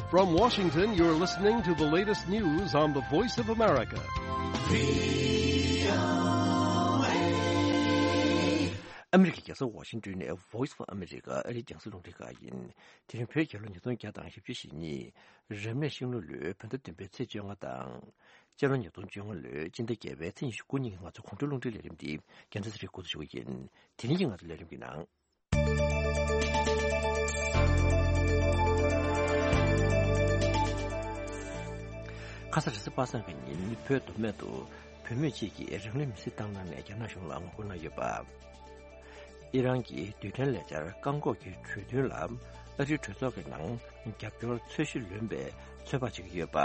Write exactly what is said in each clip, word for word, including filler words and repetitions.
From Washington, you're listening to the latest news on the Voice of America. ཨ་མི་རི་ཀའི་རྒྱལ་ས་ཝ་ཤིང་ཏོན་ནས་Voice of America ཨ་རིའི་རྒྱང་སྲིང་རླུང་འཕྲིན་ཁང་ཡིན། དེ་རིང་བོད་རྒྱལ་ལོ་ཉིས་སྟོང་བརྒྱ་དང་བཞི་བཅུ་ཞེ་གཉིས། རབ་གནས་ཤིང་ལོ་ལོའི་བོད་ཟླ་བདུན་པའི་ཚེས་བཅོ་ལྔ་དང་། སྤྱི་ལོ་ཉིས་སྟོང་བཅོ་ལྔ་ལོའི་སྤྱི་ཟླ་བརྒྱད་པའི་ཚེས་ཉི་ཤུ་དགུ་ཉིན་གྱི་ང་ཚོའི་གོང་འཕེལ་རླུང་འཕྲིན་ལས་རིམ་འདི་རྒྱང་སྲིང་རིགས་འགོ་འཛུགས་ཞུ་གི་ཡིན། དེ་རིང་གི་ང་ཚོའི་ལས་རིམ་གྱི་ནང་། ཁ་ས་རེས་གཟའ་པ་སངས་ཀྱི་ཉིན་བོད་མདོ་སྨད་དུ་བོད་མི་གཅིག་གིས་རང་ལུས་མེར་སྲེག་བཏང་གནང་ནས་རྒྱ་ནག་གཞུང་ལ་ངོ་རྒོལ་གནང་ཡོད་པ། ཨི་རན་གྱི་རྡུལ་ཕྲན་ལས་འཆར་བཀག་འགོག་གི་གྲོས་མཐུན་ལ་ཨ་རིའི་གྲོས་ཚོགས་ཀྱི་ནང་རྒྱབ་སྐྱོར་ཚད་གཞི་ལོན་པའི་ཚོད་དཔག་བྱེད་ཀྱི་ཡོད་པ།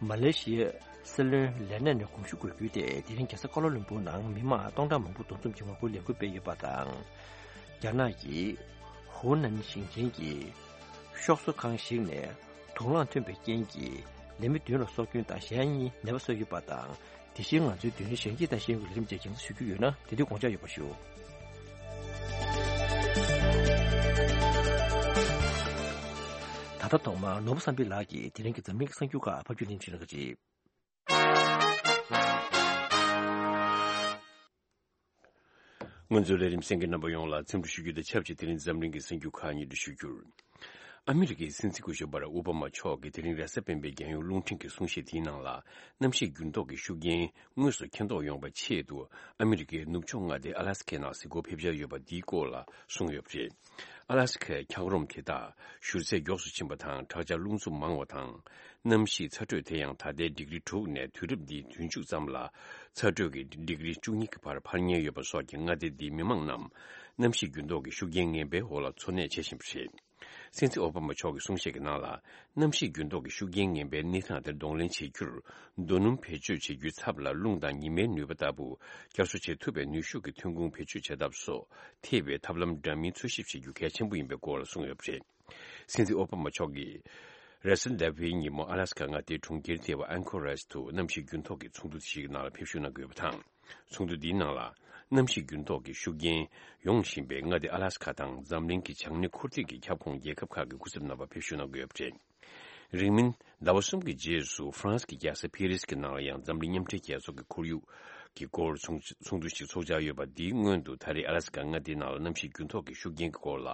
མ་ལེ་ཤི་ཡའི་སྲིད་བློན་ལས་གནས་ནས་དགོངས་ཞུ་དགོས་རྒྱུ་དེ་དེ་རིང་རྒྱལ་ས་ཀ་ལོ་ལུམ་བུར་ནང་མི་མང་སྟོང་ཕྲག་མང་པོ་འདུ་འཛོམས་ཀྱིས་ངོ་རྒོལ་ལས་འགུལ་སྤེལ་ཡོད་པ་དང་། རྒྱ་ནག་གི་ཧུའུ་ནན་ཞིང་ཆེན་གྱི་ཤོག་བཟོ་ཁང་ཞིག་ནས་དུག་རླངས་ཐོན་པའི་རྐྱེན་གྱིས་ལས་མི་བདུན་ལ་སྲོག་སྐྱོན་དང་གཞན་གཉིས་ནད་པ་གསོས་ཡོད་པ་དང་། དེ་བཞིན་ང་ཚོའི་མདུན་ལམ་གཞན་སྐྱིད་དང་ཤེས་ཡོན་གྱི་ལས་རིམ་བཅས་རྒྱང་སྲིང་ཞུ་རྒྱུ་ཡོད་ན་དེ་དུས་དགོངས་འཇགས་ཡོད་པར་ཞུ། ད་ལྟ་ཐོག་མར་ནོར་བུ་བསམ་འཕེལ་ལགས་ཀྱིས་དེ་རིང་གི་འཛམ་གླིང་གི་གསར་འགྱུར་ཁག་ཕབ་སྒྱུར་ལེན་བྱེད་གནང་གི་རེད། ང་ཚོའི་ལས་རིམ་གསན་མཁན་རྣམ་པ་ཡོངས་ལ་འཚམས་འདྲི་ཞུ་རྒྱུ་དང་ཆབས་ཅིག་དེ་རིང་འཛམ་གླིང་གི་གསར་འགྱུར་ཁག་སྙན་སྒྲོན་ཞུ་རྒྱུར། ཨ་མི་རི་ཀའི་སྲིད་འཛིན་སྐུ་ཞབས་བྷ་རག་ཨོ་བྷ་མ་མཆོག་གིས་དེ་རིང་རེས་གཟའ་སྤེན་པའི་རྒྱལ་ཡོངས་རླུང་འཕྲིན་གྱི་གསུང་བཤད་དེའི་ནང་ལ། གནམ་གཤིས་འགྱུར་ལྡོག་གི་ཤུགས་རྐྱེན་དངོས་སུ་མཁྱེན་རྟོགས་ཡོང་བའི་ཆེད་དུ། ཨ་མི་རི་ཀའི་ནུབ་ཕྱོགས་མངའ་སྡེ་ཨ་ལ་སི་ཁའི་ནང་གཟིགས་སྐོར་ཕེབས་འཆར་ཡོད་པ་འདིའི་སྐོར་ལ་གསུངས་ཡོད་པ་རེད། ཨ་ལ་སི་ཁའི་འཁྱགས་རོམ་དེ་དག་བཞུར་ཚད་མགྱོགས་སུ་ཕྱིན་པ་དང་། དྲག་ཆར་རླུང་འཚུབ་མང་བ་དང་། གནམ་གཤིས་ཚ་དྲོད་དེ་ཡང་ད་ལྟའི་ཌིག་རི་དྲུག་ནས་དུས་རབས་འདིའི་དུས་མཇུག་ཙམ་ལ་ཚ་དྲོད་ཀྱིས་ཌིག་རི་བཅུ་གཉིས་ཀྱི་བར་འཕར་ཉེན་ཡོད་པ་སོགས་ཀྱིས་མངའ་སྡེ་འདིའི་མི་མང་རྣམས་གནམ་གཤིས་འགྱུར་ལྡོག་གི་ཤུགས་རྐྱེན་ངན་པའི་འོག་ལ་འཚོ་གནས་བྱེད་བཞིན་པ་རེད། སྲིད་འཛིན་ཨོ་བྷ་མ་མཆོག་གི་གསུང་བཤད་ཀྱི་ནང་ལ། གནམ་གཤིས་འགྱུར་ལྡོག་གི་ཤུགས་རྐྱེན་ངན་པའི་གནས་སྟངས་དེ་གདོང་ལེན་བྱེད་རྒྱུར། རྡོ་སྣུམ་བེད་སྤྱོད་བྱེད་རྒྱུའི་ཚབ་ལ་རླུང་དང་ཉི་མའི་ནུས་པ་ལྟ་བུ་བསྐྱར་གསོ་བྱེད་ཐུབ་པའི་ནུས་ཤུགས་ཀྱི་ཐོན་ཁུངས་བེད་སྤྱོད་བྱེད་ཐབས་སོགས་ཐེ་བའི་ཐབས་ལམ་འདྲ་མིན་འཚོལ་ཞིབ་བྱེད་རྒྱུ་གལ་ཆེན་པོ་ཡིན་པའི་སྐོར་ལ་གསུངས་ཡོད་པ་རེད། སྲིད་འཛིན་ཨོ་བྷ་མ་མཆོག་གིས། རེས་གཟའ་ཟླ་བའི་ཉིན་མོ་ཨ་ལ་སི་ཀ་མངའ་སྡེའི་གྲོང་ཁྱེར་ཐེ་བ་ཨན་ཁོ་རེཇ་དུ་གནམ་གཤིས་འགྱུར་ལྡོག་གི་ཚོགས་འདུ་ཞིག་གི་ནང་ལ་ཕེབས་བཞུགས་གནང་དགོས་པ་དང་། ཚོགས་འདུ་འདིའི་ནང་ལ། གནམ་གཤིས་འགྱུར་ལྡོག་གི་ཤུགས་རྐྱེན་ཡོང་བཞིན་པའི་མངའ་སྡེ་ཨ་ལ་སི་ཀ་དང་འཛམ་གླིང་གི་བྱང་སྣེ་འཁོར་ཐིག་གི་ཁྱབ་ཁོངས་རྒྱལ་ཁབ་ཁག་གི་སྐུ་ཚབ་རྣམ་པ་ཕེབས་བཞུགས་གནང་དགོས་ཡོད་པ་རེད། རིང་མིན་ཟླ་བ་གསུམ་གྱི་རྗེས་སུ་ཧྥ་རན་སི་གི་རྒྱལ་ས་ཕེ་རིས་ཀྱི་ནང་ལ་ཡང་འཛམ་གླིང་མཉམ་འབྲེལ་རྒྱལ་ཚོགས་ཀྱི་ཁོར་ཡུག་གི་སྐོར་ཚོགས་ཚོགས་འདུ་ཞིག་ཚོགས་འཆར་ཡོད་པ། འདིའི་སྔོན་དུ་ད་རེས་ཨ་ལ་སི་ཀ་མངའ་སྡེའི་ནང་ལ་གནམ་གཤིས་འགྱུར་ལྡོག་གི་ཤུགས་རྐྱེན་གྱི་སྐོར་ལ་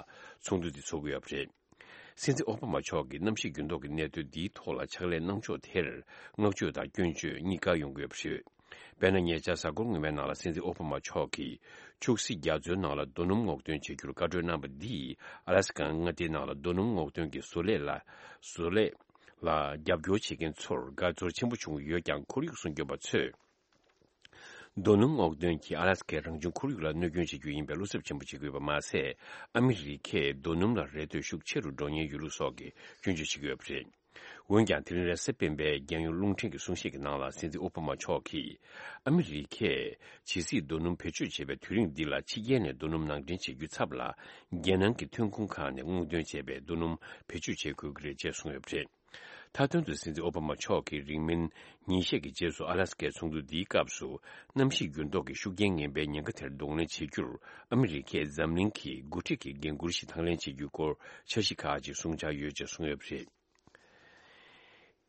ཚོགས་འདུ་འདི་ཚོགས་ཀྱི་ཡོད་པ་རེད། སྲིད་འཛིན་ཨོ་བྷ་མ་མཆོག་གིས་གནམ་གཤིས་འགྱུར་ལྡོག་གི་གནད་དོན་འདིའི་ཐོག་ལ་ཕྱག་ལས་གནང་ཕྱོགས་དེར་བསྔགས་བརྗོད་དང་སྐྱོན་བརྗོད་གཉིས་ཀ་ཡོང་གི་ཡོད་པ་རེད། དཔེར་ན། ཉེ་ཆར་གཟའ་འཁོར་སྔོན་མའི་ནང་ལ་སྲིད་འཛིན་ཨོ་བྷ་མ་མཆོག་གིས་ཕྱུགས་སྲིད་རྒྱ་མཚོའི་ནང་ལ་རྡོ་སྣུམ་སྔོག་འདོན་བྱེད་རྒྱུར་བཀའ་འཁྲོལ་གནང་བ་འདིས་ཨ་ལ་སི་ཀ་མངའ་སྡེའི་ནང་ལ་རྡོ་སྣུམ་སྔོག་འདོན་གྱི་བཟོ་ལས་ལ་བཟོ་ལས་ལ་རྒྱབ་སྐྱོར་བྱེད་མཁན་ཚོར་དགའ་ཚོར་ཆེན་པོ་བྱུང་ཡོད་ཀྱང་། ཁོར་ཡུག་སྲུང་སྐྱོབ་པ་ཚོས། རྡོ་སྣུམ་སྔོག་འདོན་གྱིས་ཨ་ལ་སི་ཀའི་རང་བྱུང་ཁོར་ཡུག་ལ་གནོད་སྐྱོན་བྱེད་རྒྱུ་ཡིན་པས་བློ་འཚབ་ཆེན་པོ་བྱེད་ཀྱི་ཡོད་པ་མ་ཟད། ཨ་མི་རི་ཀས་རྡོ་སྣུམ་ལ་རེ་ལྟོས་ཤུགས་ཆེ་རུ་འགྲོ་ཉེན་ཡོད་ལུགས་སོགས་ཀྱི་སྐྱོན་བརྗོད་བྱེད་ཀྱི་ཡོད་པ་རེད། འོན་ཀྱང་། དེ་རིང་རེས་གཟའ་སྤེན་པའི་རྒྱལ་ཡོངས་རླུང་འཕྲིན་གྱི་གསུང་བཤད་ཀྱི་ནང་ལ། སྲིད་འཛིན་ཨོ་བྷ་མ་མཆོག་གིས། ཨ་མི་རི་ཀས་ཇི་སྲིད་རྡོ་སྣུམ་བེད་སྤྱོད་བྱེད་པའི་དུས་རིང་འདི་ལ་ཕྱི་རྒྱལ་ནས་རྡོ་སྣུམ་ནང་འདྲེན་བྱེད་རྒྱུའི་ཚབ་ལ། རྒྱལ་ནང་གི་ཐོན་ཁུངས་ཁག་ནས་སྔོག་འདོན་བྱས་པའི་རྡོ་སྣུམ་བེད་སྤྱོད་བྱེད་དགོས་ཀྱི་རེད་ཅེས་གསུངས་ཡོད་པ་རེད། མཐའ་དོན་དུ། སྲིད་འཛིན་ཨོ་བྷ་མ་མཆོག་གིས་རིང་མིན་ཉིན་ཤས་ཀྱི་རྗེས་སུ་ཨ་ལ་སི་ཀའི་ཚོགས་འདུ་འདིའི་སྐབས་སུ། གནམ་གཤིས་འགྱུར་ལྡོག་གི་ཤུགས་རྐྱེན་ངན་པའི་ཉེན་ཁ་དེར་གདོང་ལེན་བྱེད་རྒྱུར། ཨ་མི་རི་ཀས་འཛམ་གླིང་གི་འགོ་ཁྲིད་ཀྱི་འགན་འཁུར་ཞིག་དང་ལེན་བྱེད་རྒྱུའི་སྐོར་འཆར་གཞི་ཁག་ཅིག་གསུང་འཆར་ཡོད་ཅེས་གསུངས་ཡོད་པ་རེད།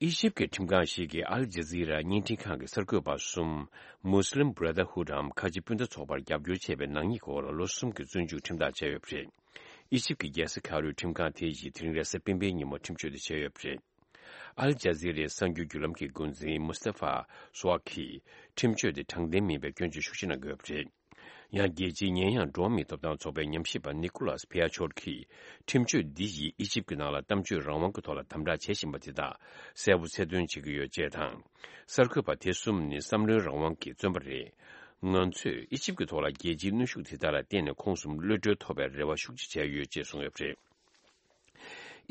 ཨི་ཇིབ་ཀྱི་ཁྲིམས་ཁང་ཞིག་གིས་ཨལ་ཇ་ཛི་ར་བརྙན་འཕྲིན་ཁང་གི་གསར་འགོད་པ་གསུམ། Muslim Brotherhood འམ་ཁ་ཆེ་སྤུན་ཟླ་ཚོགས་པར་རྒྱབ་སྐྱོར་བྱས་པའི་ནག་ཉེས་སྐོར་ལ་ལོ་གསུམ་གྱི་བཙོན་འཇུག་ཁྲིམས་ཐག་བཅད་ཡོད་པ་རེད། ཨི་ཇིབ་ཀྱི་རྒྱལ་ས་ཁ་རུའི་ཁྲིམས་ཁང་དེ་ཡིས་དེ་རིང་རེས་གཟའ་སྤེན་པའི་ཉིན་མོ་ཁྲིམས་གཅོད་དེ་བྱས་ཡོད་པ་རེད། ཨལ་ཇ་ཛི་རའི་གསར་འགྱུར་བརྒྱུད་ལམ་གྱི་འགོ་འཛིན་མུ་སྟེ་ཧྥ་སུ་ཝ་གིས་ཁྲིམས་གཅོད་དེ་དྲང་བདེན་མིན་པའི་སྐྱོན་བརྗོད་ཤུགས་ཆེ་གནང་གི་ཡོད་པ་རེད། ཡང་། རྒྱལ་སྤྱིའི་ཉེས་ཡངས་འགྲོ་བ་མིའི་ཐོབ་ཐང་ཚོགས་པའི་ཉམས་ཞིབ་པ་ནི་ཀུ་ལཱས་བྷི་ཡ་ཆོར་གྱིས། ཁྲིམས་གཅོད་འདི་ཡིས་ཨི་ཇིབ་ཀྱི་ནང་ལ་གཏམ་བརྗོད་རང་དབང་གི་ཐོག་ལ་དམ་དྲག་བྱེད་བཞིན་པ་དེ་དག་གསལ་པོ་གསལ་སྟོན་བྱེད་ཀྱི་ཡོད་ཅེས་དང་། གསར་འགོད་པ་དེ་གསུམ་ནི་བསམ་བློའི་རང་དབང་གི་བཙོན་པ་རེད། ང་ཚོས་ཨི་ཇིབ་ཀྱི་ཐོག་ལ་རྒྱལ་སྤྱིའི་གནོན་ཤུགས་དེ་དག་ལ་བརྟེན་ནས་ཁོང་གསུམ་གློད་གྲོལ་ཐོབ་པའི་རེ་བ་ཤུགས་ཆེ་བྱས་ཡོད་ཅེས་གསུངས་ཡོད་པ་རེད།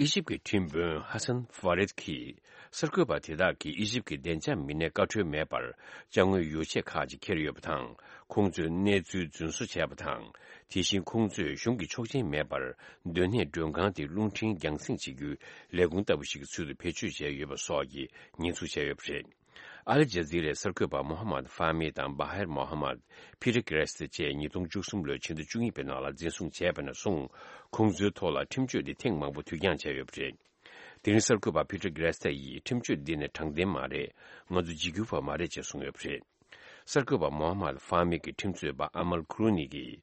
ཨི་ཇིབ་ཀྱི་ཁྲིམས་དཔོན་ཧ་སན་ཧྥ་རེད་ཀྱིས། གསར་འགོད་པ་དེ་དག་གིས་ཨི་ཇིབ་ཀྱི་བདེ་འཇགས་མི་སྣས་བཀའ་འཁྲོལ་མེད་པར་ཅ་དངོས་ཡོ་ཆས་ཁག་ཅིག་འཁྱེར་ཡོད་པ་དང་། ཁོང་ཚོའི་གནས་ཚུལ་རྫུན་བཟོ་བྱས་པ་དང་། དེ་བཞིན་ཁོང་ཚོས་གཞུང་གི་ཆོག་མཆན་མེད་པར་སྡོད་གནས་མགྲོན་ཁང་དེ་རླུང་འཕྲིན་རྒྱང་སྲིང་བྱེད་རྒྱུའི་ལས་ཁུངས་ལྟ་བུ་ཞིག་གི་ཚུལ་དུ་བེད་སྤྱོད་བྱས་ཡོད་པ་སོགས་ཀྱི་ཉེས་འཛུགས་བྱས་ཡོད་པ་རེད། ཨལ་ཇ་ཛི་རའི་གསར་འགོད་པ་མོ་ཧ་མད་ཧྥ་མི་དང་བྷ་ཧེར་མོ་ཧ་མད། ཕི་རི་ཀེ་རེ་སི་བཅས་ཉིས་སྟོང་བཅུ་གསུམ་ལོའི་ཕྱི་ཟླ་བཅུ་གཉིས་པའི་ནང་ལ་འཛིན་བཟུང་བྱས་པ་ནས་བཟུང་། ཁོང་ཚོའི་ཐོག་ལ་ཁྲིམས་གཅོད་འདི་ཐེངས་མང་པོ་དུས་འགྱངས་བྱས་ཡོད་པ་རེད། དེ་རིང་གསར་འགོད་པ་ཕི་ཏྲ་གྷི་རེ་སི་ཐ་ཡིས་ཁྲིམས་གཅོད་འདི་ནི་དྲང་བདེན་མ་རེད། ང་ཚོ་འཇིགས་སྐུལ་བ་མ་རེད་ཅེས་གསུངས་ཡོད་པ་རེད། གསར་འགོད་པ་མོ་ཧ་མད་ཧྥ་མི་གི་ཁྲིམས་རྩོད་པ་ཨ་མལ་ཁུ་རུ་ནི་གིས།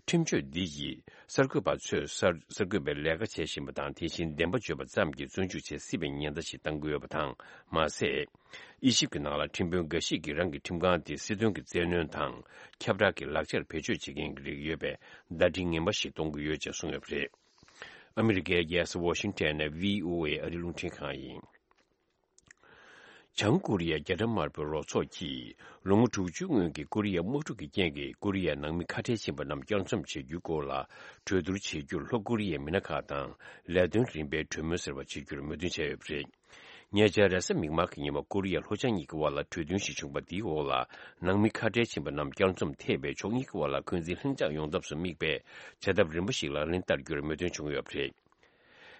ཁྲིམས་གཅོད་འདི་ཡིས་གསར་འགོད་པ་ཚོས་གསར་གསར་འགོད་པའི་ལས་ཀ་བྱེད་བཞིན་པ་དང་། དེ་བཞིན་བདེན་པ་བརྗོད་པ་ཙམ་གྱིས་བཙོན་འཇུག་བྱེད་སྲིད་པའི་ཉེན་བརྡ་ཞིག་བཏང་གི་ཡོད་པ་དང་། མ་ཟད། དབྱེ་ཞིབ་ཀྱི་ནང་ལ་ཁྲིམས་དཔོན་འགའ་ཞིག་གིས་རང་གི་ཁྲིམས་ཁང་དེ་སྲིད་དོན་གྱི་བཙན་གནོན་དང་། ཁྱབ་བསྒྲགས་ཀྱི་ལག་ཆར་བེད་སྤྱོད་བྱེད་མཁན་གྱི་རིགས་ཡོད་པའི་བརྡ་འཕྲིན་ངན་པ་ཞིག་གཏོང་གི་ཡོད་ཅེས་གསུངས་ཡོད་པ་རེད། ཨ་མི་རི་ཀའི་རྒྱལ་ས་ཝ་ཤིང་ཊོན་ནས་ཝི་ཨོ་ཨེ་ཨ་རིའི་རླུང་འཕྲིན་ཁང་ཡིན། བྱང་ཀོ་རི་ཡའི་རྒྱ་གྲམ་དམར་པོའི་རོགས་ཚོགས་ཀྱིས་ལོ་ངོ་དྲུག་ཅུ་སྔོན་གྱི་ཀོ་རི་ཡའི་དམག་འཁྲུག་གི་རྐྱེན་གྱིས་ཀོ་རི་ཡའི་ནང་མི་ཁ་བྲལ་ཕྱིན་པ་རྣམས་བསྐྱར་འཛོམས་བྱེད་རྒྱུའི་སྐོར་ལ་གྲོས་བསྡུར་བྱེད་རྒྱུར་ལྷོ་ཀོ་རི་ཡའི་མི་སྣ་ཁག་དང་ལས་དོན་རིམ་པའི་གྲོས་མོལ་ཟེར་བ་བྱེད་རྒྱུར་མོས་མཐུན་བྱས་ཡོད་པ་རེད། ཉེ་ཆར་རེས་གཟའ་མིག་དམར་གྱི་ཉིན་མོ་ཀོ་རི་ཡ་ལྷོ་བྱང་གཉིས་ཀྱི་དབར་ལ་གྲོས་མཐུན་ཞིག་བྱུང་བ་དེའི་འོག་ལ་ནང་མི་ཁ་བྲལ་ཕྱིན་པ་རྣམས་བསྐྱར་འཛོམས་ཐེ་བའི་ཕྱོགས་གཉིས་ཀྱི་དབར་ལ་འཁོན་འཛིན་ལྷིང་འཇགས་ཡོང་ཐབས་སུ་དམིགས་པའི་བྱ་ཐབས་རིམ་པ་ཞིག་ལག་ལེན་བསྟར་རྒྱུར་མོས་མཐུན་བྱུང་ཡོད་པ་རེད།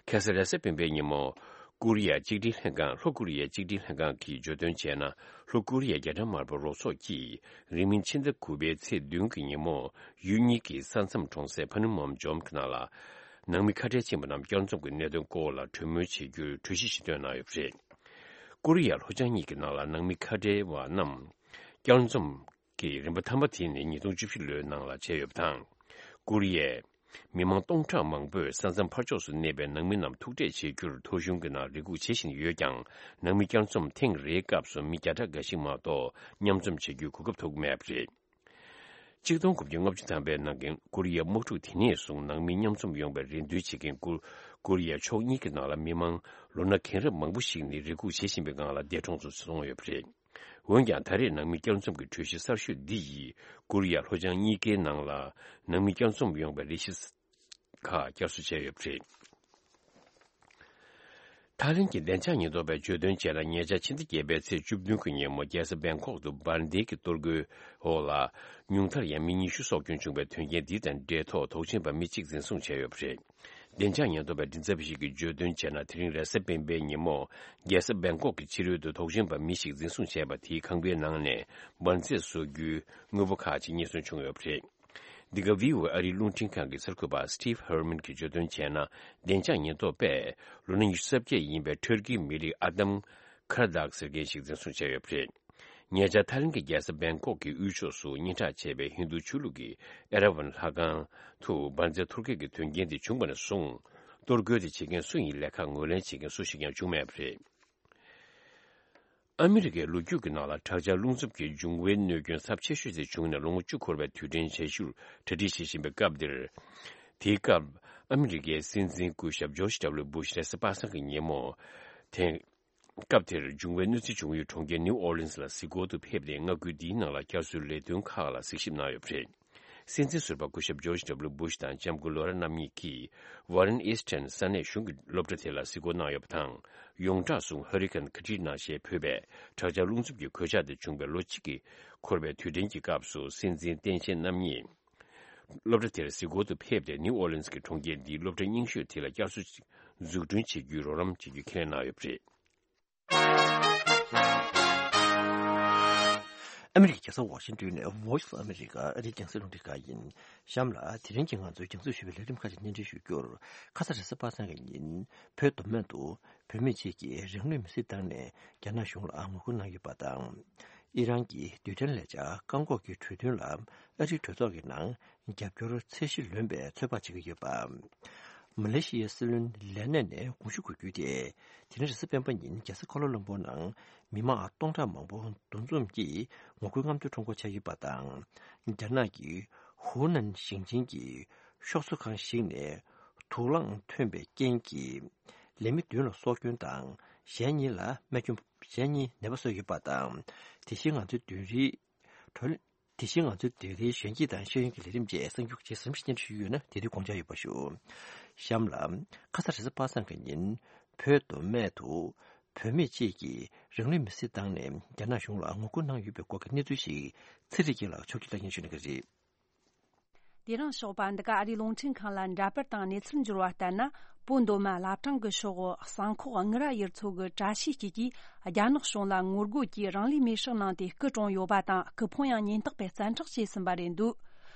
ཁ་སང་རེས་གཟའ་སྤེན་པའི་ཉིན་མོ། ཀོ་རི་ཡ་གཅིག་སྒྲིལ་ལྷན་ཁང་། ལྷོ་ཀོ་རི་ཡའི་གཅིག་སྒྲིལ་ལྷན་ཁང་གིས་བརྗོད་དོན་བྱས་ན། ལྷོ་ཀོ་རི་ཡའི་རྒྱ་གྲམ་དམར་པོ་རོགས་ཚོགས་ཀྱིས་རིང་མིན་ཕྱི་ཟླ་དགུ་པའི་ཚེས་བདུན་གྱི་ཉིན་མོ། ཡུལ་གཉིས་ཀྱི་ས་མཚམས་གྲོང་གསེབ་ཕ་ནུ་མོམ་ཇོམ་གྱི་ནང་ལ། ནང་མི་ཁ་བྲལ་ཕྱིན་པ་རྣམས་བསྐྱར་འཛོམས་ཀྱི་གནད་དོན་སྐོར་ལ་གྲོས་མོལ་བྱེད་རྒྱུའི་གྲོས་གཞི་ཞིག་བཏོན་གནང་ཡོད་པ་རེད། ཀོ་རི་ཡ་ལྷོ་བྱང་གཉིས་ཀྱི་ནང་ལ་ནང་མི་ཁ་བྲལ་བ་རྣམས་བསྐྱར་འཛོམས་ཀྱི་རིམ་པ་ཐམ་པ་དེ་ནི་ཉིས་སྟོང་བཅུ་བཞི་ལོའི་ནང་ལ་བྱས་ཡོད་པ་དང་། ཀོ་རི་ཡའི་མི་མང་སྟོང་ཕྲག་མང་པོས་ས་མཚམས་ཕར་ཕྱོགས་སུ་གནས་པའི་ནང་མི་རྣམས་ཐུག་འཕྲད་བྱེད་རྒྱུར་ཐོ་གཞུང་གི་ནང་རེ་སྒུག་བྱེད་བཞིན་ཡོད་ཀྱང་། ནང་མི་བསྐྱར་འཛོམས་ཐེངས་རེའི་སྐབས་སུ་མི་བརྒྱ་ཕྲག་འགའ་ཞིག་མ་གཏོགས་མཉམ་འཛོམས་བྱེད་རྒྱུའི་གོ་སྐབས་ཐོབ་ཀྱི་མེད་པ་རེད། ཆིག་སྟོང་དགུ་བརྒྱ་ལྔ་བཅུ་ཐམ་པའི་ནང་གི་ཀོ་རི་ཡའི་དམག་འཁྲུག་དེ་ནས་བཟུང་ནང་མི་མཉམ་འཛོམས་ཡོང་བའི་རེ་འདུན་བྱེད་མཁན་ཀོ་ཀོ་རི་ཡའི་ཕྱོགས་གཉིས་ཀྱི་ནང་ལ་མི་མང་ལོ་ན་རྒན་རབས་མང་པོ་ཞིག་ནི་རེ་སྒུག་བྱེད་བཞིན་པའི་སྒང་ལ་འདས་གྲོངས་སུ་སོང་ཡོད་པ་རེད། འོན་ཀྱང་ད་རེས་ནང་མི་བསྐྱར་འཛོམས་ཀྱི་གྲོས་གཞི་གསར་ཤོས་འདི་ཡིས་ཀོ་རི་ཡ་ལྷོ་བྱང་གཉིས་ཀའི་ནང་ལ་ནང་མི་བསྐྱར་འཛོམས་ཡོང་བའི་རེ་གཞི་ཁག་བསྐྱར་གསོ་བྱས་ཡོད་པ་རེད། ཐའི་ལེན་གྱི་བདེ་འཇགས་ཉེན་རྟོག་པས་བརྗོད་དོན་བྱས་ན། ཉེ་ཆར་ཕྱི་ཟླ་བརྒྱད་པའི་ཚེས་བཅུ་བདུན་གྱི་ཉིན་མོ་རྒྱལ་ས་བེང་ཀོག་ཏུ་འབར་མདེལ་གྱི་གཏོར་རྒོལ་འོག་ལ་ཉུང་མཐར་ཡང་མི་ཉི་ཤུ་སྲོག་སྐྱོན་བྱུང་བའི་དོན་རྐྱེན་འདི་དང་འབྲེལ་ཐོག་དོགས་ཟོན་པ་མི་གཅིག་འཛིན་བཟུང་བྱས་ཡོད་པ་རེད། བདེ་འཇགས་ཉེན་རྟོག་པའི་མགྲིན་ཚབ་ཞིག་གིས་བརྗོད་དོན་བྱས་ན། དེ་རིང་རེས་གཟའ་སྤེན་པའི་ཉིན་མོ་རྒྱལ་ས་བེང་ཀོག་གི་ཕྱི་རོལ་དུ་དོགས་ཟོན་པ་མི་ཞིག་འཛིན་བཟུང་བྱས་པ་དེའི་ཁང་པའི་ནང་ནས་འབར་རྫས་བཟོ་རྒྱུའི་དངོས་པོ་ཁག་ཅིག་རྙེད་སོན་བྱུང་ཡོད་པ་རེད། འདི་ག་ཝི་ཨོ་ཨེ་ཨ་རིའི་རླུང་འཕྲིན་ཁང་གི་གསར་འགོད་པ་Steve Herman གྱིས་བརྗོད་དོན་བྱས་ན། བདེ་འཇགས་ཉེན་རྟོག་པས་ལོ་ན་ཉི་ཤུ་རྩ་བརྒྱད་ཡིན་པའི་ཊར་ཀིའི་མི་རིགས་ཨ་དམ་ཁར་དག་ཟེར་མཁན་ཞིག་འཛིན་བཟུང་བྱས་ཡོད་པ་རེད། ཉེ་ཆར་ཐའི་ལེན་གྱི་རྒྱལ་ས་བེང་ཀོག་གི་དབུས་ཕྱོགས་སུ་སྙན་གྲགས་ཆེ་བའི་ཧིན་རྡུ་ཆོས་ལུགས་ཀྱི་ཨེ་ར་ཝན་ལྷ་ཁང་དུ་འབར་རྫས་གཏོར་སྐྱོན་གྱི་དོན་རྐྱེན་དེ་བྱུང་བ་ནས་བཟུང་། གཏོར་རྒོལ་དེ་བྱེད་མཁན་སུ་ཡིན་ལས་ཁག་ངོས་ལེན་བྱེད་མཁན་སུ་ཞིག་ཀྱང་བྱུང་མེད་པ་རེད། ཨ་མི་རི་ཀའི་ལོ་རྒྱུས་ཀྱི་ནང་ལ་དྲག་ཆར་རླུང་འཚུབ་ཀྱི་འབྱུང་བའི་གནོད་སྐྱོན་ཚབས་ཆེ་ཤོས་དེ་བྱུང་ནས་ལོ་ངོ་བཅུ་འཁོར་བའི་དུས་དྲན་བྱེད་ཤུགས་གྲ་སྒྲིག་བྱེད་བཞིན་པའི་སྐབས་འདིར། དེའི་སྐབས་ཨ་མི་རི་ཀའི་སྲིད་འཛིན་སྐུ་ཞབས་ཇོརྗ་ཌབ་ལུ་བྷུཤ་རེས་གཟའ་པ་སངས་ཀྱི་ཉིན་མོ། དེ། སྐབས་དེར་འབྱུང་བའི་གནོད་འཚེ་བྱུང་ཡུལ་གྲོང་ཁྱེར་ནིའུ་ཨོར་ལིན་སི་ལ་གཟིགས་སྐོར་དུ་ཕེབས་ཏེ། མངའ་ཁུལ་འདིའི་ནང་ལ་བསྐྱར་གསོའི་ལས་དོན་ཁག་ལ་གཟིགས་ཞིབ་གནང་ཡོད་པ་རེད། སྲིད་འཛིན་ཟུར་པ་སྐུ་ཞབས་ཇོརྗ་ཌབ་ལུ་བྷུཤ་དང་ལྕམ་སྐུ་ལོ་ར་རྣམ་གཉིས་ཀྱིས་ཝ་རན་ཨིས་ཊན་ས་གནས་གཞུང་གི་སློབ་གྲྭ་དེ་ལ་གཟིགས་སྐོར་གནང་ཡོད་པ་དང་། ཡོངས་གྲགས་སུ་ཧ་རི་ཀན་ཁ་ཏྲི་ན་ཞེས་འབོད་པའི་དྲག་ཆར་རླུང་འཚུབ་ཀྱི་གོད་ཆག་དེ་བྱུང་བའི་ལོ་གཅིག་གི་འཁོར་བའི་དུས་དྲན་གྱི་སྐབས་སུ། སྲིད་འཛིན་སྟངས་དཔྱལ་རྣམ་གཉིས་སློབ་གྲྭ་དེར་གཟིགས་སྐོར་དུ་ཕེབས་ཏེ། ནིའུ་ཨོར་ལིན་སི་གི་གྲོང་ཁྱེར་འདིའི་སློབ་གྲྭ་རྙིང་ཤོས་དེ་ལ་བསྐྱར་གསོ་འཛུགས་སྐྲུན་བྱེད་རྒྱུའི་རོགས་རམ་བྱེད་རྒྱུ་ཁས་ལེན་གནང་ཡོད་པ་རེད། ཨ་མི་རི་ཀའི་རྒྱལ་ས་ཝ་ཤིང་ཏོན་ནས་Voice of America ཨ་རིའི་རྒྱང་སྲིང་རླུང་འཕྲིན་ཁང་ཡིན། གཤམ་ལ་དེ་རིང་གི་ང་ཚོའི་རྒྱང་སྲིང་ཞུ་བའི་ལས་རིམ་ཁག་ཅིག་སྙན་སྒྲོན་ཞུ་རྒྱུར། ཁ་ས་རེས་གཟའ་པ་སངས་ཀྱི་ཉིན་བོད་མདོ་སྨད་དུ་བུད་མེད་ཅིག་གིས་རང་ལུས་མེར་སྲེག་བཏང་ནས་རྒྱ་ནག་གཞུང་ལ་ངོ་རྒོལ་གནང་ཡོད་པ་དང་། ཨི་རན་གྱི་རྡུལ་ཕྲན་ལས་འཆར་བཀག་འགོག་གི་གྲོས་མཐུན་ལ་ཨ་རིའི་གྲོས་ཚོགས་ཀྱི་ནང་རྒྱབ་སྐྱོར་ཚད་གཞི་ལོན་པའི་ཚོད་དཔག་བྱེད་ཀྱི་ཡོད་པ། མ་ལེ་ཤི་ཡའི་སྲིད་བློན་ལས་གནས་ནས་དགོངས་ཞུ་དགོས་རྒྱུ་དེ། དེ་རིང་རེས་གཟའ་སྤེན་པ་ཉིན་རྒྱལ་ས་ཀོ་ལ་ལམ་པུར་ནང་མི་མང་སྟོང་ཕྲག་མང་པོ་འདུ་འཛོམས་ཀྱིས་ངོ་རྒོལ་རྔམ་སྟོན་ཁྲོམ་སྐོར་བྱས་ཡོད་པ་དང་། རྒྱ་ནག་གི་ཧུའུ་ནན་ཞིང་ཆེན་གྱི་ཤོག་བཟོ་ཁང་ཞིག་ནས་དུག་རླངས་ཐོན་པའི་རྐྱེན་གྱིས་ལས་མི་བདུན་ལ་སྲོག་སྐྱོན་དང་། གཞན་གཉིས་ལ་རྨས་སྐྱོན། གཞན་གཉིས་ནད་པ་གསོས་ཡོད་པ་དང་། དེ་བཞིན་ང་ཚོའི་བདུན་རེའི་གྲོལ། དེ་བཞིན་ང་ཚོའི་དེ་རིང་གཞོན་སྐྱེས་དང་ཤེས་ཡོན་གྱི་ལས་རིམ་བཅས་གསར་འགྱུར་ཇི་ཙམ་ཞིག་སྙན་སྒྲོན་ཞུས་ཡོད་ན་དེ་དུས་དགོངས་འཇགས་ཡོད་པ་ཞུ། གཤམ་ལ། ཁ་ས་རེས་གཟའ་པ་སངས་ཀྱི་ཉིན་བོད་མདོ་སྨད་དུ་བུད་མེད་ཅིག་གིས་རང་ལུས་མེར་སྲེག་བཏང་ནས་རྒྱ་ནག་གཞུང་ལ་ངོ་རྒོལ་གནང་ཡོད་པའི་སྐོར་གྱི་གནས་ཚུལ་ཞིག་ཚེ་རིང་སྐྱིད་ལགས་ཕྱོགས་སྒྲིག་ལ་སྙན་ཞུ་གནང་གི་རེད། དེ་རིང་ཞོགས་པ་འདི་ག་ཨ་རིའི་རླུང་འཕྲིན་ཁང་ལ་འདྲ་པར་དང་གནས་ཚུལ་འབྱོར་བ་ལྟར་ན། བོད་མདོ་སྨད་བླ་བྲང་གི་ཕྱོགས་གསང་ཁོག་དངུལ་རྭ་ཡུལ་ཚོ་གི་བཀྲ་ཤིས་སྐྱིད་ཀྱིས་རྒྱ་ནག་གཞུང་ལ་ངོ་རྒོལ་གྱིས་རང་ལུས་མེར་སྲེག་གནང་སྟེ་སྐུ་གྲོངས་ཡོད་པ་དང་། སྐུ་ཕུང་ཡང་ཉེན་རྟོག་པས་བཙན་འཕྲོག་བྱས་ཟིན་པ་རེད་འདུག།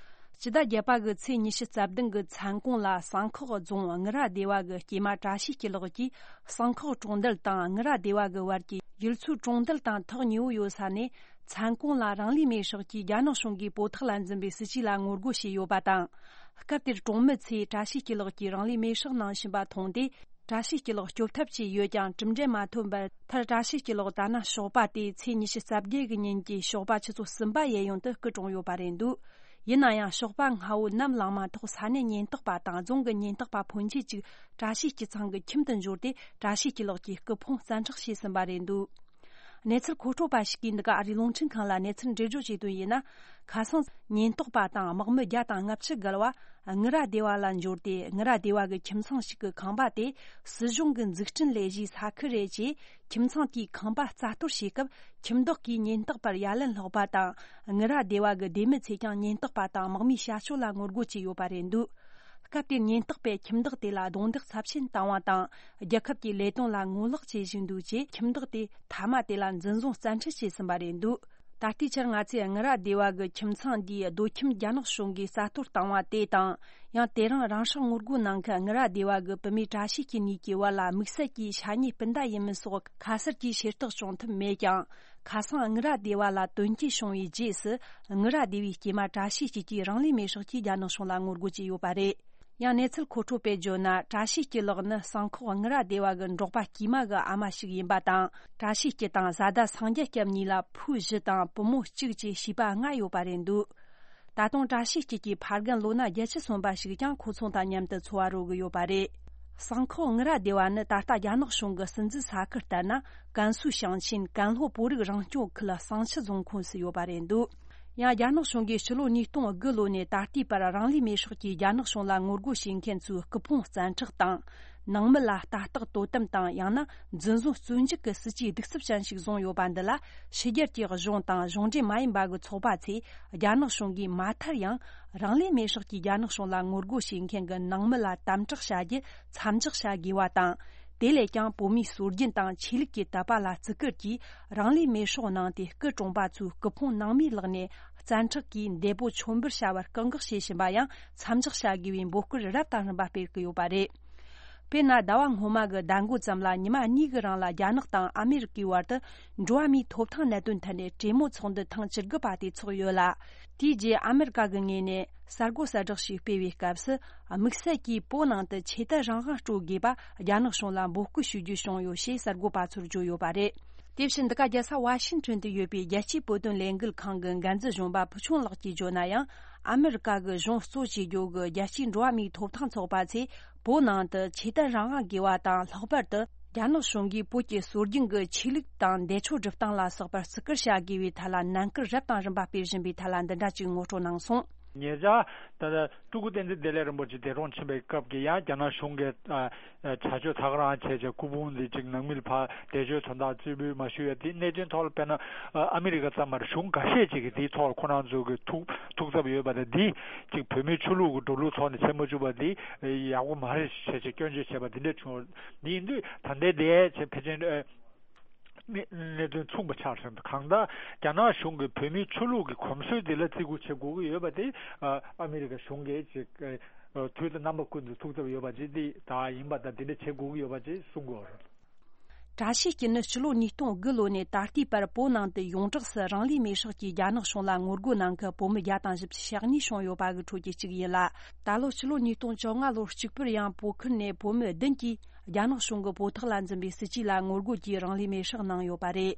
སྤྱི་ཟླ་བརྒྱད་པ་གི་ཚེས་ཉི་ཤུ་རྩ་བདུན་གྱི་མཚན་གུང་ལ་སང་ཁོག་རྫོང་དངུལ་ར་སྡེ་བ་གི་སྐྱེས་མ་བཀྲ་ཤིས་སྐྱིད་ལགས་ཀྱིས་སང་ཁོག་གྲོང་རྡལ་དང་དངུལ་ར་སྡེ་བ་གི་བར་གྱི་ཡུལ་ཚོའི་གྲོང་རྡལ་དང་ཐག་ཉེ་བོ་ཡོད་ས་ནས། མཚན་གུང་ལ་རང་ལུས་མེར་སྲེག་གིས་རྒྱ་ནག་གཞུང་གིས་བོད་ཐོག་ལ་འཛིན་པའི་སྲིད་བྱུས་ལ་ངོ་རྒོལ་བྱས་ཡོད་པ་དང་། སྐབས་དེར་གྲོང་མི་ཚོས་བཀྲ་ཤིས་སྐྱིད་ལགས་ཀྱིས་རང་ལུས་མེར་སྲེག་གནང་བཞིན་པ་མཐོང་སྟེ། བཀྲ་ཤིས་སྐྱིད་ལགས་སྐྱོབ་ཐབས་བྱས་ཡོད་ཀྱང་གྲུབ་འབྲས་མ་ཐོན་པར། མཐར་བཀྲ་ཤིས་སྐྱིད་ལགས་ད་ནངས་ཞོགས་པ་སྟེ་ཚེས་ཉི་ཤུ་རྩ་བརྒྱད་ཀྱི་ཉིན་གྱི་ཞོགས་པ་ཆུ་ཚོད་གསུམ་པ་ཡན་ཡོང་དུ་སྐུ་གྲོངས་ཡོད་པ་རེད་འདུག་ཡིན་ན་ཡང་ཞོགས་པ་སྔ་བོ་ནམ་ལངས་མ་ཐག་ས་གནས་ཉེན་རྟོག་པ་དང་རྫོང་གི་ཉེན་རྟོག་པ་ཕོན་ཆེ་གཅིག་བཀྲ་ཤིས་སྐྱིད་ཚང་གི་ཁྱིམ་དུ་འབྱོར་ཏེ། བཀྲ་ཤིས་སྐྱིད་ལགས་ཀྱི་སྐུ་ཕུང་བཙན་འཕྲོག་བྱས་ཟིན་པ་རེད་འདུག་གནས་ཚུལ་མཁོ་སྤྲོད་པ་ཞིག་གིས་འདི་ག་ཨ་རིའི་རླུང་འཕྲིན་ཁང་ལ་གནས་ཚུལ་འགྲེལ་བརྗོད་བྱས་དོན་ཡིན་ན། ཁ་སང་ཉེན་རྟོག་པ་དང་དམག་མི་བརྒྱ་དང་ལྔ་བཅུ་བརྒལ་བ་དངུལ་ར་སྡེ་བ་ལ་འབྱོར་ཏེ། དངུལ་ར་སྡེ་བ་གི་ཁྱིམ་ཚང་ཞིག་གི་ཁང་པ་དེ་སྲིད་གཞུང་གི་འཛུགས་སྐྲུན་ལས་གཞིའི་ས་ཁུལ་རེད་ཅེས། ཁྱིམ་ཚང་དེའི་ཁང་པ་རྩ་གཏོར་བྱས་སྐབས། ཁྱིམ་བདག་གིས་ཉེན་རྟོག་པར་ཡ་ལན་སློག་པ་དང་། དངུལ་ར་སྡེ་བ་གི་སྡེ་མི་ཚོས་ཀྱང་ཉེན་རྟོག་པ་དང་དམག་མིའི་བྱ་སྤྱོད་ལ་ངོ་རྒོལ་བྱས་ཡོད་པ་རེད་འདུག་སྐབས་དེར་ཉེན་རྟོག་པས་ཁྱིམ་བདག་དེ་ལ་རྡུང་རྡེག་ཚབས་ཆེན་བཏང་བ་དང་། རྒྱལ་ཁབ་ཀྱི་ལས་དོན་ལ་ངོ་ལོག་བྱེད་བཞིན་འདུག་ཅེས། ཁྱིམ་བདག་དེ་མཐའ་མ་དེ་ལ་འཛིན་བཟུང་བཙན་ཁྲིད་བྱས་ཟིན་པ་རེད་འདུག་ད་ལྟའི་ཆར་ང་ཚོས་དངུལ་ར་སྡེ་བ་གི་ཁྱིམ་ཚང་འདིའི་རྡོ་ཁྱིམ་རྒྱ་ནག་གཞུང་གིས་རྩ་གཏོར་བཏང་བ་དེ་དང་། ཡང་དེ་རིང་རང་སྲོག་ངོ་རྒོལ་གནང་མཁན་དངུལ་ར་སྡེ་བ་གི་བུད་མེད་བཀྲ་ཤིས་སྐྱིད་གཉིས་ཀྱི་བར་ལ་དམིགས་བསལ་གྱི་ཤ་ཉེ་སྤུན་ཟླ་ཡིན་མིན་སོགས་ཁ་གསལ་གྱི་ཤེས་རྟོགས་བྱུང་ཐུབ་མེད་ཀྱང་། ཁ་སང་དངུལ་ར་སྡེ་བ་ལ་དོན་རྐྱེན་བྱུང་བའི་རྗེས་སུ། དངུལ་ར་སྡེ་བའི་སྐྱེས་མ་བཀྲ་ཤིས་སྐྱིད་ཀྱིས་རང་ལུས་མེར་སྲེག་གིས་རྒྱ་ནག་གཞུང་ལ་ངོ་རྒོལ་བྱས་ཡོད་པ་རེད། ཡང་གནས་ཚུལ་མཁོ་སྤྲོད་པས་བརྗོད་ན། བཀྲ་ཤིས་སྐྱིད་ལགས་ནི་སང་ཁོག་དངུལ་ར་སྡེ་བ་གི་འབྲོག་པ་དཀྱུས་མ་གི་ཨ་མ་ཞིག་ཡིན་པ་དང་། བཀྲ་ཤིས་སྐྱིད་དང་བཟའ་ཟླ་སངས་རྒྱས་སྐྱབས་གཉིས་ལ་བུ་བཞི་དང་བུ་མོ་གཅིག་བཅས་བྱིས་པ་ལྔ་ཡོད་པ་རེད་འདུག་ད་དུང་བཀྲ་ཤིས་སྐྱིད་ཀྱི་ཕ་རྒན་ལོ་ན་བརྒྱད་ཅུ་སོན་པ་ཞིག་ཀྱང་ཁོ་ཚོ་དང་མཉམ་དུ་འཚོ་བ་རོལ་གྱི་ཡོད་པ་རེད། སང་ཁོག་དངུལ་ར་སྡེ་བ་ནི་ད་ལྟ་རྒྱ་ནག་གཞུང་གི་སྲིད་འཛིན་ས་ཁུལ་ལྟར་ན། ཀན་སུའུ་ཞིང་ཆེན་ཀན་ལྷོ་བོད་རིགས་རང་སྐྱོང་ཁུལ་བསང་ཆུ་རྫོང་ཁོངས་སུ་ཡོད་པ་རེད་འདུག་ཡང་རྒྱ་ནག་གཞུང་གིས་ཕྱི་ལོ་ཉིས་སྟོང་དགུ་ལོ་ནས་ད་ལྟའི་བར་རང་ལུས་མེར་སྲེག་གིས་རྒྱ་ནག་གཞུང་ལ་ངོ་རྒོལ་བྱེད་མཁན་ཚོའི་སྐུ་ཕུང་བཙན་འཕྲོག་དང་། ནང་མི་ལ་ལྟ་རྟོག་དོ་དམ་དང་། ཡང་ན་འཛིན་བཟུང་བཙོན་འཇུག་གི་སྲིད་ཇུས་གདུག་རྩུབ་ཅན་ཞིག་བཟུང་ཡོད་པ་འདི་ལ། ཕྱི་རྒྱལ་གྱི་གཞུང་དང་གཞུང་འབྲེལ་མ་ཡིན་པ་གི་ཚོགས་པ་ཚོས་རྒྱ་ནག་གཞུང་གིས་མ་མཐར་ཡང་རང་ལུས་མེར་སྲེག་གིས་རྒྱ་ནག་གཞུང་ལ་ངོ་རྒོལ་བྱེད་མཁན་གྱི་ནང་མི་ལ་དམ་དྲག་བྱ་རྒྱུ་མཚམས་འཇོག་བྱ་དགོས་པ་དང་། དེ་ལས་ཀྱང་བོད་མིའི་སྲོལ་རྒྱུན་དང་ཆོས་ལུགས་ཀྱི་དད་པ་ལ་བརྩི་བཀུར་གྱིས་རང་ལུས་མེར་སྲེག་གནང་སྟེ། སྐུ་གྲོངས་པ་ཚོའི་སྐུ་ཕུང་ནང་མིའི་ལག་ནས་བཙན་འཕྲོག་གིས་འདས་པོ་མཆོད་འབུལ་བྱ་བར་བཀག་འགོག་བྱེད་བཞིན་པ་ཡང་མཚམས་འཇོག་བྱ་དགོས་པའི་འབོད་སྐུལ་རབ་དང་རིམ་པ་སྤེལ་གྱི་ཡོད་པ་རེད། དཔེར་ན། ཟླ་བ་སྔོན་མ་གི་ཟླ་མགོ་ཙམ་ལ་ཉི་མ་གཉིས་ཀྱི་རིང་ལ་རྒྱ་ནག་དང་ཨ་མེ་རི་ཀའི་བར་དུ་འགྲོ་བ་མིའི་ཐོབ་ཐང་གནད་དོན་ཐད་ནས་གྲོས་མོལ་ཚོགས་འདུ་ཐེངས་བཅུ་དགུ་པ་དེ་ཚོགས་ཡོད་ལ། དེའི་རྗེས་ཨ་མེ་རི་ཀ་གི་ངོས་ནས་གསར་འགོད་གསལ་བསྒྲགས་ཤིག་སྤེལ་བའི་སྐབས་སུ། དམིགས་བསལ་གྱིས་བོད་ནང་དུ་ཆོས་དད་རང་དབང་སྤྲོད་དགོས་པ་རྒྱ་ནག་གཞུང་ལ་འབོད་སྐུལ་ཞུ་རྒྱུ་བྱུང་ཡོད་ཞེས་གསར་འགོད་པ་ཚོར་བརྗོད་ཡོད་པ་རེད། དེ་བཞིན་འདི་ག་རྒྱལ་ས་ཝ་ཤིང་ཊོན་དུ་ཡོད་པའི་རྒྱལ་སྤྱིའི་བོད་དོན་ལས་འགུལ་ཁང་གི་འགན་འཛིན་གཞོན་པ་ཕུ་ཆུང་ལགས་ཀྱིས་བརྗོད་ན་ཡང་། ཨ་མེ་རི་ཀ་གི་གཞུང་གཙོ་བྱེད་རྒྱུ་གི་རྒྱལ་སྤྱིའི་འགྲོ་བ་མིའི་ཐོབ་ཐང་ཚོགས་པ་ཚོས་བོད་ནང་དུ་ཆོས་དད་རང་དབང་དགོས་པ་དང་། ལྷག་པར་དུ་རྒྱ་ནག་གཞུང་གིས་བོད་ཀྱི་སྲོལ་རྒྱུན་གྱི་ཆོས་ལུགས་དང་འདས་མཆོད་སྒྲུབ་སྟངས་ལ་སོགས་པར་བརྩི་བཀུར་བྱ་དགོས་པའི་ཐད་ལ་ནན་སྐུལ་རབ་དང་རིམ་པ་སྤེལ་བཞིན་པའི་ཐད་ལ་འདི་འདྲ་ཅིག་ངོ་སྤྲོད་གནང་སོང་། ཉེ་ཆར་ད་ལྟ་སྤྲུལ་སྐུ་བསྟན་འཛིན་བདེ་ལེགས་རིན་པོ་ཆེ་འདས་གྲོངས་ཕྱིན་པའི་སྐབས་ཀྱི་ཡང་རྒྱ་ནག་གཞུང་གིས་ཨ་ཨ་བྱ་སྤྱོད་ཚ་ག་རང་བྱས་བྱས་སྐུ་ཕུང་འདི་ཅིག་ནང་མི་ལ་ཕར་འདས་མཆོད་དོན་དག་རྩིས་འབུལ་མ་ཞུ་ཡ་དེ་གནད་དོན་ཐོག་ལ་དཔེར་ན་ཨ་ཨ་མི་རི་ཀ་ཙམ་མ་རེད། གཞུང་འགའ་ཤས་ཅིག་གིས་དེའི་ཐོག་ལ་ཁོ་རང་ཚོ་གི་ཐུགས་ཐུགས་འཚབ་ཡོད་པ་དང་། འདི་ཅིག་བོད་མིའི་ཆོས་ལུགས་ཀྱི་འགྲོ་ལུགས་ཐོག་ནས་བྱེད་མ་བཅུག་པ་འདི་ཡག་པོ་མ་རེད་ཞེས་བྱས་སྐྱོན་བརྗོད་བྱས་པ་འདི་འདྲ་བྱུང་། འདི་ཡིན་དུས་ད་ལྟའི་འདི་བྱས་ཕལ་ཆེར་ཨ། གནད་གནད་དོན་མཚུངས་པ་ཆགས་སོང་། གང་ལྟར་རྒྱ་ནག་གཞུང་གིས་བོད་མིའི་ཆོས་ལུགས་ཀྱི་གོམས་སྲོལ་འདི་ལ་བརྩི་བཀུར་བྱེད་དགོས་ཀྱི་ཡོད་པ་དེ་ཨ་ཨ་མི་རི་ཀ་གཞུང་གིས་ཅིག་ཨ་དུས་དང་རྣམ་པ་ཀུན་ཏུ་ཐུགས་འཚབ་ཡོད་པ་ཅིག་དེ་ད་ཡིན་པ་དང་། དེ་འདྲ་བྱེད་དགོས་ཀྱི་ཡོད་པ་ཅིག་གསུང་གི་ཡོད་རེད། བཀྲ་ཤིས་སྐྱིད་ནི་ཕྱི་ལོ་ཉིས་སྟོང་དགུ་ལོ་ནས་ད་ལྟའི་བར་བོད་ནང་དུ་ཡོངས་གྲགས་སུ་རང་ལུས་མེར་སྲེག་གིས་རྒྱ་ནག་གཞུང་ལ་ངོ་རྒོལ་གནང་མཁན་བོད་མི་བརྒྱ་དང་བཞི་བཅུ་ཞེ་གཉིས་བྱུང་ཡོད་པ་གི་ཁྲོད་ཀྱི་གཅིག་ཡིན་ལ། ད་ལོ་ཕྱི་ལོ་ཉིས་སྟོང་བཅོ་ལྔ་ལོར་གཅིག་པུར་ཡང་བོད་ཁུལ་ནས་བོད་མི་བདུན་གྱིས། རྒྱ་ནག་གཞུང་གི་བོད་ཐོག་ལ་འཛིན་པའི་སྲིད་ཇུས་ལ་ངོ་རྒོལ་གྱིས་རང་ལུས་མེར་སྲེག་གནང་ཡོད་པ་རེད།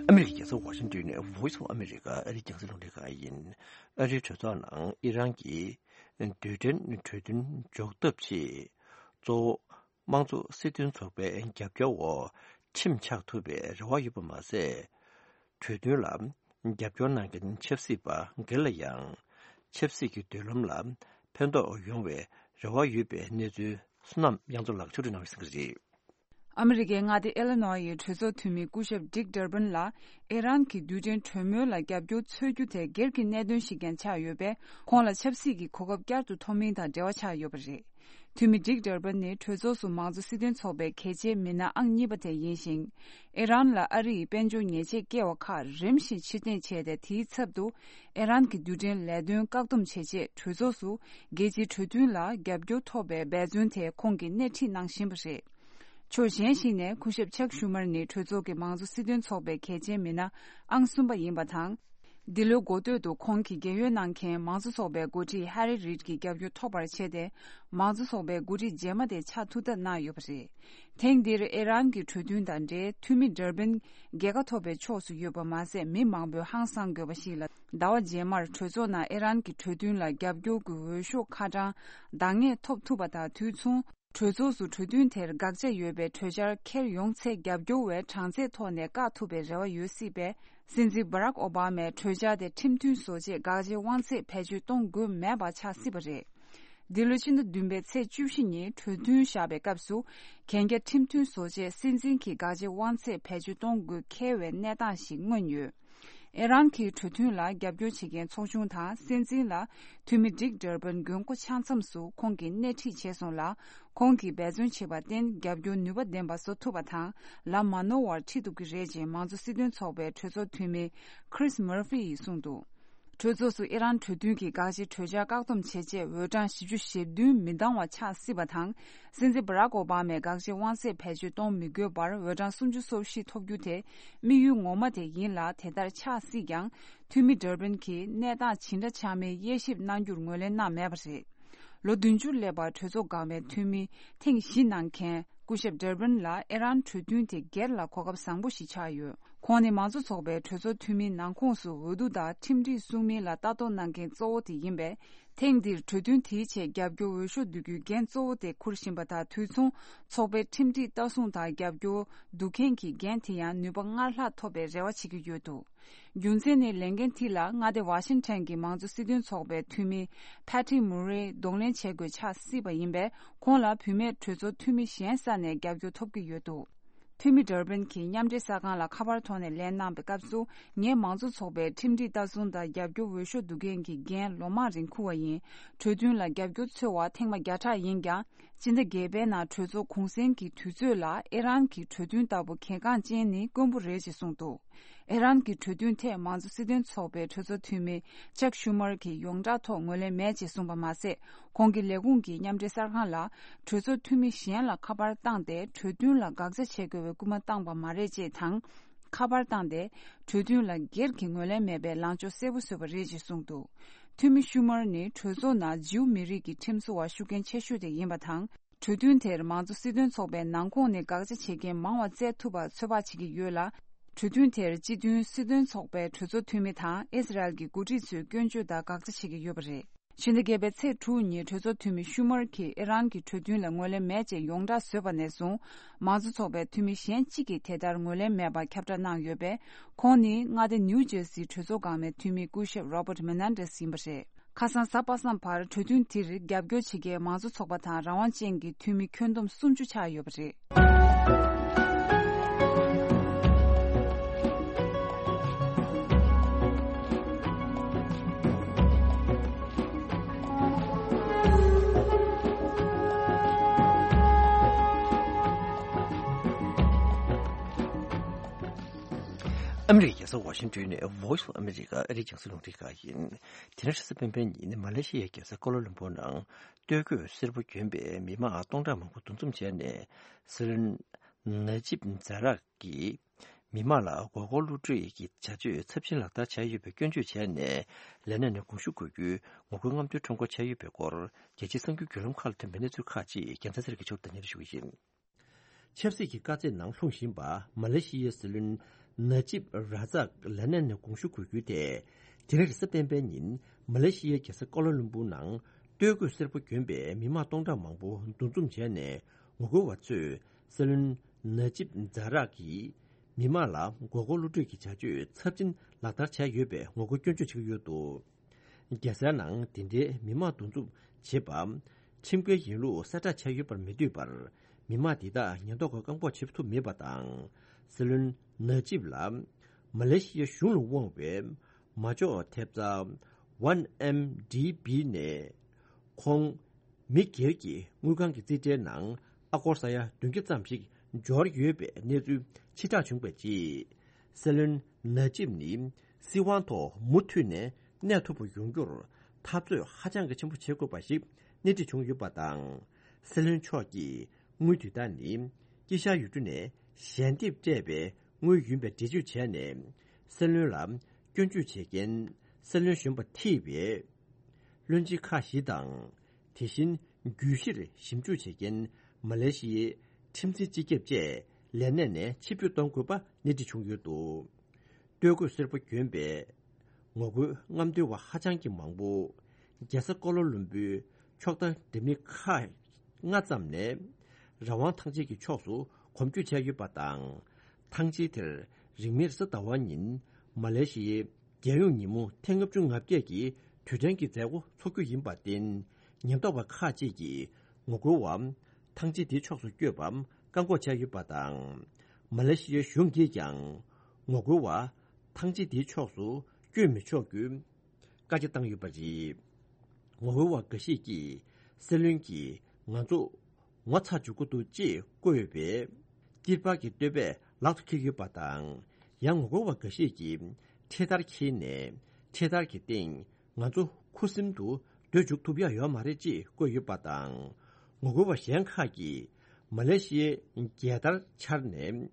ཨ་མི་རི་ཀའི་རྒྱལ་ས་ཝ་ཤིང་ཏོན་ནས་Voice of America ཨ་རིའི་རྒྱང་སྲིང་རླུང་འཕྲིན་ཁང་ཡིན། ཨ་རིའི་གྲོས་ཚོགས་ནང་ཨི་རན་གྱིས་རྡུལ་ཕྲན་གྲོས་མཐུན་འཇོག་ཐབས་ཆེད་གཙོ་བོ། དམངས་གཙོ་སྲིད་དོན་ཚོགས་པའི་རྒྱབ་སྐྱོར་འོག་ཁྲིམས་ཆགས་ཐུབ་པའི་རེ་བ་ཡོད་པ་མ་ཟད། གྲོས་མཐུན་ལ་རྒྱབ་སྐྱོར་གནང་མཁན་ཆབ་སྲིད་པ་སྒེར་ལ་ཡང་ཆབ་སྲིད་ཀྱི་མདུན་ལམ་ལ་ཕན་ཐོགས་ཡོང་བའི་རེ་བ་ཡོད་པའི་གནས་ཚུལ་བསོད་ནམས་དབྱངས་མཚོ་ལགས་ཕྱོགས་སྒྲིག་གནང་བའི་གསལ་བསྒྲགས་རེད། ཨ་མི་རི་ཀའི་མངའ་སྡེ་ཨི་ལི་ནོ་ཡི་གྲོས་ཚོགས་འཐུས་མི་སྐུ་ཞབས་ཌིག་ཌར་པན་ལ་ཨི་རན་གྱི་རྡུལ་ཕྲན་གྲོས་མོལ་ལ་རྒྱབ་སྐྱོར་འཚོལ་རྒྱུ་དེ་སྒེར་གྱི་གནད་དོན་ཞིག་ཀྱང་ཆགས་ཡོད་པས། ཁོང་ལ་ཆབ་སྲིད་ཀྱི་གོ་སྐབས་བསྐྱར་དུ་ཐོབ་མིན་དང་འབྲེལ་བ་ཆགས་ཡོད་པ་རེད། འཐུས་མི་ཌིག་ཌར་པན་ནི་གྲོས་ཚོགས་སུ་མང་གཙོ་སྲིད་དོན་ཚོགས་པའི་གལ་ཆེའི་མི་སྣ་ཨང་གཉིས་པ་དེ་ཡིན་ཞིང་། ཨི་རན་ལ་ཨ་རི་ཡི་དཔལ་འབྱོར་ཉེས་ཆད་བཀལ་བ་ཁག་རིམ་བཞིན་ཕྱིར་འཐེན་བྱས་ཏེ། དེའི་ཚབ་ཏུ་ཨི་རན་གྱི་རྡུལ་ཕྲན་ལས་དོན་བཀག་སྡོམ་བྱེད་ཆེད་གྲོས་ཚོགས་སུ་རྒྱལ་སྤྱིའི་གྲོས་མཐུན་ལ་རྒྱབ་སྐྱོར་ཐོབ་པའི་འབད་བརྩོན་དེ་ཁོང་གིས་སྣེ་ཁྲིད་གནང་བཞིན་པ་རེད། ཕྱོགས་གཞན་ཞིག་ནས། སྐུ་ཞབས་ཅག་ཤུ་མར་ནི་གྲོས་ཚོགས་ཀྱི་མང་གཙོ་སྲིད་དོན་ཚོགས་པའི་གལ་ཆེའི་མི་སྣ་ཨང་གསུམ་པ་ཡིན་པ་དང་། འདི་ལོའི་འགོ་སྟོད་དུ་ཁོང་གིས་རྒན་ཡོལ་གནང་མཁན་མང་གཙོ་ཚོགས་པའི་འགོ་ཁྲིད་ཧེ་རི་རིད་ཀྱི་རྒྱབ་སྐྱོར་ཐོབ་པར་བྱས་ཏེ། མང་གཙོ་ཚོགས་པའི་འགོ་ཁྲིད་རྗེས་མ་དེ་ཆགས་ཐུབ་ཐབས་གནང་ཡོད་པ་རེད། ཐེངས་འདིར་ཨི་རན་གྱི་གྲོས་མཐུན་དང་འབྲེལ། འཐུས་མི་ཌར་པན་རྒྱལ་ཁ་ཐོབ་པའི་ཕྱོགས་སུ་ཡོད་པ་མ་ཟད། མི་མང་པོས་ཧང་སང་དགོས་པ་ཞིག་ལ། ཟླ་བ་རྗེས་མར་གྲོས་ཚོགས་ནང་ཨི་རན་གྱི་གྲོས་མཐུན་ལ་རྒྱབ་སྐྱོར་གྱི་འོས་ཤོག་ཁ་གྲངས་འདང་ངེས་ཐོབ་ཐུབ་པ་དང་དུས་མཚུངས། གྲོས་ཚོགས་སུ་གྲོས་མཐུན་དེར་དགག་བྱ་ཡོད་པའི་གྲོས་འཆར་འཁྱེར་ཡོང་ཚེ། རྒྱབ་སྐྱོར་བས་གྲངས་ཚད་ཐོག་ནས་བཀག་ཐུབ་པའི་རེ་བ་ཡོད་སྲིད་པས། སྲིད་འཛིན་སྦ་རག་ཨོ་བྷ་མས་གྲོས་འཆར་དེ་ཁྲིམས་མཐུན་བཟོ་ཆེད་དགག་བྱའི་དབང་ཚད་བེད་སྤྱོད་གཏོང་དགོས་མེད་པ་ཆགས་སྲིད་པ་རེད། འདི་ལོའི་ཕྱི་ཟླ་བདུན་པའི་ཚེས་བཅུ་བཞི་ཉིན་གྲོས་མཐུན་བཞག་པའི་སྐབས་སུ། གན་རྒྱ་ཁྲིམས་མཐུན་བཟོ་ཆེད་སྲིད་འཛིན་གྱིས་དགག་བྱའི་དབང་ཚད་བེད་སྤྱོད་གཏོང་དགོས་འཁེལ་བའི་གནས་སྟངས་ཤིག་མངོན་ཡོད། ཨི་རན་གྱི་གྲོས་མཐུན་ལ་རྒྱབ་སྐྱོར་བྱེད་མཁན་ཚོགས་ཆུང་དང་སྲིད་འཛིན་ལ་འཐུས་མི་ཌིག་ཌར་པན་མགོན་སྐོར་ཆ་མཚམས་སུ་ཁོང་གིས་སྣེ་ཁྲིད་བྱས་སོང་ལ། ཁོང་གིས་འབད་བརྩོན་བྱས་པར་བརྟེན། རྒྱབ་སྐྱོར་ནུས་པ་ལྡན་པ་བཟོ་ཐུབ་པ་དང་། ལམ་མ་ནོར་བར་ཁྲིད་ཐུབ་ཀྱི་རེད་ཅེས་མང་གཙོ་སྲིད་དོན་ཚོགས་པའི་གྲོས་ཚོགས་འཐུས་མི་ཁྲིས་མར་ཧྥི་ཡིས་གསུངས་འདུག་གྲོས་ཚོགས་སུ་ཨི་རན་གྲོས་མཐུན་གྱི་དགག་བྱའི་གྲོས་འཆར་བཀག་སྡོམ་བྱེད་ཆེད་འོས་གྲངས་བཞི་བཅུ་ཞེ་བདུན་མི་འདང་བ་ཆགས་སྲིད་པ་དང་། སྲིད་འཛིན་སྦ་རག་ཨོ་བྷ་མས་དགག་བྱའི་དབང་ཚད་བེད་སྤྱོད་གཏོང་མི་དགོས་པར་འོས་གྲངས་སུམ་ཅུ་སོ་བཞི་ཐོབ་རྒྱུ་དེ་དམིགས་ཡུལ་ངོ་མ་དེ་ཡིན་ལ། དེ་ལྟར་ཆགས་སྲིད་ཀྱང་། འཐུས་མི་ཌར་པན་གྱིས་གནས་སྟངས་ཇི་འདྲ་ཆགས་མིན་དབྱེ་ཞིབ་གནང་རྒྱུར་ངོས་ལེན་གནང་མེད་པ་རེད། ལོ་བདུན་ཅུར་སླེབས་པར་གྲོས་ཚོགས་འགག་པའི་འཐུས་མི་ཐེངས་བཞི་གནང་མཁན་སྐུ་ཞབས་ཌར་པན་ལ་ཨི་རན་གྲོས་མཐུན་དེ་སྒེར་ལ་གོ་སྐབས་བཟང་པོ་ཞིག་ཆགས་ཡོད། ཁོང་ནི་མང་གཙོ་ཚོགས་པའི་གྲོས་ཚོགས་འཐུས་མིའི་ནང་ཁོངས་སུ་འོས་བསྡུ་དང་ཁྲིམས་སྒྲིག་སྲུང་མིན་ལ་ལྟ་རྟོག་གནང་མཁན་གཙོ་བོ་དེ་ཡིན་པས། ཐེངས་འདིར་གྲོས་མཐུན་དེའི་ཆེད་རྒྱབ་སྐྱོར་འོས་ཤོག་བསྡུ་རྒྱུའི་འགན་གཙོ་བོ་དེ་འཁུར་བཞིན་པ་དང་། དུས་མཚུངས་ཚོགས་པའི་ཁྲིམས་སྒྲིག་ལྟ་སྲུང་དང་རྒྱབ་སྐྱོར་བསྡུ་མཁན་གྱི་འགན་དེ་ཡང་ནུས་པ་སྔར་ལྷག་ཐོབ་པའི་རེ་བ་བྱེད་ཀྱི་ཡོད་འདུག་རྒྱུ་མཚན་ནི། ལས་འགན་དེ་ལ་མངའ་སྡེ་ཝ་ཤིང་ཊོན་གྱི་མང་གཙོ་སྲིད་དོན་ཚོགས་པའི་འཐུས་མི་ཕ་ཏི་མུ་རེ་གདོང་ལེན་བྱེད་དགོས་ཆགས་སྲིད་པ་ཡིན་པས། ཁོང་ལ་བུད་མེད་གྲོས་ཚོགས་འཐུས་མི་གཞན་ས་ནས་རྒྱབ་སྐྱོར་ཐོབ་ཀྱི་ཡོད་འདུག་འཐུས་མི་ཌར་པན་གྱིས་མཉམ་འབྲེལ་གསར་ཁང་ལ་ཁ་པར་ཐོག་ནས་ལན་གནང་བའི་སྐབས་སུ། ངས་མང་གཙོ་ཚོགས་པའི་ཁྲིམས་སྒྲིག་ལྟ་སྲུང་དང་རྒྱབ་སྐྱོར་འོས་ཤོག་བསྡུ་མཁན་གྱི་འགན་ལོ་མང་རིང་འཁུར་བ་ཡིན། གྲོས་མཐུན་ལ་རྒྱབ་སྐྱོར་འཚོལ་བ་ཐེངས་མ་བརྒྱ་ཕྲག་ཡིན་ཀྱང་། སྤྱི་ཟླ་བརྒྱད་པའི་ནང་གྲོས་ཚོགས་གུང་སེང་གི་དུས་ཚོད་ལ་ཨི་རན་གྱི་གྲོས་མཐུན་ལྟ་བུ་གལ་འགངས་ཅན་ནི་དཀོན་པོ་རེད་ཅེས་གསུངས་འདུག་ཨི་རན་གྱི་གྲོས་མཐུན་ཐད་མང་གཙོ་སྲིད་དོན་ཚོགས་པའི་གྲོས་ཚོགས་འཐུས་མི་ཅག་ཤུ་མར་གྱིས་ཡོངས་གྲགས་ཐོག་ངོས་ལེན་མེད་ཅེས་གསུངས་པ་མ་ཟད། ཁོང་གི་ལས་ཁུངས་ཀྱིས་མཉམ་འབྲེལ་གསར་ཁང་ལ་གྲོས་ཚོགས་འཐུས་མི་གཞན་ལ་ཁ་པར་བཏང་སྟེ། གྲོས་མཐུན་ལ་དགག་བྱ་བྱེད་དགོས་པའི་སྐུལ་མ་བཏང་པ་མ་རེད་ཅེས་དང་། ཁ་པར་བཏང་སྟེ། གྲོས་མཐུན་ལ་སྒེར་གྱི་ངོས་ལེན་མེད་པའི་ལངས་ཕྱོགས་གསལ་པོ་བཟོས་པ་རེད་ཅེས་གསུངས་འདུག་འཐུས་མི་ཤུ་མར་ནི་གྲོས་ཚོགས་ནང་ཇིའུ་མི་རིགས་ཀྱི་ཁྲིམས་བཟོ་བ་ཤུགས་རྐྱེན་ཆེ་ཤོས་དེ་ཡིན་པ་དང་། གྲོས་མཐུན་དེར་མང་གཙོ་སྲིད་དོན་ཚོགས་པའི་ནང་ཁོངས་ནས་དགག་བྱ་བྱེད་མཁན་མང་བ་བཙལ་ཐུབ་པར་ཚོད་དཔག་བྱེད་ཀྱི་ཡོད་ལ། གྲོས་མཐུན་དེར་སྤྱི་མཐུན་སྲིད་དོན་ཚོགས་པའི་གྲོས་ཚོགས་འཐུས་མི་དང་ཨི་སི་རལ་གྱི་འགོ་ཁྲིད་ཚོས་སྐྱོན་བརྗོད་དང་དགག་བྱ་བྱེད་ཀྱི་ཡོད་པ་རེད། ཕྱི་ཟླ་བརྒྱད་པའི་ཚེས་དྲུག་ཉིན་གྲོས་ཚོགས་འཐུས་མི་ཤུ་མར་གྱིས་ཨི་རན་གྱི་གྲོས་མཐུན་ལ་ངོས་ལེན་མེད་ཅེས་ཡོངས་གྲགས་བཟོས་པ་ནས་བཟུང་། མང་གཙོ་ཚོགས་པའི་འཐུས་མི་གཞན་གཅིག་གིས་དེ་ལྟར་ངོས་ལེན་མེད་པར་ཁྱབ་བསྒྲགས་གནང་ཡོད་པས། ཁོང་ནི་མངའ་སྡེ་ནིའུ་ཇར་སིའི་གྲོས་ཚོགས་འགག་མའི་འཐུས་མི་སྐུ་ཞབས་Robert Menendez་ཡིན་པ་རེད། ཁ་སང་གཟའ་པ་སངས་བར་གྲོས་མཐུན་དེར་རྒྱབ་སྐྱོར་བྱེད་མཁན་མང་གཙོ་ཚོགས་པ་དང་རང་དབང་ཅན་གྱི་འཐུས་མི་ཁྱོན་བསྡོམས་སུམ་ཅུ་ཆགས་ཡོད་པ་རེད། ཨ་མི་རི་ཀའི་རྒྱལ་ས་ཝ་ཤིང་ཏོན་ནས་Voice of America་ཨ་རིའི་རྒྱང་སྲིང་རླུང་འཕྲིན་ཁང་ཡིན། དེ་རིང་རེས་གཟའ་སྤེན་པའི་ཉིན་མ་ལེ་ཤི་ཡའི་རྒྱལ་ས་ཀོ་ལ་ལུམ་པུར་ནང་སྟོད་གོས་སེར་པོ་གྱོན་པའི་མི་མང་སྟོང་ཕྲག་མང་པོ་འདུ་འཛོམས་བྱས་ནས། སྲིད་བློན་ན་ཇིབ་ཛ་རག་གིས་མི་མང་ལ་མགོ་སྐོར་གློད་གྲོལ་གྱི་བྱ་སྤྱོད་ཚབས་ཆེན་ལག་བསྟར་བྱས་ཡོད་པའི་སྐྱོན་བརྗོད་བྱས་ནས། ལས་གནས་ནས་དགོངས་ཞུ་དགོས་རྒྱུའི་ངོ་རྒོལ་རྔམ་སྟོན་ཁྲོམ་སྐོར་བྱས་ཡོད་པའི་སྐོར། རྒྱལ་སྤྱིའི་གསར་འགྱུར་བརྒྱུད་ལམ་ཁག་ལ་ཐོན་པའི་གནས་ཚུལ་ཁག་ཅིག་རྒྱལ་མཚན་ཚེ་རིང་གིས་ཕྱོགས་བསྡུས་སྙན་སྒྲོན་ཞུ་གི་ཡིན། ཆབ་སྲིད་ཀྱི་དཀའ་ཚེགས་ནང་ལྷུང་བཞིན་པ་མ་ལེ་ཤི་ཡའི་སྲིད་བློན་ན་ཇིབ་ར་ཛག་ལས་གནས་ནས་དགོངས་ཞུ་དགོས་རྒྱུ་དེ། དེ་རིང་རེས་གཟའ་སྤེན་པའི་ཉིན་མ་ལེ་ཤི་ཡའི་རྒྱལ་ས་ཀོ་ལ་ལུམ་པུར་ནང་སྟོད་གོས་སེར་པོ་གྱོན་པའི་མི་མང་སྟོང་ཕྲག་མང་པོ་འདུ་འཛོམས་བྱས་ནས། ངོ་རྒོལ་བ་ཚོས་སྲིད་བློན་ན་ཇིབ་ཛ་རག་གིས་མི་མང་ལ་མགོ་སྐོར་གློད་གྲོལ་གྱི་བྱ་སྤྱོད་ཚབས་ཆེན་ལག་བསྟར་བྱས་ཡོད་པའི་ངོ་རྒོལ་སྐྱོན་བརྗོད་བྱེད་ཀྱི་ཡོད་འདུག་རྒྱལ་སའི་ནང་དེ་འདྲའི་མི་མང་འདུ་འཛོམས་བྱེད་པ། ཁྲིམས་འགལ་ཡིན་ལུགས་གསལ་བསྒྲགས་བྱས་ཡོད་པར་མི་འདོད་པར། མི་མང་དེ་དག་ཉེན་རྟོག་པས་བཀག་འགོག་བྱེད་ཐུབ་མེད་པ་དང་། སྲིད་བློན་ནཱ་ཇིབ་ལ་མ་ལེ་ཤི་ཡའི་གཞུང་ལ་དབང་བའི་མ་འཇོག་ཐེབས་རྩ་ཝན་ཨེམ་ཌི་བི་ནས་ཁོང་མི་སྒེར་གྱི་དངུལ་ཁང་གི་རྩིས་ཁྲའི་ནང་ཨ་སྒོར་ས་ཡ་བདུན་བརྒྱ་ཙམ་ཞིག་འབྱོར་ཡོད་པའི་གནས་ཚུལ་ཕྱིར་བསྒྲགས་བྱུང་བའི་རྗེས། སྲིད་བློན་ནཱ་ཇིབ་ནི་སྲིད་དབང་ཐོག་མུ་མཐུད་ནས་གནས་ཐུབ་པ་ཡོང་རྒྱུར་འཐབ་རྩོད་ཧ་ཅང་གི་ཆེན་པོ་བྱེད་དགོས་པ་ཞིག་སྣེ་ཁྲིད་བྱུང་ཡོད་པ་དང་། སྲིད་བློན་མཆོག་གིས་དངུལ་དེ་དག་ནི་དཀྱིལ་ཤར་ཡུལ་གྲུ་ནས་ཞལ་འདེབས་སྤྲད་པའི་དངུལ་ཡིན་པའི་འགྲེལ་བརྗོད་བྱས་ནས། སྲིད་བློན་ལ་སྐྱོན་བརྗོད་བྱེད་མཁན་སྲིད་བློན་གཞོན་པ་ཐེ་བའི་བློན་ཆེན་ཁག་བཞི་དང་། དེ་བཞིན་རྒྱུད་བཞིར་ཞིབ་འཇུག་བྱེད་མཁན་མ་ལེ་ཤི་ཡའི་ཁྲིམས་འཛིན་སྤྱི་ཁྱབ་བཅས་ལས་གནས་ནས་ཕྱིར་འབུད་གཏོང་དགོས་པ་སྣེ་ཁྲིད་བྱུང་ཡོད་འདུག། སྟོད་གོས་སེར་པོ་གྱོན་པའི་ངོ་རྒོལ་རྔམ་སྟོན་པ་ཧ་ཅང་གི་མང་པོ། རྒྱལ་ས་ཀོ་ལ་ལུམ་བུའི་ཕྱོགས་མཐའ་འདྲ་མིན་ཁག་ལྔ་ཙམ་ནས་རང་དབང་ཐང་ཆེན་གྱི་ཕྱོགས་སུ་གོམ་བསྐྱོད་བྱས་ཡོད་པ་དང་། ཐང་ཆེན་དེར་རིང་མིན་རེས་གཟའ་ཟླ་བ་ཉིན་མ་ལེ་ཤི་ཡའི་རྒྱལ་ཡོངས་ཉིན་མོ་ཐེངས་ལྔ་བཅུ་ང་བརྒྱད་ཀྱི་དུས་དྲན་གྱི་མཛད་སྒོ་འཚོགས་རྒྱུ་ཡིན་པར་བརྟེན། ཉེན་རྟོག་པ་ཁག་ཅིག་གིས་ངོ་རྒོལ་བ་ཐང་ཆེན་དེའི་ཕྱོགས་སུ་བསྐྱོད་པར་བཀག་འགོག་བྱས་ཡོད་པ་དང་། མ་ལེ་ཤི་ཡའི་གཞུང་གིས་ཀྱང་ངོ་རྒོལ་བ་ཐང་ཆེན་དེའི་ཕྱོགས་སུ་བསྐྱོད་མི་ཆོག་རྒྱུའི་བཀའ་རྒྱ་བཏང་ཡོད་པ་རེད། ངོ་རྒོལ་བ་འགའ་ཞིག་གིས་སྲིད་བློན་གྱིས་ང་ཚོ་ངོ་ཚ་འཇུག་གི་འདུག་ཅེས་བཀོད་པའི་ཏིར་པ་གི་བསྟོད་པ་ལག་ཏུ་འཁྱེར་ཡོད་པ་དང་། ཡང་ངོ་རྒོལ་བ་འགའ་ཞིག་གིས་འཕྲེད་དར་འཁྱེར་ནས་འཕྲེད་དར་གྱི་སྟེང་ང་ཚོ་ཁུ་སིམ་དུ་སྡོད་འཇུག་ཐུབ་ཡ་ཡོད་མ་རེད་ཅེས་བཀོད་ཡོད་པ་དང་། ངོ་རྒོལ་བ་གཞན་ཁག་གིས་མ་ལེ་ཤི་ཡའི་རྒྱལ་དར་འཕྱར་ནས་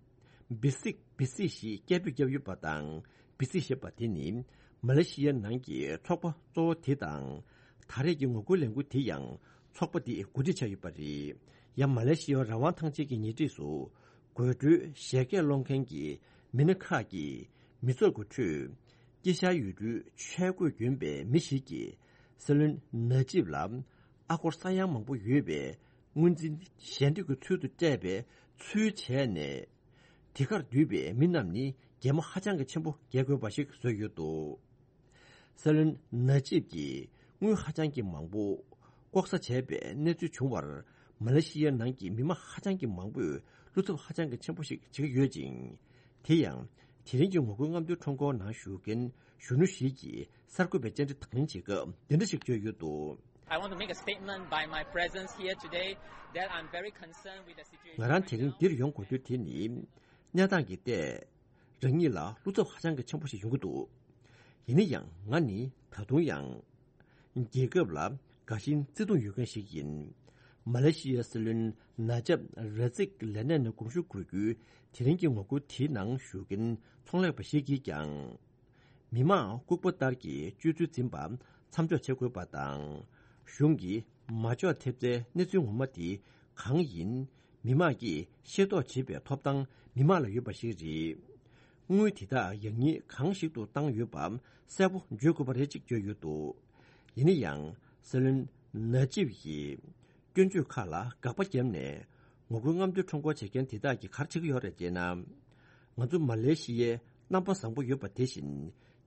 བི་སིག་བི་སིག་ཞེས་སྐད་འབོད་བརྒྱབ་ཡོད་པ་དང་། བི་སིག་ཞེས་པ་དེ་ནི་མ་ལེ་ཤི་ཡའི་ནང་གི་ཚོགས་པ་གཙོ་བོ་དེ་དང་། ད་རེས་ཀྱི་ངོ་རྒོལ་ལས་འགུལ་དེ་ཡང་ཚོགས་པ་དེས་འགོ་ཁྲིད་བྱས་ཡོད་པ་རེད། ཡང་མ་ལེ་ཤི་ཡའི་རང་དབང་ཐང་ཆེན་གྱི་ཉེ་འཁྲིས་སུ་དགོད་བྲོའི་བཞད་གད་སློང་མཁན་གྱི་མི་སྣ་ཁག་གིས་མི་ཚོགས་ཀྱི་ཁྲོད་དཀྱིལ་ཤར་ཡུལ་གྲུའི་ཆས་གོས་གྱོན་པའི་མི་ཞིག་གིས་སྲིད་བློན་ནཱ་ཇིབ་ལ་ཨ་སྒོར་ས་ཡ་མང་པོ་ཡོད་པའི་དངུལ་འཛིན་ཞལ་འདེབས་ཀྱི་ཚུལ་དུ་སྤྲད་པའི་ཚུལ་བྱས་ནས། དེ་གར་འདུས་པའི་མི་རྣམས་ནི་གད་མོ་ཧ་ཅང་གི་ཆེན་པོ་བགད་དགོས་པ་ཞིག་བཟོས་ཡོད་འདུག། སྲིད་བློན་ནཱ་ཇིབ་ཀྱིས་དངུལ་ཧ་ཅང་གི་མང་པོ་ལྐོག་ཟ་བྱས་པའི་གནས་ཚུལ་བྱུང་བར། མ་ལེ་ཤི་ཡའི་ནང་གི་མི་མང་ཧ་ཅང་གི་མང་པོས་བློ་འཚབ་ཧ་ཅང་གི་ཆེན་པོ་ཞིག་བྱེད་ཀྱི་ཡོད་ཅིང་། དེ་ཡང་དེ་རིང་གི་ངོ་རྒོལ་རྔམ་སྟོན་ཁྲོམ་སྐོར་ནང་ཞུགས་མཁན་གཞོན་ནུ་ཞིག་གིས་གསར་འགོད་པའི་བཅར་འདྲི་དང་ལེན་བྱེད་སྐབས་འདི་འདྲ་ཞིག་བརྗོད་ཡོད་འདུག། I want to make a statement by my presence here today that I'm very concerned with the situation. ང་རང་དེ་རིང་འདིར་ཡོང་དགོས་རྒྱུ་དེ་ནི། གནས་སྟངས་ཀྱི་ཐད་རང་ཉིད་ལ་བློ་འཚབ་ཧ་ཅང་གི་ཆེན་པོ་ཞིག་ཡོང་གི་འདུག། ཡིན་ན་ཡང་ང་ནི་ད་དུང་ཡང་རྒྱལ་ཁབ་ལ་དགའ་ཞེན་བརྩེ་གདུང་ཡོད་མཁན་ཞིག་ཡིན། མ་ལེ་ཤི་ཡའི་སྲིད་བློན་ནཱ་ཇབ་ར་ཛིག་ལས་གནས་ནས་དགོངས་ཞུ་འཁུར་རྒྱུའི་དེ་རིང་གི་ངོ་རྒོལ་དེའི་ནང་ཞུགས་མཁན་ཚོང་ལས་པ་ཞིག་གིས་ཀྱང་། མི་མང་ལྐུགས་པ་ལྟར་གྱི་སྤྱོད་ཚུལ་འཛིན་པ་མཚམས་འཇོག་བྱེད་དགོས་པ་དང་། གཞུང་གིས་མ་འཇོག་ཐེབས་རྩའི་གནས་ཚུལ་ངོ་མ་དེ་གང་ཡིན། མི་མང་གིས་ཤེས་རྟོགས་བྱེད་པའི་ཐོབ་ཐང་མི་མང་ལ་ཡོད་པ་ཞིག་རེད། དངུལ་དེ་དག་ཡང་སྙིང་གང་ཞིག་ཏུ་བཏང་ཡོད་པ་གསལ་པོ་བརྗོད་དགོས་པ་རེད་ཅེས་བརྗོད་ཡོད་འདུག། ཡིན་ན་ཡང་སྲིད་བློན་ནཱ་ཇིབ་ཀྱིས་སྐྱོན་བརྗོད་ཁག་ལ་དགག་པ་བརྒྱབ་ནས། ངོ་རྒོལ་རྔམ་སྟོན་ཁྲོམ་སྐོར་བྱེད་མཁན་དེ་དག་གིས་ག་རེ་བྱེད་ཀྱི་ཡོད་རེད་ཅེ་ན། ང་ཚོ་མ་ལེ་ཤི་ཡའི་རྣམ་པ་བཟང་པོ་ཡོད་པ་དེ་བཞིན་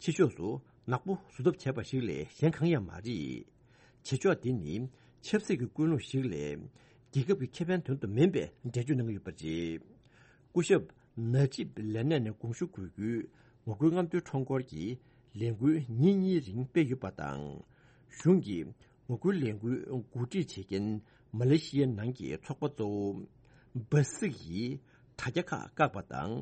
ཕྱི་ཕྱོགས་སུ་ནག་པོ་བཟོ་ཐབས་བྱས་པ་ཞིག་ལས་གཞན་གང་ཡང་མ་རེད། བྱེད་ཕྱོགས་འདི་ནི་ཆབ་སྲིད་ཀྱི་ཀུན་སློང་ཞིག་ལས་རྒྱལ་ཁབ་ཀྱི་ཁེ་ཕན་དོན་དུ་མིན་པའི་འགྲེལ་བརྗོད་གནང་གི་ཡོད་པ་རེད། སྐུ་ཞབས་ནཱ་ཇིབ་ལས་གནས་ནས་དགོངས་ཞུ་འཁུར་རྒྱུའི་ངོ་རྒོལ་རྔམ་སྟོན་ཁྲོམ་སྐོར་གྱི་ལས་འགུལ་ཉིན་གཉིས་རིང་སྤེལ་ཡོད་པ་དང་། གཞུང་གིས་ངོ་རྒོལ་ལས་འགུལ་འགོ་ཁྲིད་བྱེད་མཁན་མ་ལེ་ཤི་ཡའི་ནང་གི་ཚོགས་པ་གཙོ་བོ་སྦ་སིག་ཡིས་དྲ་རྒྱ་ཁག་བཀག་པ་དང་།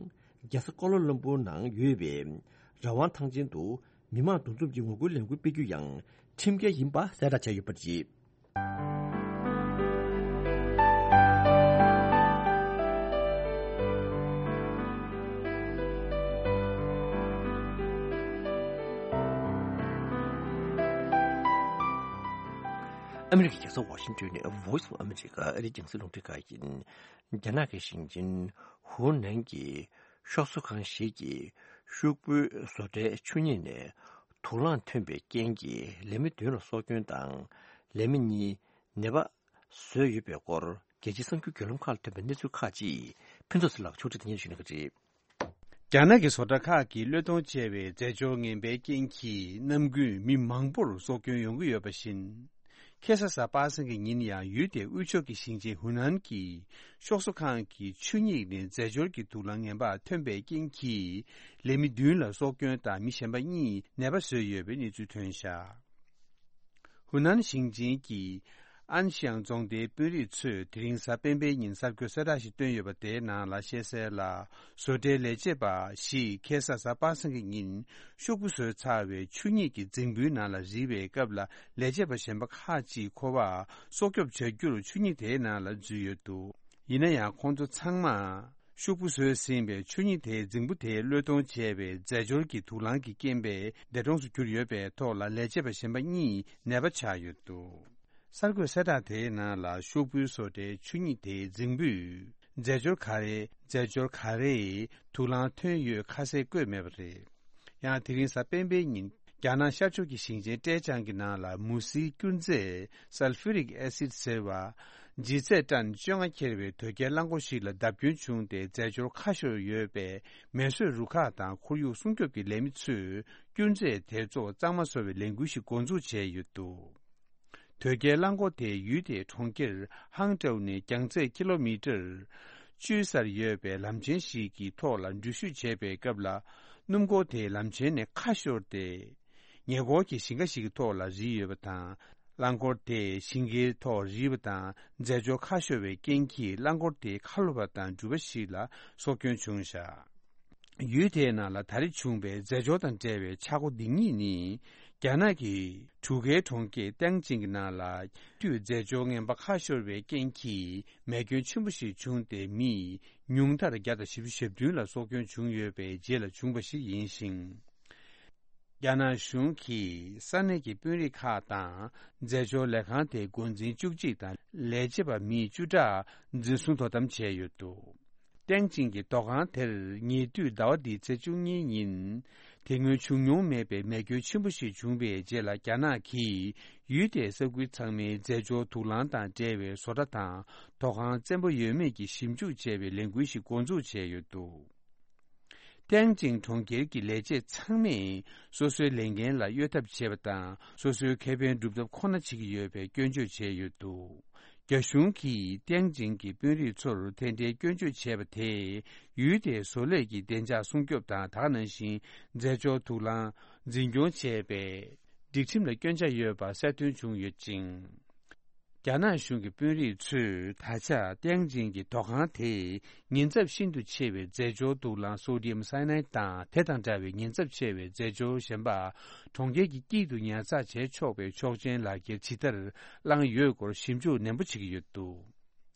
རྒྱལ་ས་ཀོ་ལ་ལམ་པུར་ནང་ཡོད་པའི་རང་དབང་ཐང་ཆེན་དུ་མི་མང་འདུ་འཛོམས་ཀྱི་ངོ་རྒོལ་ལས་འགུལ་སྤེལ་རྒྱུ་ཡང་ཁྲིམས་འགལ་ཡིན་པ་གསལ་བསྒྲགས་བྱས་ཡོད་པ་རེད། ཨ་མི་རི་ཀའི་རྒྱལ་ས་ཝ་ཤིང་ཏོན་ནས་Voice of America ཨ་རིའི་རྒྱང་སྲིང་རླུང་འཕྲིན་ཁང་ཡིན། རྒྱ་ནག་གི་ཞིང་ཆེན་ཧུའུ་ནན་གྱི་ཤོག་བཟོ་ཁང་ཞིག་གིས་ཤོག་བུའི་བཟོ་གྲྭའི་ཆུ་སྙིང་ནས་དུག་རླངས་ཐོན་པའི་རྐྱེན་གྱིས་ལས་མི་བདུན་ལ་སྲོག་སྐྱོན་དང་། ལས་མི་གཉིས་ནད་པ་བཟོས་ཡོད་པའི་སྐོར། རྒྱལ་སྤྱིའི་གསར་འགྱུར་བརྒྱུད་ལམ་ཁག་ལ་ཐོན་པའི་གནས་ཚུལ་ཁག་ཅིག་ཕུན་ཚོགས་ཚེ་ལགས་ཕྱོགས་སྒྲིག་དང་སྙན་ཞུ་གནང་གི་རེད། རྒྱ་ནག་གི་བཟོ་གྲྭ་ཁག་གིས་གློད་གཏོང་བྱས་པའི་རྫས་སྦྱོར་ངན་པའི་རྐྱེན་གྱིས་ནམ་རྒྱུན་མི་མང་པོར་སྲོག་སྐྱོན་ཡོང་གི་ཡོད་པ་བཞིན། ཁ་སང་གཟའ་པ་སངས་ཀྱི་ཉིན་ཡང་ཡུལ་དེའི་དབུས་ཕྱོགས་ཀྱི་ཞིང་ཆེན་ཧུ་ནན་གྱི་ཤོག་བཟོ་ཁང་གི་ཆུ་སྙིགས་ནས་རྫས་སྦྱོར་གྱི་དུག་རླངས་ངན་པ་ཐོན་པའི་རྐྱེན་གྱིས། ལས་མི་བདུན་ལ་སྲོག་སྐྱོན་དང་མི་གཞན་པ་གཉིས་ནད་པ་བཟོས་ཡོད་པའི་གནས་ཚུལ་ཐོན་བཞག་ཧུ་ནན་ཞིང་ཆེན་གྱི་ཨན་ཤིའང་རྫོང་སྡེའི་དཔོན་རིགས་ཚོས་དེ་རིང་གཟའ་སྤེན་པའི་ཉིན་གསར་འགོད་གསལ་བསྒྲགས་ཤིག་བཏོན་ཡོད་པ་དེའི་ནང་ལ་བཤད་གསལ་ལ། བཟོ་གྲྭའི་ལས་བྱེད་པ་ཞིག་ཁ་སང་གཟའ་པ་སངས་ཀྱི་ཉིན་ཤོག་བུ་བཟོས་ཚར་བའི་ཆུ་སྙིགས་ཀྱི་རྫིང་བུའི་ནང་ལ་རིལ་བའི་སྐབས་ལ། ལས་བྱེད་པ་གཞན་པ་ཁག་ཅིག་ཁོ་པ་སྲོག་སྐྱོབ་བྱ་རྒྱུར་ཆུ་སྙིགས་དེའི་ནང་ལ་འཛུལ་ཡོད་འདུག་ཡིན་ན་ཡང་ཁོང་ཚོ་ཚང་མ། ཤོག་བུ་བཟོས་ཟིན་པའི་ཆུ་སྙིགས་དེའི་རྫིང་བུ་དེའི་གློད་གཏོང་བྱས་པའི་རྫས་སྦྱོར་གྱི་དུག་རླངས་ཀྱི་རྐྱེན་པས་འདས་གྲོངས་སུ་གྱུར་ཡོད་པའི་ཐོག་ལ། ལས་བྱེད་པ་གཞན་པ་གཉིས་ནད་པ་ཆགས་ཡོད་འདུག་གསར་འགོད་གསལ་བསྒྲགས་དེའི་ནང་ལ། ཤོག་བུའི་བཟོ་གྲྭའི་ཆུ་སྙིགས་དེའི་རྫིང་བུས་རྫས་སྦྱོར་ག་རེ། རྫས་སྦྱོར་ག་རེ་དུག་རླངས་ཐོན་ཡོད་ཁ་གསལ་བཀོད་མེད་པ་རེད། ཡང་དེ་རིང་གཟའ་སྤེན་པའི་ཉིན། རྒྱ་ནག་ཤར་ཕྱོགས་ཀྱི་ཞིང་ཆེན་ཀྲེ་ཅང་གི་ནང་ལ་མུ་ཟིའི་སྐྱུར་རྫས་Sulfuric Acid ཟེར་བ། ལྗིད་ཚད་ཊན་བཅོ་ལྔ་འཁྱེར་བའི་དོས་སྐྱེལ་རླངས་འཁོར་ཞིག་ལ་བརྡབ་སྐྱོན་བྱུང་སྟེ། རྫས་སྦྱོར་ཁ་ཤོར་ཡོད་པས་མེ་གསོད་རུ་ཁག་དང་ཁོར་ཡུག་སྲུང་སྐྱོབ་ཀྱི་ལས་མི་ཚོས་སྐྱུར་རྫས་དེ་ཚོ་གཙང་མ་བཟོ་བའི་ལས་འགུལ་ཞིག་འགོ་འཛུགས་བྱས་ཡོད་འདུག་དོས་སྐྱེལ་རླངས་འཁོར་དེ་ཡུལ་དེའི་གྲོང་ཁྱེར་ཧང་ཀྲོའུ་ནས་རྒྱང་ཚད་ཀི་ལོ་མི་ཊར་བཅུའི་སར་ཡོད་པའི་ལམ་ཆེན་ཞིག་གི་ཐོག་ལ་འགྲུལ་བཞུད་བྱེད་པའི་སྐབས་ལ། སྣུམ་འཁོར་དེ་ལམ་ཆེན་ནས་ཁ་ཤོར་ཏེ། ཉེ་འཁོར་གྱི་ཞིང་ཁ་ཞིག་གི་ཐོག་ལ་རིལ་ཡོད་པ་དང་། རླངས་འཁོར་དེ་ཞིང་ཁའི་ཐོག་རིལ་བ་དང་། རྫས་སྦྱོར་ཁ་ཤོར་བའི་རྐྱེན་གྱིས་རླངས་འཁོར་དེའི་ཁ་ལོ་པ་དང་འགྲུལ་པ་ཞིག་ལ་སྲོག་སྐྱོན་བྱུང་བཞག་ཡུལ་དེའི་ནང་ལ་ད་རེས་བྱུང་བའི་རྫས་སྦྱོར་དང་འབྲེལ་བའི་ཆག་སྒོ་འདི་གཉིས་ནི། རྒྱ་ནག་གི་གྲུ་ཁའི་གྲོང་ཁྱེར་ཏེང་ཅིང་གི་ནང་ལ། དུས་རྫས་སྦྱོར་ངན་པ་ཁ་ཤོར་བའི་རྐྱེན་གྱིས་མེ་སྐྱོན་ཆེན་པོ་ཞིག་བྱུང་སྟེ། མི་ཉུང་མཐར་བརྒྱ་དང་བཞི་བཅུ་ཞེ་བདུན་ལ་སྲོག་སྐྱོན་བྱུང་ཡོད་པའི་རྗེས་ལ་བྱུང་བ་ཞིག་ཡིན་ཞིང་། རྒྱ་ནག་གཞུང་གིས་ས་གནས་ཀྱི་དཔོན་རིགས་ཁག་དང་རྫས་སྦྱོར་ལས་ཁང་དེའི་འགོ་འཛིན་བཅུ་གཅིག་དང་ལས་བྱེད་པ་མི་བཅུ་ཕྲག་འཛིན་བཟུང་དོ་དམ་བྱས་ཡོད་འདུག་ཏེང་ཅིང་གི་དོ་ཁང་དེར་ཉེ་དུས་ཟླ་བ་འདིའི་ཚེས་བཅུ་གཉིས་ཉིན། དེ་སྔོན་བྱུང་མྱོང་མེད་པའི་མེ་སྐྱོན་ཆེན་པོ་ཞིག་བྱུང་བའི་རྗེས་ལ། རྒྱ་ནག་གིས་ཡུལ་དེའི་ས་ཁུལ་ཚང་མའི་རྫས་སྦྱོར་དུག་རླངས་དང་འབྲེལ་བའི་བཟོ་གྲྭ་དང་དོ་ཁང་བཙན་པོ་ཡོད་མེད་ཀྱི་ཞིབ་འཇུག་བྱས་པའི་ལས་འགུལ་ཞིག་འགོ་འཛུགས་བྱས་ཡོད་འདུག་ཏེང་ཅིང་གྲོང་ཁྱེར་གྱི་ལས་བྱེད་ཚང་མས་སོ་སོའི་ལས་འགན་ལ་གཡོལ་ཐབས་བྱེད་པ་དང་། སོ་སོའི་ཁེ་ཕན་སྒྲུབ་ཐབས་ཁོ་ན་བྱེད་ཀྱི་ཡོད་པའི་སྐྱོན་བརྗོད་བྱས་ཡོད་འདུག་རྒྱ་གཞུང་གིས་ཏེང་ཅིང་གི་དཔོན་རིགས་ཚོར་དེ་འདྲའི་སྐྱོན་བརྗོད་བྱས་པ་དེས། ཡུལ་དེའི་བཟོ་ལས་ཀྱི་བདེ་འཇགས་སྲུང་སྐྱོབ་དང་། ད་ག་ནང་བཞིན་རྫས་སྦྱོར་དུག་རླངས་འཛིན་སྐྱོང་བྱས་པའི་སྒྲིག་ཁྲིམས་ལ་སྐྱོན་ཆ་ཡོད་པ་གསལ་སྟོན་བྱུང་ཡོད་ཅིང་། རྒྱ་ནག་གཞུང་གི་དཔོན་རིགས་ཚོས་ད་ཆ་ཏེང་ཅིང་གི་དོ་ཁང་དེས་ཉེན་ཚབས་ཤིན་ཏུ་ཆེ་བའི་རྫས་སྦྱོར་དུག་རླངས་སོ་ཌི་ཡམ་སའི་ནའིད་དང་། དེ་དང་འདྲ་བའི་ཉེན་ཚབས་ཆེ་བའི་རྫས་སྦྱོར་གཞན་པ་གྲོང་ཁྱེར་གྱི་དཀྱིལ་དུ་ཉར་ཚགས་བྱས་ཆོག་པའི་ཆོག་མཆན་ལག་འཁྱེར་ཇི་ལྟར་བླངས་ཡོད་སྐོར་ཞིབ་འཇུག་ནན་པོ་བྱེད་ཀྱི་ཡོད་འདུག་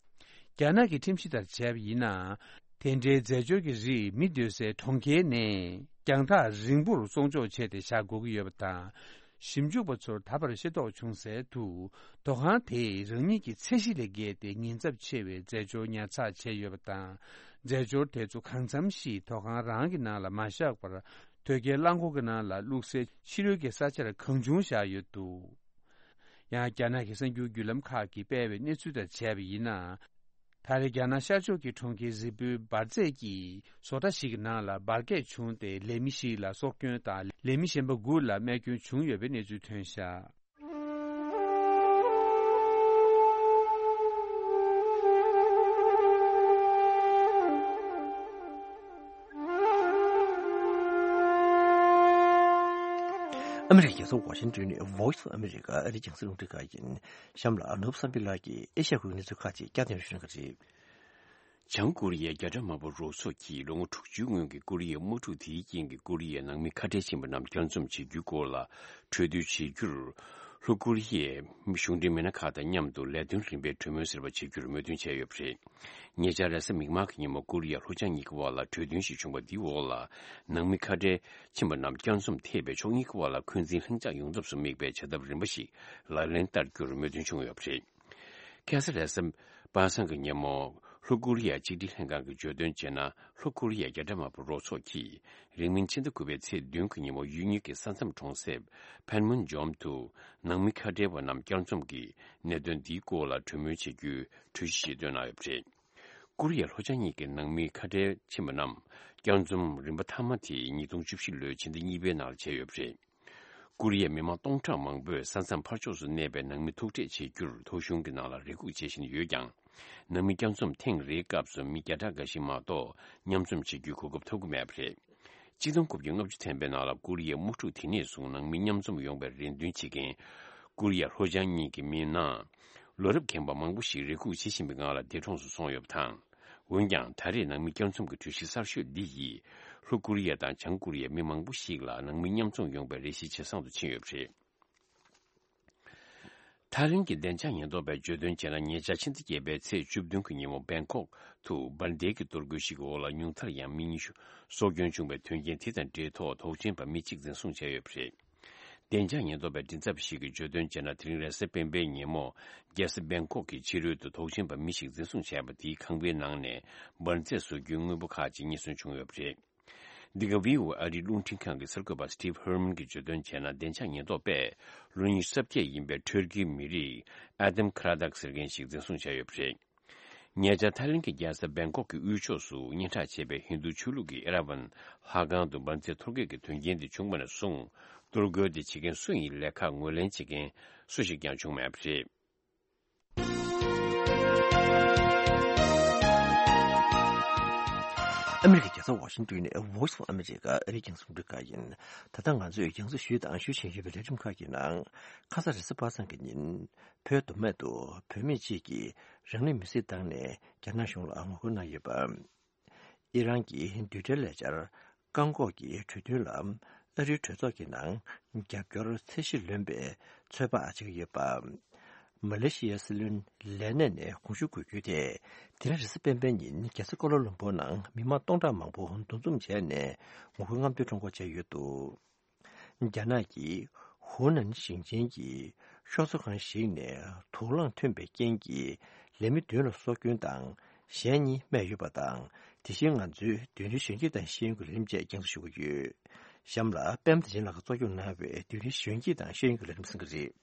རྒྱ་ནག་གི་ཁྲིམས་གཞི་ལྟར་བྱས་པ་ཡིན་ན། དེ་འདྲའི་རྫས་སྦྱོར་གྱི་རིགས་མི་སྡོད་སའི་གྲོང་ཁྱེར་ནས་རྒྱང་ཐག་རིང་པོར་བཙོང་འཇོག་བྱས་ཏེ་བཞག་དགོས་ཀྱི་ཡོད་པ་དང་། ཞིབ་འཇུག་པ་ཚོར་ད་བར་ཤེས་རྟོགས་བྱུང་གསལ་དུ། དོ་ཁང་དེས་རང་ཉིད་ཀྱི་ཚད་གཞི་ལས་བརྒལ་ཏེ་ཉེན་ཚབས་ཆེ་བའི་རྫས་སྦྱོར་ཉར་ཚགས་བྱས་ཡོད་པ་དང་། རྫས་སྦྱོར་དེ་ཚོ་གང་འཚམ་ཞིག་དོ་ཁང་རང་གི་ནང་ལ་མ་བཞག་པར། དོས་སྐྱེལ་རླངས་འཁོར་གྱི་ནང་ལ་བླུགས་སའི་ཕྱི་རོལ་གྱི་ས་ཆར་གང་བྱུང་བཞག་ཡོད་འདུག་ཡང་། རྒྱ་ནག་གི་གསར་འགྱུར་བརྒྱུད་ལམ་ཁག་གིས་སྤེལ་བའི་གནས་ཚུལ་ལྟར་བྱས་པ་ཡིན་ན། ད་རེས་རྒྱ་ནག་ཤར་ཕྱོགས་ཀྱི་གྲོང་ཁྱེར་རི་པུའི་འབར་རྫས་ཀྱིས་བཟོ་གྲྭ་ཞིག་གི་ནང་ལ་འབར་གས་བྱུང་སྟེ། ལས་མི་ཞིག་ལ་སྲོག་སྐྱོན་དང་། ལས་མི་གཞན་པ་དགུ་ལ་རྨས་སྐྱོན་བྱུང་ཡོད་པའི་གནས་ཚུལ་ཐོན་བཞག་ཨ་མི་རི་ཀའི་རྒྱལ་ས་ཝ་ཤིང་ཏོན་ནས་Voice of America ཨ་རིའི་རྒྱང་སྲིང་རླུང་འཕྲིན་ཁང་ཡིན། གཤམ་ལ་ནོར་བུ་བསམ་འཕེལ་ལགས་ཀྱིས་ཨེ་ཤ་ཡ་ཁུལ་གྱི་གནས་ཚུལ་ཁག་ཅིག་བསྐྱར་ཟློས་ཞུ་གནང་གི་རེད། བྱང་ཀོ་རི་ཡའི་རྒྱ་གྲམ་དམར་པོ་རོགས་ཚོགས་ཀྱིས་ལོ་ངོ་དྲུག་ཅུའི་སྔོན་གྱི་ཀོ་རི་ཡའི་དམག་འཁྲུག་དེའི་རྐྱེན་གྱིས་ཀོ་རི་ཡའི་ནང་མི་ཁ་བྲལ་ཕྱིན་པ་རྣམས་བསྐྱར་འཛོམས་བྱེད་རྒྱུའི་སྐོར་ལ་གྲོས་བསྡུར་བྱེད་རྒྱུར། ལྷོ་ཀོ་རི་ཡའི་གཞུང་འབྲེལ་མི་སྣ་ཁག་དང་མཉམ་དུ་ལས་དོན་རིམ་པའི་གྲོས་མོལ་ཟེར་བ་བྱེད་རྒྱུར་མོས་མཐུན་བྱས་ཡོད་པ་རེད། ཉེ་ཆར་རེས་གཟའ་མིག་དམར་གྱི་ཉིན་མོ་ཀོ་རི་ཡ་ལྷོ་བྱང་གཉིས་ཀྱི་དབར་ལ་གྲོས་མཐུན་ཞིག་བྱུང་བ་འདིའི་འོག་ལ། ནང་མི་ཁ་བྲལ་ཕྱིན་པ་རྣམས་བསྐྱར་འཛོམས་ཐེབས་པའི་ཕྱོགས་གཉིས་ཀྱི་དབར་ལ་འཁོན་འཛིན་ལྷིང་འཇགས་ཡོང་ཐབས་སུ་དམིགས་པའི་བྱ་ཐབས་རིམ་པ་ཞིག་ལག་ལེན་བསྟར་རྒྱུར་མོས་མཐུན་བྱུང་ཡོད་པ་རེད། ཁ་སང་རེས་གཟའ་པ་སངས་ཀྱི་ཉིན་མོ། ལྷོ་ཀོ་རི་ཡ་གཅིག་སྒྲིལ་ལྷན་ཁང་གིས་བརྗོད་དོན་བྱས་ན། ལྷོ་ཀོ་རི་ཡ་རྒྱ་གྲམ་དམར་པོ་རོགས་ཚོགས་ཀྱིས། རིང་མིན་ཕྱི་ཟླ་དགུ་པའི་ཚེས་བདུན་གྱི་ཉིན་མོ་ཡུལ་གཉིས་ཀྱི་ས་མཚམས་གྲོང་གསེབ་ཕན་མུན་ཇོམ་དུ། ནང་མི་ཁ་བྲལ་བ་རྣམས་བསྐྱར་འཛོམས་ཀྱི་གནད་དོན་འདིའི་སྐོར་ལ་གྲོས་མོལ་བྱེད་རྒྱུའི་གྲོས་གཞི་ཞིག་བཏོན་གནང་ཡོད་པ་རེད། ཀོ་རི་ཡ་ལྷོ་བྱང་གཉིས་ཀྱི་ནང་མི་ཁ་བྲལ་ཕྱིན་པ་རྣམས་བསྐྱར་འཛོམས་རིམ་པ་མཐའ་མ་དེ་ཉིས་སྟོང་བཅུ་བཞི་ལོའི་ཕྱི་ཟླ་གཉིས་པའི་ནང་ལ་བྱས་ཡོད་པ་རེད། ཀོ་རི་ཡའི་མི་མང་སྟོང་ཕྲག་མང་པོས་ས་མཚམས་ཕར་ཕྱོགས་སུ་གནས་པའི་ནང་མི་ཐུག་འཕྲད་བྱེད་རྒྱུར་ཐོ་གཞུང་གི་ནང་ལ་རེ་སྒུག་བྱེད་བཞིན་ཡོད་ཀྱང་། ནང་མི་བསྐྱར་འཛོམས་ཐེངས་རེའི་སྐབས་སུ་མི་བརྒྱ་ཕྲག་འགའ་ཞིག་མ་གཏོགས་མཉམ་འཛོམས་བྱེད་རྒྱུའི་གོ་སྐབས་ཐོབ་ཀྱི་མེད་པ་རེད། ཆིག་སྟོང་དགུ་བརྒྱ་ལྔ་བཅུ་ཐམ་པའི་ནང་ལ་ཀོ་རི་ཡའི་དམག་འཁྲུག་དེ་ནས་བཟུང་ནང་མི་མཉམ་འཛོམས་ཡོང་བའི་རེ་འདུན་བྱེད་མཁན་ཀོ་རི་ཡ་ལྷོ་བྱང་གཉིས་ཀྱི་མི་ནང་ལོ་རབས་རྒན་པ་མང་པོ་ཞིག་རེ་སྒུག་བྱེད་བཞིན་པའི་ངང་ལ་འདས་གྲོངས་སུ་སོང་ཡོད་པ་དང་། འོན་ཀྱང་ད་རེས་ནང་མི་བསྐྱར་འཛོམས་ཀྱི་གྲོས་གཞི་གསར་ཤོས་འདི་ཡིས་ལྷོ་ཀོ་རི་ཡ་དང་བྱང་ཀོ་རི་ཡའི་མི་མང་པོ་ཞིག་ལ་ནང་མི་མཉམ་འཛོམས་ཡོང་བའི་རེ་ཞིག་ཇེ་བཟང་དུ་ཕྱིན་ཡོད་པ་རེད། ཐའི་ལེན་གྱི་བདེ་འཇགས་ཉེན་རྟོག་པས་བརྗོད་དོན་བྱས་ན། ཉེ་ཆར་ཕྱི་ཟླ་བརྒྱད་པའི་ཚེས་བཅུ་བདུན་གྱི་ཉིན་མོ་བེང་ཀོག་ཏུ་འབར་མདེལ་གྱི་གཏོར་རྒོལ་ཞིག་གི་འོག་ལ་ཉུང་མཐར་ཡང་མི་ཉི་ཤུ་སྲོག་སྐྱོན་བྱུང་བའི་དོན་རྐྱེན་དེ་དང་འབྲེལ་ཐོག་དོགས་ཟོན་པ་མི་གཅིག་འཛིན་བཟུང་བྱས་ཡོད་པ་རེད། བདེ་འཇགས་ཉེན་རྟོག་པའི་མགྲིན་ཚབ་ཞིག་གིས་བརྗོད་དོན་བྱས་ན། དེ་རིང་རེས་གཟའ་སྤེན་པའི་ཉིན་མོ་རྒྱལ་ས་བེང་ཀོག་གི་ཕྱི་རོལ་དུ་དོགས་ཟོན་པ་མི་ཞིག་འཛིན་བཟུང་བྱས་པ་དེའི་ཁང་པའི་ནང་ནས་འབར་རྫས་བཟོ་རྒྱུའི་དངོས་པོ་ཁག་ཅིག་རྙེད་སོན་བྱུང་ཡོད་པ་རེད། འདི་ག་བྷི་ཨོ་ཨེ་ཨ་རིའི་རླུང་འཕྲིན་ཁང་གི་གསར་འགོད་པ་Steve Herman གྱིས་བརྗོད་དོན་བྱས་ན། བདེ་འཇགས་ཉེན་རྟོག་པས་ལོ་ཉི་ཤུ་རྩ་བརྒྱད་ཡིན་པའི་ཊར་ཀིའི་མི་རིགས་ཨ་དམ་ཁ་ར་དག་ཟེར་མཁན་ཞིག་འཛིན་བཟུང་བྱས་ཡོད་པ་རེད། ཉེ་ཆར་ཐའི་ལེན་གྱི་རྒྱལ་ས་བེང་ཀོག་གི་དབུས་ཕྱོགས་སུ་སྙན་གྲགས་ཆེ་བའི་ཧིན་རྡུ་ཆོས་ལུགས་ཀྱི་ཨེ་ར་ཝན་ལྷ་ཁང་དུ་འབར་རྫས་གཏོར་རྒོལ་གྱི་དོན་རྐྱེན་དེ་བྱུང་བ་ནས་བཟུང་གཏོར་རྒོལ་དེ་བྱེད་མཁན་སུ་ཡིན་ལས་ཁག་ངོས་ལེན་བྱེད་མཁན་སུ་ཞིག་ཀྱང་བྱུང་མེད་པ་རེད། ཨ་མི་རི་ཀའི་རྒྱལ་ས་ཝ་ཤིང་ཏོན་ནས་Voice of America ཨ་རིའི་རྒྱང་སྲིང་རླུང་འཕྲིན་ཁང་ཡིན། ད་ལྟ་ང་ཚོས་རྒྱང་སྲིང་ཞུས་དང་ཞུ་བཞིན་ཡོད་པའི་ལས་རིམ་ཁག་གི་ནང་། ཁ་ས་རེས་གཟའ་པ་སངས་ཀྱི་ཉིན་བོད་མདོ་སྨད་དུ་བོད་མི་གཅིག་གིས་རང་ལུས་མེར་སྲེག་བཏང་ནས་རྒྱ་ནག་གཞུང་ལ་ངོ་རྒོལ་གནང་ཡོད་པ། ཨི་རན་གྱི་རྡུལ་ཕྲན་ལས་འཆར་བཀག་འགོག་གི་གྲོས་མཐུན་ལ་ཨ་རིའི་གྲོས་ཚོགས་ཀྱི་ནང་རྒྱབ་སྐྱོར་ཚད་གཞི་ལོན་པའི་ཚོད་དཔག་བྱེད་ཀྱི་ཡོད་པ། མ་ལེ་ཤི་ཡའི་སྲིད་བློན་ལས་གནས་ནས་དགོངས་ཞུ་དགོས་རྒྱུ་དེ། དེ་རིང་རེས་གཟའ་སྤེན་པའི་ཉིན་རྒྱལ་ས་ཀོ་ལ་ལུམ་པུར་ནང་མི་མང་སྟོང་ཕྲག་མང་པོ་འདུ་འཛོམས་བྱས་ནས་ངོ་རྒོལ་རྔམ་སྟོན་ཁྲོམ་སྐོར་བྱས་ཡོད་འདུག་རྒྱ་ནག་གི་ཧུའུ་ནན་ཞིང་ཆེན་གྱི་ཤོག་བཟོ་ཁང་ཞིག་ནས་དུག་རླངས་ཐོན་པའི་རྐྱེན་གྱིས་ལས་མི་བདུན་ལ་སྲོག་སྐྱོན་དང་གཞན་གཉིས་རྨས་ཡོད་པ་དང་། དེ་བཞིན་ང་ཚོའི་བདུན་ཚན་གཞོན་སྐྱེས་དང་ཤེས་ཡོན་གྱི་ལས་རིམ་བཅས་རྒྱང་སྲིང་ཞུ་གི་ཡོད། གཤམ་ལ་པད་མ་བདེ་ཆེན་ལགས་ཀྱིས་གཙོ་སྐྱོང་གནང་བའི་བདུན་ཚན་གཞོན་སྐྱེས་དང་ཤེས་ཡོན་གྱི་ལས་རིམ་གསན་གྱི་རེད།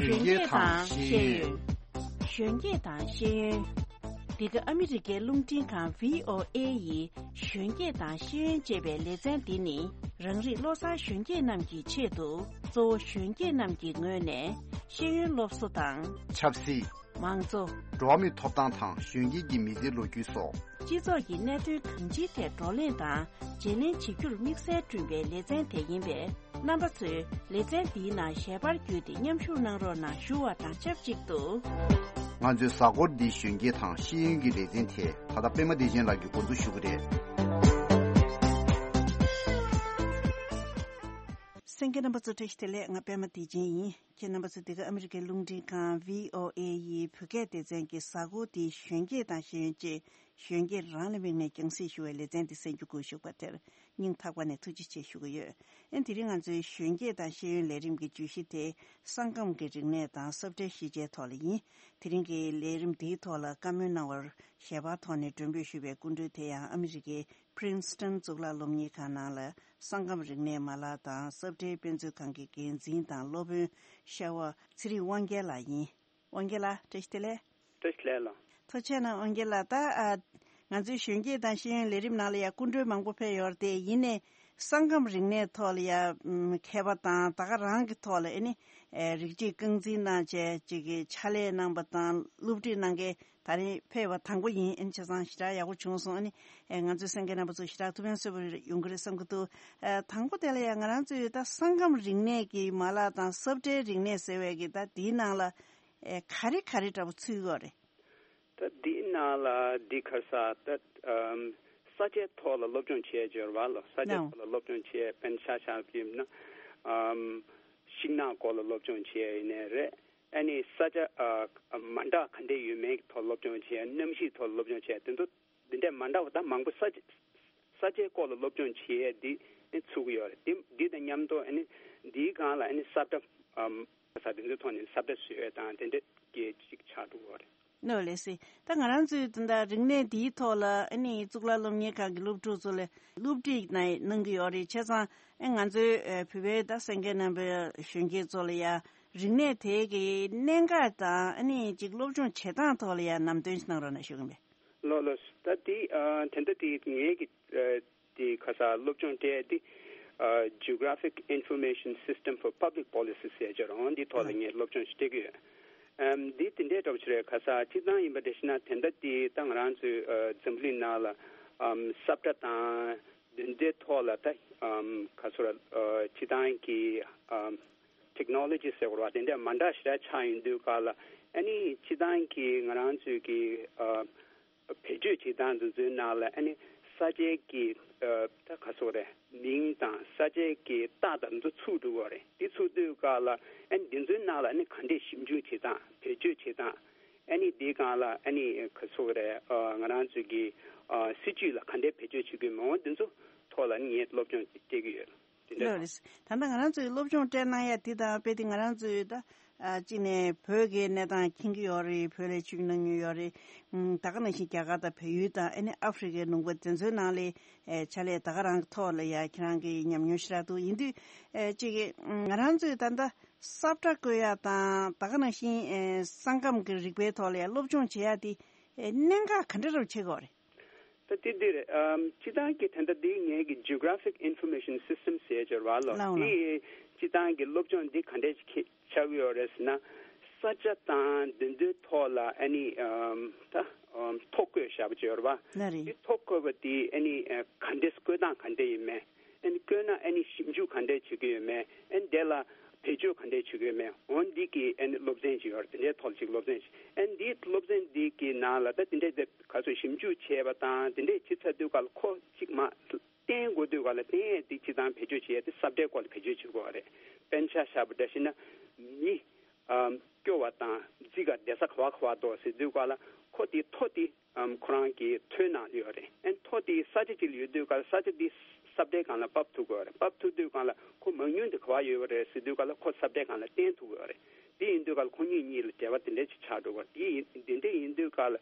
གཞོན་སྐྱེས་དང་ཤེས་ཡོན། གཞོན་སྐྱེས་དང་ཤེས་ཡོན། འདི་ག་ཨ་མི་རི་ཀའི་རླུང་འཕྲིན་ཁང་བྷི་ཨོ་ཨེ་ཡི་གཞོན་སྐྱེས་དང་ཤེས་ཡོན་ཅེས་པའི་ལེ་ཚན་འདི་ནི། རང་རིགས་བློ་བཟང་གཞོན་སྐྱེས་རྣམས་ཀྱི་ཆེད་དུ། གཙོ་བོ་གཞོན་སྐྱེས་རྣམས་ཀྱི་ངོས་ནས་ཤེས་ཡོན་སློབ་གསོ་དང་། ཆབ་སྲིད། མང་གཙོ། འགྲོ་བ་མིའི་ཐོབ་ཐང་དང་གཞོན་སྐྱེས་ཀྱི་མི་ཚེའི་ལོ་རྒྱུས་སོགས། སྤྱི་ཚོགས་ཀྱི་གནད་དོན་གང་ཅིའི་ཐད་བགྲོ་གླེང་དང་བརྗེ་ལེན་བྱེད་རྒྱུར་དམིགས་བསལ་བསྐྲུན་པའི་ལེ་ཚན་དེ་ཡིན་པས། རྣམ་པ་ཚོས་ལེ་ཚན་འདིའི་ནང་ཞལ་པར་བརྒྱུད་དེ་མཉམ་ཞུགས་གནང་རོགས་གནང་ཞུ་བ་དང་ཆབས་ཅིག་ཏུ། ང་ཚོའི་གཟའ་འཁོར་འདིའི་གཞོན་སྐྱེས་དང་ཤེས་ཡོན་གྱི་ལེ་ཚན་དེ་ད་ལྟ་པད་མ་བདེ་ཆེན་ལགས་ཀྱིས་འགོ་འཛུགས་ཞུ་གི་རེད། གསན་མཁན་རྣམ་པ་ཚོ་བཀྲ་ཤིས་བདེ་ལེགས། ང་པད་མ་བདེ་ཆེན་ཡིན། ཁྱེད་རྣམ་པ་ཚོ་འདི་ག་ཨ་མི་རི་ཀའི་རླུང་འཕྲིན་ཁང་བྷི་ཨོ་ཨེ་ཡི་བོད་སྐད་སྡེ་ཚན་གྱི་གཟའ་འཁོར་འདིའི་གཞོན་སྐྱེས་དང་ཤེས་ཡོན་ཅེས་གཞོན་སྐྱེས་རང་ལ་དམིགས་ནས་རྒྱང་སྲིང་ཞུ་བའི་ལེ་ཚན་འདི་གསན་རྒྱུ་དགོངས་ཞུ་བ་དེར་སྙིང་ཐག་པ་ནས་ཐུགས་རྗེ་ཆེ་ཞུ་གི་ཡོད། ཨེ་དེ་རིང་ང་ཚོའི་གཞོན་སྐྱེས་དང་ཤེས་ཡོན་ལས་རིམ་གྱི་བརྗོད་གཞི་དེ་ས་ཁམས་ཀྱི་རིག་གནས་དང་ས་ཁྲའི་ཤེས་བྱའི་ཐོག་ལ་ཡིན། དེ་རིང་གི་ལས་རིམ་འདིའི་ཐོག་ལ་བཀའ་མོལ་གནང་བར་ཞལ་པར་ཐོག་ནས་མགྲོན་འབོད་ཞུས་པའི་སྐུ་མགྲོན་དེ་ཡང་ཨ་མི་རི་ཀའི་Princeton་གཙུག་ལག་སློབ་གཉེར་ཁང་ནང་ལ་ས་ཁམས་རིག་གནས་མ་ལག་དང་ས་ཁྲའི་དཔེ་མཛོད་ཁང་གི་འགན་འཛིན་དང་སློབ་དཔོན་ཤ་བ་ཚེ་རིང་དབང་རྒྱལ་ལགས་ཡིན། དབང་རྒྱལ་ལགས་བཀྲ་ཤིས་བདེ་ལེགས། བཀྲ་ཤིས་བདེ་ལེགས། ཐུགས་རྗེ་གནང་དབང་རྒྱལ་ལགས། ད་ཨ་ང་ཚོའི་གཞོན་སྐྱེས་དང་ཤེས་ཡོན་ལས་རིམ་ནང་ལ་ཡང་སྐུ་མགྲོན་མང་པོ་ཕེབས་ཡོད་རེད་དེ། ཡིན་ནའི་ས་ཁམས་རིག་གནས་ཐོག་ལ་ཡང་མཁས་པ་དང་ད་ག་རང་གི་ཐོག་ལ་ཨེ་ནི་རིགས་གཅིག་རྐང་འཛིན་གནང་བྱས་ཅིག་གི་ཕྱག་ལས་གནང་པ་དང་སློབ་ཁྲིད་གནང་མཁན་ད་རིང་ཕེབས་པ་དང་པོ་ཡིན། ཨེ་ནི་བྱས་ཙང་ཞེ་དྲག་ཡག་པོ་བྱུང་སོང་། ཨེ་ནི་ང་ཚོའི་གསན་མཁན་རྣམ་པ་ཚོ་ཞེ་དྲག་ཐུགས་ཕན་གསོས་པ་ཡོང་གི་རེད་བསམ་གྱི་འདུག་ཨ་དང་པོ་དེ་ལ་ཡང་ང་རང་ཚོའི་ད་ས་ཁམས་རིག་གནས་ཀྱི་མ་ལག་དང་ས་ཁྲའི་རིག་གནས་ཟེར་བའི་གི་ད་དེའི་ནང་ལ་ཨེ་ག་རེ་ག་རེ་འདྲ་པོ་ཚུད་ཡོད་རེད། ད་འདིའི་ནང་ལ་འདི་ག་རེ་ཟེར་ད་ཨམ་ས་ཆའི་ཐོག་ལ་སློབ་སྦྱོང་བྱེད་ཡས་ཡོད་རེད་པ་ལགས། ས་ཆའི་ནའོ། ཐོག་ལ་སློབ་སྦྱོང་བྱེད་ཡས་དཔེར་ན་ཆ་བཞག་པ་ཡིན་ན་ཨམ་ཤིང་ནགས་སྐོར་ལ་སློབ་སྦྱོང་བྱེད་ཡས་ཡིན་ནའི་རེད། ཨ་ནི་ས་ཆ་ཨ་མ་འདྲ་ག་འདྲས་ཡོད་མེད་ཀྱི་ཐོག་སློབ་སྦྱོང་བྱེད་ཡས། གནམ་གཤིས་ཐོག་ལ་སློབ་སྦྱོང་བྱེད་ཡས། དེ་ཚོ་འདི་འདྲས་མ་འདྲ་བ་ད་མང་པོ་ས་ཆ་ས་ཆའི་སྐོར་ལ་སློབ་སྦྱོང་བྱེད་ཡས་འདི་ནི་ཚུགས་ཀྱི་ཡོད་རེད། འདི་འདི་དང་མཉམ་དུ་ཨ་ནི་འདིའི་སྒང་ལ་ཨ་ནི་ས་བཀྲ་ཨམ་ས་དེ་ཚོའི་ཐོག་ནས་ས་བཀྲ་བཟོ་ཡས་དང་དེ་འདྲས་ཀྱི་ཅིག་ཆགས་འགྲོ་གི་ཡོད་རེད། ནོ་ལེ་སི། ད་ང་རང་ཚོའི་ད་ལྟ་རིག་གནས་འདིའི་ཐོག་ལ་ཨ་ནི་གཙུག་ལག་སློབ་གཉེར་ཁང་གི་སློབ་ཕྲུག་ཚོ་ལ་སློབ་ཁྲིད་གནང་གནང་གི་ཡོད་རེད། བྱས་ཙང་ཨ་ང་ཚོའི་ཨ་བོད་པའི་ད་གསན་མཁན་རྣམ་པའི་གཞོན་སྐྱེས་ཚོ་ལ་ཡ་རིག་གནས་དེ་གི་གནད་འགག་དང་ཨ་ནི་ཅིག་སློབ་སྦྱོང་བྱེད་སྟངས་ཐོག་ལ་ཡ་ལམ་སྟོན་ཞིག་གནང་རོགས་གནང་ཞུ་གི་ཡིན་པས། ལགས་ལགས། ད་དེ་ཨ་དེ་འདྲ་དེ་ངེད་ཀྱི་ཨ་དེ་ཁ་ས་སློབ་སྦྱོང་སྤྲད་དེ་ཨ་Geographic Information System for Public Policy ཟེར་ཅིག་ཡོད་རེད། འོ་འདི་ཐོག་ལ་ངས་སློབ་སྦྱོང་ཞིག་སྤྲད་ཀྱི་ཡོད། ཨམ་འདི་དེ་འདྲའི་འདྲ་པོ་ཞིག་རེད། ཁ་ས་སྤྱིར་བཏང་ཡིན་པ་འདྲ་ཞིག་ན་དེ་འདྲ་དེ་ད་ང་རང་ཚོའི་ཨ་འཛམ་གླིང་ནང་ལ་ཨམ་ས་བཀྲ་དང་དེ་འདྲའི་ཐོག་ལ་ད་ཨམ་ཁ་ས་ཨ་སྤྱིར་བཏང་གི་ཨམ་Technology ཟེར་བ་དེ་འདྲ་མ་འདྲ་ཞེ་དྲག་ཆགས་ཡོང་དུས་སྐབས་ལ་ཨ་ནི་སྤྱིར་བཏང་གི་ང་རང་ཚོའི་གི་ཨ་བེད་སྤྱོད་བྱེད་སྟངས་འདི་ཚོའི་ནང་ལ་ཨ་ནི་ས་ཆའི་གི་ཨ་ད་ག་ཚོད་རེད། མིང་དང་ས་ཆའི་གི་རྟགས་དང་འདི་ཚོ་ཚུད་འགྲོ་གི་རེད། འདི་ཚུད་དུས་སྐབས་ལ་ཨ་ནི་འདི་ཚོའི་ནང་ལ་ཨ་ནི་ག་འདྲས་ཞིབ་འཇུག་བྱེད་སྟངས་བེད་སྤྱོད་བྱེད་སྟངས་ཨ་ནི་འདིའི་སྒང་ལ་ཨ་ནི་ག་ཚོད་རེད། ཨ་ང་རང་ཚོའི་གི་ཨ་སྲིད་ཇུས་ལ་ག་འདྲས་བེད་སྤྱོད་བྱེད་དགོས་མིན་འདི་ཚོ་ཐོག་ལ་ཨ་ནི་ངས་སློབ་སྦྱོང་སྤྲད་ཀྱི་ཡོད། དེ་འདྲ་ལགས་རེད། ད་ལྟ་ང་རང་ཚོའི་སློབ་སྦྱོང་སྤྲད་གནང་ཡ་དེ་དང་དཔེ་དེ་ང་རང་ཚོའི་ད་ཨ་གཅིག་ནས་བོད་ཀྱི་གནས་སྟངས་མཁྱེན་གྱི་ཡོད་རེད། བོད་ལ་ཆོས་ཞུགས་གནང་མྱོང་ཡོད་རེད། ཨུམ་ད་ག་ནང་བཞིན་རྒྱ་གར་དང་བལ་ཡུལ་དང་ཨ་ནི་ཨ་ཧྥེ་རི་ཁའི་ལུང་པ་དེ་ཚོའི་ནང་ལ་ཨེ་ཕྱག་ལས་ད་ག་རང་གི་ཐོག་ལ་ཡ་ཁྱེད་རང་གི་ཉམས་མྱོང་ཞེ་དྲག་འདུག་ཡིན་དུས་ཨེ་གཅིག་གི་ཨུམ་ང་རང་ཚོའི་ད་ལྟ་ས་བཀྲ་བཀོད་ཡ་དང་ད་ག་ནང་བཞིན་ཨེ་ས་ཁམས་ཀྱི་རིག་པའི་ཐོག་ལ་ཡ་སློབ་སྦྱོང་བྱེད་ཡ་དེ་ཨེ་གནད་འགག་ག་འདྲ་རུ་ཆགས་ཀྱི་ཡོད་རེད། ད་དེ་འདི་རེད། ཨམ་སྤྱིར་བཏང་གི་ད་ལྟ་འདི་ངེད་ཀྱི་Geographic Information System ཟེར་ཅིག་ཡོད་རེད་པ་ལགས། ལགས་འོང་ལགས། འདི་སྤྱིར་བཏང་གི་སློབ་སྦྱོང་འདི་ག་འདྲས་ཅིག་ཆགས་ཀྱི་ཡོད་རེད་ཟེར་ན། ས་ཆ་དང་དེ་ཚོའི་ཐོག་ལ་ཨ་ནི་ཨམ་ད་ཨམ་ཐོ་བཀོད་བཞག་པ་ཅིག་ཡོད་རེད་པ། ལགས་རེད། འདི་ཐོ་བཀོད་པ་དེ་ཨ་ནི་ཨ་ག་འདྲས་བཀོད་སྟངས་ག་འདྲས་ཡིན་མིན། ཨ་ནི་བཀོད་ན་ཨ་ནི་ཞིབ་འཇུག་ག་འདྲས་བྱེད་ཀྱི་ཡོད་མེད། ཨ་ནི་དེ་ལ་བེད་སྤྱོད་ག་འདྲས་བྱེད་ཀྱི་ཡོད་མེད། འོ་འདི་གི་ཨ་ནི་སློབ་ཚན་ཅིག་ཡོད་རེད། དེ་འདྲའི་ཐོག་ལ་ཅིག་སློབ་ཚན་ཅིག་ཨ་ནི་འདིའི་སློབ་ཚན་འདི་གི་ནང་ལ་ད་དེ་འདྲས་དེ་ག་ཚོད་ཞིབ་འཇུག་བྱས་པ་དང་དེ་འདྲས་བྱེད་ཚར་དུས་སྐབས་ལ་ཁོ་གཅིག་མ་བསྟན་དགོས་དུས་སྐབས་ལ་བསྟན་ཡས་དེ་སྤྱིར་བཏང་བེད་སྤྱོད་བྱེད་ཡས་དེ་ས་བཀྲའི་སྐོར་ལ་བེད་སྤྱོད་བྱེད་དགོས་པ་རེད། དཔེར་ན་ཆ་བཞག་པ་འདྲ་ཞིག་ན་མི་ཨམ་སྐྱོ་བ་དང་རྫིག་ག་བསྡད་ས་ག་བ་ག་བ་འདུག་ཟེར་དུས་སྐབས་ལ་ཁོ་དེ་ཐོ་དེ་ཨམ་ཁོ་རང་གི་ཐོའི་ནང་ལ་ཡོད་རེད། ཨན་ཐོ་དེ་ས་ཆ་གཅིག་ལ་ཡོད་དུས་སྐབས་ལ་ས་ཆ་དེ་ས་བཀྲའི་སྒང་ལ་ཕབ་ཐུབ་དགོས་རེད། ཕབ་ཐུབ་དུས་སྒང་ལ་ཁོ་མང་ཉུང་དེ་ག་བ་ཡོད་པ་རེད་ཟེར་དུས་སྐབས་ལ་ཁོ་ས་བཀྲའི་སྒང་ལ་བསྟན་ཐུབ་དགོས་རེད། དེ་ཡིན་དུས་སྐབས་ལ་ཁོ་གཉིས་གཉིས་ལ་འབྲེལ་བ་དེ་འདྲ་ཅིག་ཆགས་འགྲོ་གི་རེད། དེ་ཡིན་དེ་འདྲ་ཡིན་དུས་སྐབས་ལ་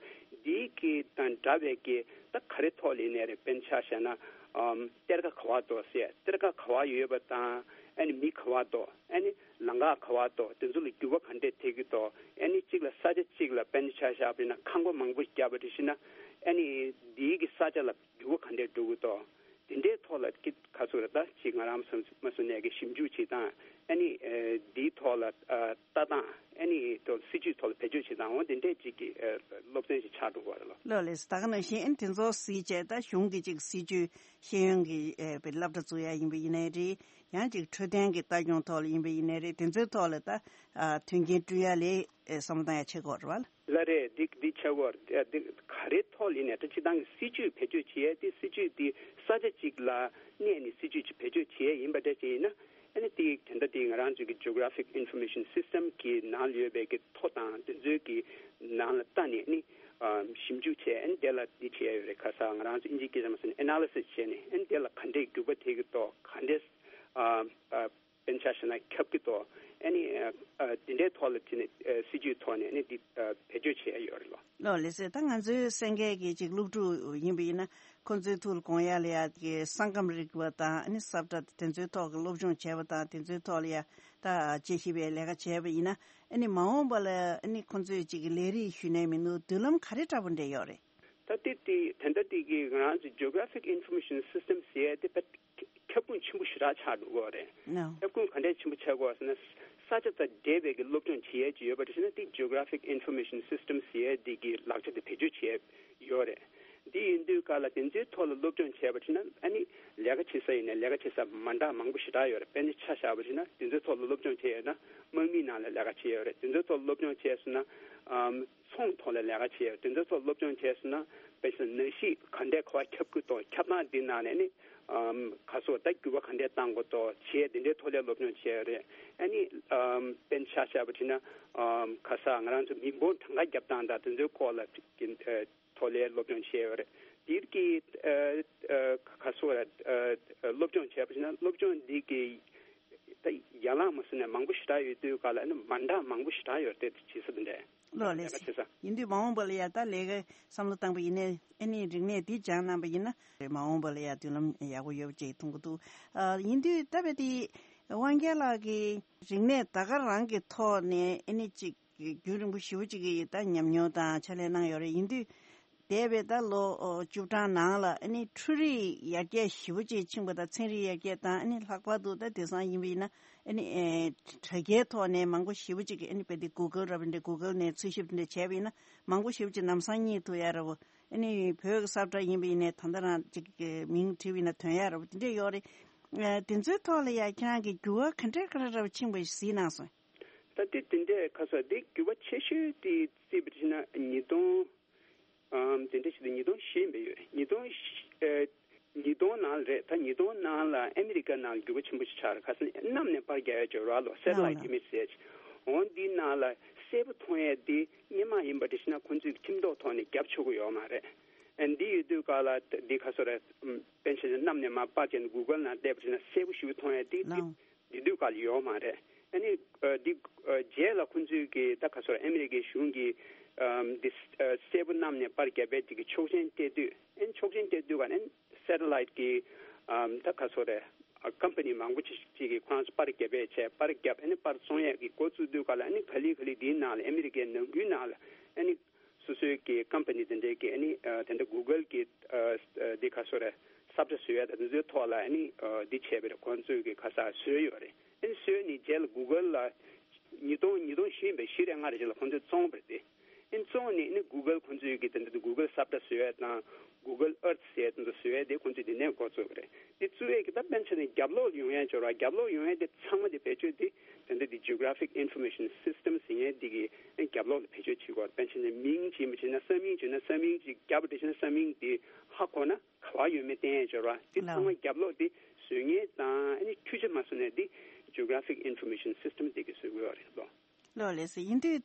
དེའི་གི་དང་འདྲ་བའི་གི་ད་ག་རེ་ཐོག་ལ་ཡིན་ནའི་རེད། དཔེར་ན་ཆ་བཞག་ན་ཨམ་གཏེར་ཁ་ག་བ་འདུག་ཟེར། གཏེར་ཁ་ག་བ་ཡོད་པ་དང་ཨ་ནི་མི་ག་བ་འདུག་ཨ་ནི་ལམ་ཁ་ག་བ་འདུག་དེ་ཚོ་ལ་འགྱུར་བ་ག་འདྲས་ཐེབས་ཀྱི་འདུག་ཨ་ནི་གཅིག་ལ་ས་ཆ་གཅིག་ལ་དཔེར་ན་ཆ་བཞག་པ་ཡིན་ན་ཁང་པ་མང་པོ་བརྒྱབ་པ་རེད་ཟེར་ན་ཨ་ནི་འདིའི་གི་ས་ཆ་ལ་འགྱུར་བ་ག་འདྲས་འགྲོ་གི་འདུག་དེ་འདྲའི་ཐོག་ལ་ཀི་ག་ཚོད་རེད། ད་ཅིག་ང་རང་མ་སོང་ནས་ཀྱི་ཞིབ་འཇུག་བྱེད་སྟངས་ཨ་ནི་འདིའི་ཐོག་ལ་ལྟ་སྟངས་ཨ་ནི་ཐོག་སྲིད་ཇུས་ཐོག་ལ་བེད་སྤྱོད་བྱེད་སྟངས་འོ་དེ་འདྲས་ཅིག་གི་སློབ་ཚན་ཞིག་ཆགས་འགྲོ་གི་རེད་ལོ། ལགས་ལགས། ད་ག་ནང་བཞིན་ཨ་ནི་དེ་ཚོ་གཟིགས་བྱས་ད་གཞུང་གི་ཅིག་སྲིད་ཇུས་ཤེས་ཡོན་གྱི་ཨེ་པའི་སློབ་གྲྭ་བཙུགས་ཡ་ཡིན་པ་ཡིན་ནའི་རེད། ཡང་ཅིག་འཕྲོད་བསྟེན་གྱི་ལྟ་སྐྱོང་ཐོག་ལ་ཡིན་པ་ཡིན་ནའི་རེད། དེ་ཚོའི་ཐོག་ལ་ད་ཨ་མཐུན་རྐྱེན་བསྐྲུན་ཡ་ལས་ཨེ་བསམ་བློ་བཏང་ཡ་བྱེད་དགོས་རེད་བ། ལགས་རེད། འདི་འདི་བྱེད་དགོས་རེད། འདི་ག་རེ་ཐོག་ལ་ཡིན་ནའི་ད་སྤྱིར་བཏང་གི་སྲིད་ཇུས་བེད་སྤྱོད་བྱེད་ཡ་དེ་སྲིད་ཇུས་དེ་ས་ཆ་གཅིག་ལ་གནས་ནས་སྲིད་ཇུས་ཅིག་བེད་སྤྱོད་བྱེད་ཡ་ཡིན་པ་འདྲ་ཅིག་ཡིན་ན། ཨ་ནི་དེ་དེ་འདྲ་དེ་ང་རང་ཚོའི་གི་Geographic Information System གི་ནང་ལ་ཡོད་པའི་གི་ཐོ་དང་དེ་ཚོའི་གི་ནང་ལ་ལྟ་ནས་ཨ་ནི་ཨམ་ཞིབ་འཇུག་བྱས། ཨ་ནི་དེ་ལ་འདི་བྱས་ཡོད་རེད། ཁ་ས་ང་རང་ཚོ་ཨིན་ཇིའི་སྐད་ཆ་མ་སོང་ནས་ཨེ་ན་ལི་སིས་བྱས་ནས་ཨ་ནི་དེ་ལ་ག་འདྲས་འགྱུར་བ་ཐེབས་ཀྱི་འདུག་ག་འདྲས་ཨ་ཨ་དཔེར་ན་ཆ་བཞག་ན་ཁྱབ་ཀྱི་འདུག་ཨ་ནི་ཨ་ཨ་དེ་འདྲའི་ཐོག་ལ་བྱས་ནས་ཨ་སྲིད་ཇུས་ཐོག་ནས་ཨ་ནི་འདི་ཨ་བེད་སྤྱོད་བྱས་ཡོད་རེད་ལོ། ལོ་ལགས་སེ། ད་ང་ཚོའི་གསན་མཁན་གྱི་ཅིག་སློབ་ཕྲུག་ཡིན་པ་ཡིན་ན་ཁོང་ཚོའི་ཐུགས་ལ་དགོངས་ཡ་ལ་ཡ་གི་ས་ཁམས་རིག་པ་དང་ཨ་ནི་ས་བཀྲ་དེ་ཚོའི་ཐོག་གི་སློབ་སྦྱོང་བྱས་པ་དང་དེ་ཚོའི་ཐོག་ལ་ཡ་ད་དཔྱད་ཞིབ་པའི་ལས་ཀ་བྱས་པ་ཡིན་ན་ཨ་ནི་མ་འོངས་པ་ལ་ཨ་ནི་ཁོང་ཚོས་ཅིག་ལས་རིགས་ཞུས་ནའི་མི་འདུག་མདུན་ལམ་ག་རེ་འདྲ་པོ་འདྲ་ཡོད་རེད། ད་དེ་དེ་དེ་འདྲ་དེ་གི་ང་རང་ཚོ་Geographic Information System ཟེར་ཡ་དེ་ཕར་ཁྱབ་ཁོངས་ཆེན་པོ་ཞེ་དྲག་ཆགས་འགྲོ་གི་རེད། ཁྱབ་ཁོངས་ག་འདྲས་ཆེན་པོ་ཆགས་ཀྱི་ཡོད་ཟེར་ན། ས་ཆ་དང་འབྲེལ་བའི་གི་སློབ་སྦྱོང་བྱེད་ཡས་ཅིག་ཡོད་པ་དེ་བྱས་ན་དེ་Geographic Information System ཟེར་ཡས་དེ་གི་ལག་ཆ་དེ་བེད་སྤྱོད་བྱེད་ཡོད་རེད། དེ་ཡིན་དུས་ག་ལ་དེ་ཚོའི་ཐོག་ལ་སློབ་སྦྱོང་བྱས་པ་བྱས་ན་ཨ་ནི་ལས་ཀ་བྱེད་ས་ཡིན་ན་ལས་ཀ་བྱེད་ས་མ་འདྲ་མང་པོ་ཞེ་དྲག་ཡོད་རེད། དཔེར་ན་ཆ་བཞག་པ་བྱས་ན་དེ་ཚོའི་ཐོག་ལ་སློབ་སྦྱོང་བྱས་ཡོད་ན་དམག་མིའི་ནང་ལ་ལས་ཀ་བྱེད་ཡོད་རེད། དེ་ཚོའི་ཐོག་ལ་སློབ་སྦྱོང་བྱས་སོང་ན་ཨམ། ཚོང་ཐོག་ལ་ལས་ཀ་བྱས་ཡོད། དེ་ཚོའི་ཐོག་སློབ་སྦྱོང་བྱས་སོང་ན་དཔེ་བཞག་ན་ནད་གཞི་ག་འདྲས་ག་བ་ཁྱབ་ཀྱི་འདུག་ཁྱབ་སྟངས་འདི་ནང་ནས་ནི་ཨམ་ག་སོགས་ད་འགྱུར་བ་ག་འདྲས་གཏང་དགོས་འདུག་བྱས་དེ་འདྲའི་ཐོག་ལ་སློབ་སྦྱོང་བྱས་ཡོད་རེད། ཨ་ནི་ཨམ་དཔེར་ན་ཆ་བཞག་པ་བྱས་ན་ཨམ་ག་ས་ང་རང་ཚོ་མི་འབོར་གྲངས་ཀ་རྒྱབ་སྟངས་དང་དེ་ཚོའི་སྐོར་ལ་ཀྱི་ཨ་ཐོག་ལ་སློབ་སྦྱོང་བྱས་ཡོད་རེད། དེར་གྱི་ཨ་ཨ་ག་སོགས་ལ་ཨ་ཨ་སློབ་སྦྱོང་བྱས་པ་བྱས་ན་སློབ་སྦྱོང་འདི་གི་ད་ཡན་ལག་མ་སོང་ནས་མང་པོ་ཞེ་དྲག་ཡོད་དུས་ག་ལ་ཨ་ནི་མ་འདྲ་མང་པོ་ཞེ་དྲག་ཡོད་རེད་དེ་བྱེད་ས་དེ་འདྲས། ལོ་ལགས་སེ། ཡིན་དུས་མ་འོངས་པ་ལ་ཡ་ད་ལས་ཀ་བསམ་བློ་བཏང་པ་ཡིན་ནའི་ཨ་ནི་རིག་གནས་འདི་སྦྱངས་གནང་པ་ཡིན་ན་མ་འོངས་པ་ལ་ཡ་མདུན་ལམ་ཡག་པོ་ཡོད་པ་ཅིག་མཐོང་གི་འདུག་ཨ་ཡིན་དུས་ད་བས་དེ་དབང་རྒྱལ་ལགས་ཀྱི་རིག་གནས་ད་ག་རང་གི་ཐོག་ནས་ཨ་ནི་ཅིག་རྒྱུན་རིང་པོ་ཞེ་པོ་ཅིག་གི་ད་ཉམས་མྱོང་དང་ཕྱག་ལས་གནང་ཡོད་རེད། ཡིན་དུས་ འདས་པའི་ད་ལོ་ཨོ་བཅུ་གྲངས་ནང་ལ་ཨ་ནི་འཕྲུལ་རིག་ཡར་རྒྱས་ཞེ་པོ་ཅིག་ཕྱིན་པ་དང་། ཚན་རིག་ཡར་རྒྱས་དང་། ཨ་ནི་ལྷག་པར་དུ་ད་དེང་སང་ཡིན་པ་ཡིན་ན་ཨ་ནི་ཨེ་དྲ་རྒྱའི་ཐོག་ནས་མང་པོ་ཞེ་པོ་ཅིག་གིས་ཨ་ནི་དཔེ་དེ་གུ་གལ་ར་བ་འདྲ། གུ་གལ་ནས་འཚོལ་ཞིབ་འདྲ་བྱས་པ་ཡིན་ན་མང་པོ་ཞེ་པོ་ཅིག་ལམ་སང་རྙེད་ཐུབ་ཡ་ར་བ། ཨ་ནི་བོད་ཀྱི་ས་བཀྲ་ཡིན་པ་ཡིན་ནའི་ད་ལྟ་རང་ཅིག་གི་མིང་བྲིས་པ་ཡིན་ན་ཐོན་ཡ་ར་བ་དེ་འདྲས་ཡོད་རེད། ཨ་དེ་ཚོའི་ཐོག་ལ་ཡ་ཁྱེད་རང་གིས་འགྱུར་བ་ག་འདྲས་ག་འདྲས་ར་བ་ཕྱིན་པ་གཟིགས་གནང་སོང་། ད་དེ་དེ་འདྲས་ཁ་སོ་དེ་འགྱུར་བ་ཆེ་ཤོས་དེ་བརྩིས་པ་ཡིན་ན་ཉིས་སྟོང་། ཨམ་དེ་འདྲ་ཞིག་ཏུ་ཉིས་སྟོང་བཞི་ཡིན་པ་ཡོད། ཉིས་སྟོང་བཞི་ཨེ་ཉིས་སྟོང་ནང་ལ་རེད། ད་ཉིས་སྟོང་ནང་ལ་ཨ་མི་རི་ཀ་ནང་འགྱུར་བ་ཆེན་པོ་ཞིག་ཆགས་རེད། ཁ་སང་གནམ་ནས་པར་རྒྱག་ཡ་ཅིག་ཡོད་རེད་ལོ། སེ་ཊི་ལའིཊ་ཨི་མེཇ་ཟེར་ཡ་ཅིག་འོ་འདིའི་ནང་ལ་གསལ་པོ་མཐོང་ཡ་དེ་སྔོན་མ་ཡིན་པ་འདྲ་ཞིག་ན་ཁོང་ཚོས་ཁྲིམས་ཐོག་ཐོག་ནས་རྒྱབ་ཆོག་གི་ཡོད་མ་རེད། ཨ་འདི་ཡོད་དུས་ག་ལ་འདི་ཁ་སོ་རེད། ཨམ་པཎ་ཆེན་གནམ་ནས་མར་པར་བརྒྱབ་ནས་གུ་གལ་ནང་བལྟས་པ་ཡིན་ན་གསལ་པོ་ཞེ་པོ་མཐོང་ཡ་དེ་དེ་ལའོ། དེ་དུས་ག་ལ་ཡོད་མ་རེད། ཨ་ནི་ཨ་འདི་ཨ་རྗེས་ལ་ཁོང་ཚོས་ཀྱི་ད་ག་སོ་རེད། ཨ་མི་རི་ཀའི་གཞུང་གིས་ཨམ་འདི་ཨ་གསལ་པོ་གནམ་ནས་པར་བརྒྱབ་པའི་དེ་གི་ཆོག་མཆན་སྤྲད་དུས། ཨ་ནི་ཆོག་མཆན་སྤྲད་དུས་ག་ནས་སེ་ཊི་ལའིཊ་གི་ཨམ་ད་ག་སོ་རེད། ཨ་ཀམ་པ་ནི་མང་པོ་ཅིག་ཅིག་གིས་ཁོ་རང་ཚོ་པར་བརྒྱབ་པའི་ཆེད་པར་བརྒྱབ། ཨ་ནི་པར་བཙོང་ཡས་ཀྱི་འགོ་བཙུགས་དུས་ག་ལ་ཨ་ནི་ག་ལེ་ག་ལེ་དེའི་ནང་ལ་ཨ་མི་རི་ཀའི་ནང་ཁུལ་ནང་ལ་ཨ་ནི་སོ་སོའི་གི་ཀམ་པ་ནི་དེ་འདྲའི་གི་ཨ་ནི་ཨ་དེ་འདྲ་གུ་གལ་གི་ཨ་ཨ་དེ་ག་སོ་རེད། ས་བཀྲ་བཟོ་ཡ་དང་དེ་ཚོའི་ཐོག་ལ་ཨ་ནི་ཨ་འདི་བྱས་པ་རེད། ཁོང་ཚོས་གི་ཁ་སང་བཟོས་ཡོད་རེད། ཨ་ནི་བཟོས་ནས་རྗེས་ལ་གུ་གལ་ལ་ཉིས་སྟོང་ཉིས་སྟོང་བཞི་ཡིན་པའི་བཞི་རེད་ལྔ་རེད་ཅིག་ལ་ཁོང་ཚོས་བཙོངས་པ་རེད་དེ། ཨ་ནི་བཙོངས་ནས་ཨ་ནི་གུ་གལ་ཁོང་ཚོས་གི་དེ་འདྲ་གུ་གལ་ས་བཀྲ་བཟོ་ཡ་དང་གུ་གལ་ཨར་ཐི་ཟེར་ཡ་དེ་ཚོ་བཟོ་ཡ་དེ་ཁོང་ཚོས་དེ་ནས་འགོ་བཙུགས་པ་རེད། དེ་བཙུགས་ཡས་ཀྱི་ད་པཎ་ཆེན་ནས་རྒྱབ་ལོགས་ཡོང་ཡས་འབྱོར་བ། རྒྱབ་ལོགས་ཡོང་ཡས་དེ་ཚང་མ་དེ་བེད་སྤྱོད་དེ་དེ་འདྲ་དེ་Geographic Information System ཟེར་མཁན་དེ་གི་རྒྱབ་ལོགས་ལ་བེད་སྤྱོད་བྱེད་དགོས། པཎ་ཆེན་ནས་མིང་བྱིན་པ་བྱིན་ན་ས་མིང་བྱིན་ན་ས་མིང་ཅིག་རྒྱབ་པ་དེ་བྱིན་ན་ས་མིང་དེ་ཧ་གོ་ན་ག་བ་ཡོད་མེད་བསྟན་ཡས་འབྱོར་བ། དེ་ཚང་མ་རྒྱབ་ལོགས་དེ་བཟོ་མཁན་དང་ཨ་ནི་འཕྲུལ་ཆས་མ་བཟོ་ནས་དེ་Geographic Information System དེ་གི་བཟོ་དགོས་རེད་ལོ། ལགས་ལགས་སོ། ཡིན་དུས་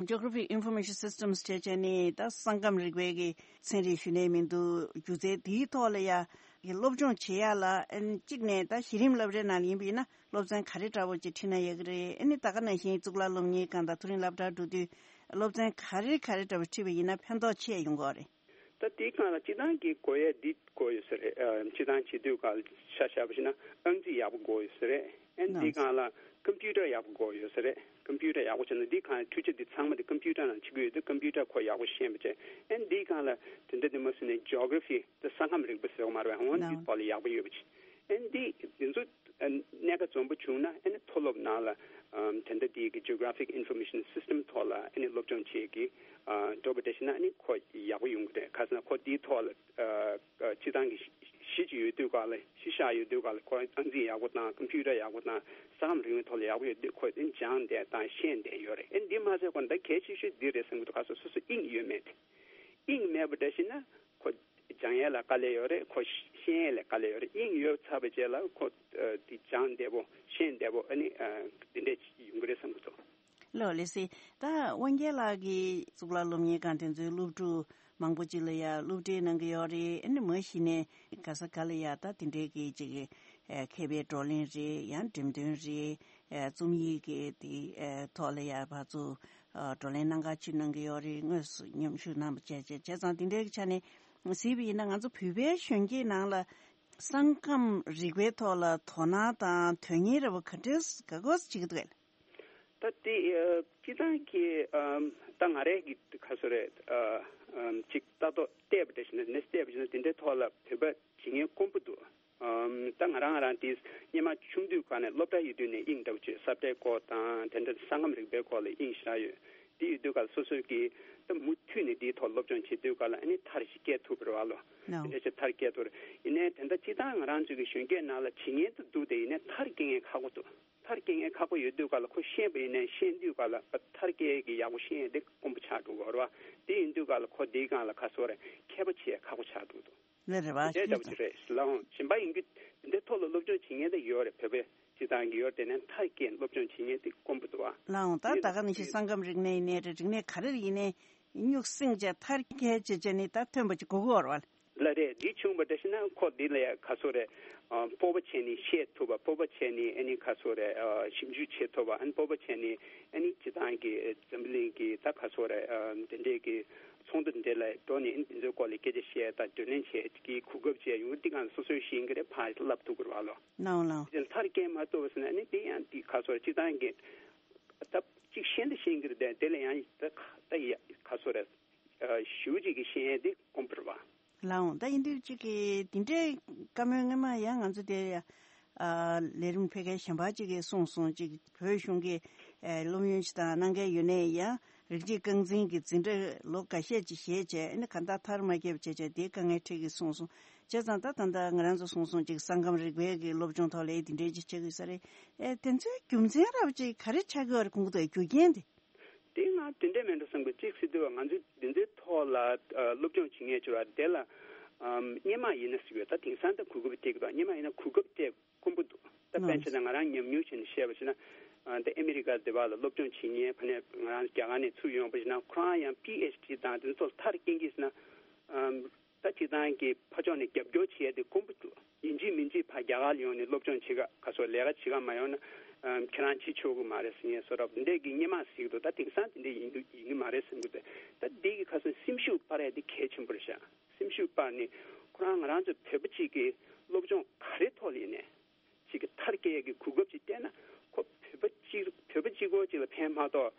ད་Geographic Information Systems བྱས་བྱས་ནས་ད་ས་ཁམས་རིག་པའི་གི་ཚན་རིག་ཞུ་ནས་མི་འདུག་སྒྱུ་རྩལ་དེའི་ཐོག་ལ་ཡ་གི་སློབ་སྦྱོང་བྱེད་ཡ་ལ་ཨ་ནི་གཅིག་ནས་ད་གཞི་རིམ་སློབ་གྲྭའི་ནང་ལ་ཡིན་པ་ཡིན་ན་སློབ་ཚན་ག་རེ་འདྲ་བོ་ཅིག་ཁྲིད་ན་ཡག་གི་རེད། ཨ་ནི་ད་ག་ནང་བཞིན་གཙུག་ལག་སློབ་གཉེར་ཁང་དང་མཐོ་རིམ་སློབ་གྲྭར་འགྲོ་དུས་སློབ་ཚན་ག་རེ་ག་རེ་འདྲ་བོ་ཁྲིད་པ་ཡིན་ན་ཕན་ཐོགས་ཆེ་ཡོང་གི་རེད། ད་དེའི་སྒང་ལ་སྤྱིར་བཏང་གི་དགོས་ཡས་འདི་དགོས་ཡོད་ས་རེད། ཨ་སྤྱིར་བཏང་བྱེད་དུས་སྒང་ལ་ཆ་བཞག་པ་ཞིག་ན་ཨང་རྩིས་ཡག་པོ་དགོས་ཡོད་ས་རེད། ཨ་ནི་དེའི་སྒང་ལ་ཀམ་པུ་ཊར་ཡག་པོ་དགོས་ཡོད་ས་རེད། ཀམ་པུ་ཊར་ཡག་པོ་བྱས་ན་འདིའི་སྒང་འཕྲུལ་ཆས་འདི་ཚང་མ་འདི་ཀམ་པུ་ཊར་ནང་བྱེད་ཀྱི་ཡོད་དུས་ཀམ་པུ་ཊར་ཁོ་ཡག་པོ་ཤེས་པ་བྱས། ཨ་ནི་དེའི་སྒང་ལ་དེ་འདྲ་དེ་མ་སུ་ནས་Geography ད་ས་ཁམས་རིག་པ་ཟེར་བ་མ་རེད་པས། འོ་འདི་ཐོག་ལ་ཡག་པོ་ཡོད་པ་བྱས། ཨ་ནི་འདི་འདི་ཚོ་གནད་འགག་འཛོམས་པོ་བྱུང་ན་ཨ་ནི་མཐོ་སློབ་ནང་ལ་ཨམ་དེ་འདྲ་དེའི་གི་Geographic Information System ཐོག་ལ་ཨ་ནི་སློབ་སྦྱོང་བྱེད་ཀྱི་ཨ་འགྲོ་བ་འདྲ་ཞིག་ན་ཨ་ནི་ཁོ་ཡག་པོ་ཡོང་གི་རེད། ག་ཟེར་ན་ཁོ་དེའི་ཐོག་ལ་ཨ་ཨ་སྤྱིར་བཏང་གི་གཞི་གཅིག་ཡོད་དུས་ག་ལ་གཞི་བཞག་ཡོད་དུས་ག་ལ་ཁོ་ཨང་རྩིས་ཡག་པོ་དང་ཀམ་པུ་ཊར་ཡག་པོ་དང་ས་ཁམས་རིག་གནས་ཐོག་ལ་ཡག་པོ་ཡོད་དུས་ཁོ་དེ་སྦྱངས་བསྡད་དང་ཤེས་བསྡད་ཡོད་རེད། ཨ་ནི་འདི་མ་ཟད་ཁོ་ད་གལ་ཆེ་ཤོས་འདི་རེད་བསམ་གྱི་འདུག་ག་ཟེར་སོ་སོ་དབྱིངས་ཡོད་མེད་དེ། དབྱིངས་མེད་པ་འདྲ་ཞིག་ན་ཁོ་སྦྱང་ཡས་ལ་དཀའ་ལས་ཡོད་རེད། ཁོ་ཤེས་ཡས་ལ་དཀའ་ལས་ཡོད་རེད། དབྱིངས་ཡོད་ཚར་བའི་རྗེས་ལ་ཁོ་ཨ་དེ་སྦྱང་བདེ་པོ་ཤེས་བདེ་པོ་ཨ་ནི་ཨ་འདི་འདྲས་ཡོང་གི་རེད་བསམ་གྱི་འདུག་ལགས་ལགས་སེ། ད་དབང་རྒྱལ་ལགས་ཀྱིས་གཙུག་ལག་སློབ་གཉེར་ཁང་དེ་ཚོའི་སློབ་ཕྲུག་མང་པོ་ཅིག་ལ་ཡ་སློབ་ཁྲིད་གནང་གི་ཡོད་རེད། ཨ་ནི་མ་གཞི་ནས་ག་ས་ག་ལ་ཡ་ད་དེ་འདྲའི་གི་ཅིག་ཨ་མཁས་པའི་བགྲོ་གླེང་རེད། ཡང་འགྲེམས་སྟོན་རེད། ཨ་རྩོམ་ཡིག་གི་དེ་ཨ་ཐོག་ལ་ཡ་ཕར་ཚུར་ཨ་བགྲོ་གླེང་གནང་ག་ཅིག་གནང་གི་ཡོད་རེད། དངོས་སུ་མཉམ་ཞུགས་གནང་བ་བྱས་བྱས་བྱས་ཙང་དེ་འདྲའི་གི་ཆ་ནས་གཟིགས་པ་ཡིན་ན་ང་ཚོ་བོད་པའི་གཞོན་སྐྱེས་ནང་ལ་ས་ཁམས་རིག་པའི་ཐོག་ལ་དོ་སྣང་དང་དོན་གཉེར་ར་བ་ག་འདྲས་ག་གོ་བྱེད་ཀྱི་འདུག་གས། ད་དེ་ཨ་སྤྱིར་བཏང་གི་ཨམ་ད་ང་རའི་གི་ཁ་སོ་རེད། ཨ་ཨམ་ཅིག་ལྟ་རྟོག་བལྟས་པ་འདྲ་ཞིག་ན་ནས་བལྟས་པ་ཞིག་ན་དེ་འདྲའི་ཐོག་ལ་བོད་པ་བྱེད་མཁན་དཀོན་པོ་འདུག་ཨམ་ད་ང་རང་རང་དེ་སྔོན་མ་ཆུང་དུས་ག་ནས་སློབ་གྲྭ་ཡོད་དུས་ནས་དབྱིངས་འདྲ་བོ་བྱས། ས་བཀྲའི་སྐོར་དང་དེ་འདྲ་ས་ཁམས་རིག་པའི་སྐོར་ལ་དབྱིངས་ཞེ་དྲག་ཡོད། དེ་ཡོད་དུས་ག་ལ་སོ་སོའི་གི་ད་མུ་མཐུད་ནས་དེའི་ཐོག་སློབ་སྦྱོང་བྱེད་དུས་ག་ལ་ཨ་ནི་མཐར་ཞིག་སྐྱེལ་ཐུབ་པ་རེད་བ་ལོ། ནོ། དེ་འདྲ་ཞིག་མཐར་སྐྱེལ་ཐུབ་རེད། ཡིན་ནའི་དེ་འདྲ་སྤྱིར་བཏང་ང་རང་ཚོའི་གི་གཞོན་སྐྱེས་ནང་ལ་བྱེད་མཁན་དེ་འདུག་དེ་ཡིན་ནའི་མཐར་སྐྱེལ་མཁན་ཁག་པོ་འདུག་མཐར་སྐྱེལ་མཁན་ཁག་པོ་ཡོད་དུས་ག་ལ་ཁོ་ཤེས་པ་ཡིན་ནའི་ཤེས་དུས་ག་ལ་མཐར་སྐྱེལ་གི་ཡག་པོ་ཤེས་ཡས་དེ་དཀོན་པོ་ཆགས་འགྲོ་གི་རེད་བ། དེ་ཡིན་དུས་ག་ལ་ཁོ་དེའི་སྒང་ལ་ག་སོ་རེད། མཁས་པ་བྱེད་ཡས་ཁག་པོ་ཆགས་འགྲོ་འདུག་ལེ་རེད་བ། དེ་ལྟ་བུ་ཅིག་རེད། ལའང་གཞན་པ་ཡིན་རྒྱུ་འདི་ཐོག་ལ་སློབ་སྦྱོང་བྱེད་མཁན་དེ་ཡོད་རེད། བོད་པའི་སྤྱི་བཏང་གི་ཡོད་རེད། དེ་ནས་མཐར་སྐྱེལ་སློབ་སྦྱོང་བྱེད་མཁན་དེ་དཀོན་པོ་འདུག་བ། ལའང་ད་དེ་ད་ག་ནང་བཞིན་ས་ཁམས་རིག་གནས་ཡིན་ནའི་རེད། རིག་གནས་ག་རེ་ཡིན་ནའི་སྨྱུག་སྲིང་བྱས་མཐར་སྐྱེལ་བྱས་བྱས་ནས་ད་ཐོན་པ་ཅིག་དགོས་ཀྱི་ཡོད་རེད་བ། ལ་རེད། འདི་བྱུང་བ་འདྲ་ཞིག་ན་ཁོ་འདི་ལ་ཡ་ག་སོ་རེད། ཨ་སྤོབས་པ་བྱས་ནས་བཤད་ཐུབ་པ། སྤོབས་པ་བྱས་ནས་ཨ་ནི་ག་སོ་རེད། ཨ་ཞིབ་འཇུག་བྱེད་ཐུབ་པ། ཨ་ནི་སྤོབས་པ་བྱས་ནས་ཨ་ནི་སྤྱི་བཏང་གི་འཛམ་བུ་གླིང་གི་ད་ག་སོ་རེད། ཨ་དེ་འདྲའི་གི་ཚོགས་འདུ་འདི་ལ་འགྲོ་ནས་ཨ་ནི་དེ་ཚོའི་སྐོར་ལ་སྐད་ཆ་བཤད་དང་བགྲོ་གླེང་བྱེད་ཀྱི་གོ་སྐབས་བཅས་ཡོང་། འདི་གང་སོ་སོའི་ཤེས་ཀྱི་རེད། ཕར་བསླབ་ཐུབ་ཀྱི་རེད་བ་ལོ། ནའོ་ལའོ། དེ་མཐར་སྐྱེལ་མ་ཐུབ་པ་ཟེར་ན་ཨ་ནི་དེ་ཡང་དེ་ག་སོ་རེད། སྤྱི་བཏང་གི་ད་གཅིག་ཤེས་འདི་ཤེས་ཀྱི་རེད། དེ་ལ་ཡང་ད་ད་ཡ་ག་སོ་རེད། ཞུ་གཅིག་གི་ཤེས་ཡས་དེ་དཀོན་པོ་རེད་བ། ལའོ་ད་ཡིན་དུས་གཅིག་གི་དེ་འདྲའི་བཀའ་མོལ་སྔོན་མ་ཡང་ང་ཚོ་དེ་ལས་རིམ་ཕལ་སྐད་གཞན་པ་གཅིག་གིས་གསུངས་སོང་། གཅིག་བོད་གཞུང་གི་སློབ་ཡོན་ཅིག་དང་གནང་མཁན་ཡོད་ནའི་ཡང་། རིགས་གཅིག་རྐང་འཛིན་གྱི་འཛིན་གྲྭ་ལོ་འགའ་ཤས་ཅིག་བཞེས་བྱས་ཨ་ནི་གང་ལྟར་མཐར་མ་ཁྱབ་བྱས་བྱས་དེའི་དཀའ་ངལ་འཕྲད་ཀྱི་གསུངས་སོང་། བྱས་ཙང་ད་ད་ལྟ་ང་རང་ཚོ་གསུངས་སོང་ཅིག་ས་ཁམས་རིག་པའི་གི་སློབ་སྦྱོང་ཐོག་ལ་ཨེ་དེ་འདྲའི་ཅིག་བྱེད་དགོས་ས་རེད། ཨེ་དེ་ཚོའི་རྒྱུ་མཚན་རབ་ཅིག་ག་རེ་ཆགས་ཀྱི་ཡོད་རེད་ཁོང་ཚོའི་རྒྱུ་རྐྱེན་དེ། དེ་ང་དེ་འདྲས་མེད་འགྲོ་བསམ་གི་གཅིག་སྲིད་དུས་ང་ཚོས་དེ་ཚོའི་ཐོག་ལ་སློབ་སྦྱོང་བྱེད་མཁན་ཚོ་ལ་དེ་ལ་སྔོན་མ་ཡིན་ན་ཟེར་གི་ཡོད། ད་དེང་སང་ད་གོ་སྐབས་སྤྲད་གི་འདུག་སྔོན་མ་ཡིན་ན་གོ་སྐབས་སྤྲད། དཀོན་པོ་འདུག་ད་དཔེར་ན་ཆ་ན་ང་རང་ཉམས་མྱོང་བྱས་ནས་བཤད་པ་བྱས་ན། ད་ཨ་མི་རི་ཀ་དེ་བ་ལ་སློབ་སྦྱོང་བྱེད་མཁན་ཕ་ནས་ང་རང་རྒྱ་གར་ནས་ཚུར་ཡོང་པ་བྱས་ན་ཁོ་རང་ཡང་པི་ཨེཆ་ཌི་དང་དེ་ཚོ་མཐར་སྐྱེལ་གྱིས་ན། ད་སྤྱི་བཏང་གི་ཕ་ཕྱོགས་ནས་རྒྱབ་སྐྱོར་བྱས་ཏེ་དཀོན་པོ་འདུག་ཡིན་གཅིག་མིན་གཅིག་ཕ་རྒྱ་གར་ལ་ཡོང་ནས་སློབ་སྦྱོང་བྱེད་ག་ག་སོགས་ལས་ཀ་བྱེད་ག་མ་ཡོང་ན་ཁྱེད་རང་བྱེད་ཆོག་གི་མ་རེད་ཟེར་མཁན་བཟོ་འདྲ་འདི་འདྲས་ཀྱི་སྔོན་མ་ཟེར་གི་འདུག་ད་དེང་སང་དེ་འདྲས་ཡིན་འདུག་ཡིན་གི་མ་རེད་བསམ་གི་འདུག་ད་འདི་གི་ཁ་སང་སེམས་ཤུགས་སྤར་ཡ་དེ་གལ་ཆེན་པོ་རེད་ཤག་སེམས་ཤུགས་སྤར་ནས་ཁོ་རང་ང་རང་ཚོ་བོད་པ་གཅིག་གི་སློབ་སྦྱོང་ག་རེ་ཐོག་ལ་ཡིན་ནས་གཅིག་གི་མཐར་སྐྱེལ་ཡས་ཀྱི་གོ་སྐབས་ཅིག་སྤྲད་ན་ཁོ་བོད་པ་གཅིག་བོད་པ་གཅིག་པོ་གཅིག་ལ་ཕན་མ་ཐོགས་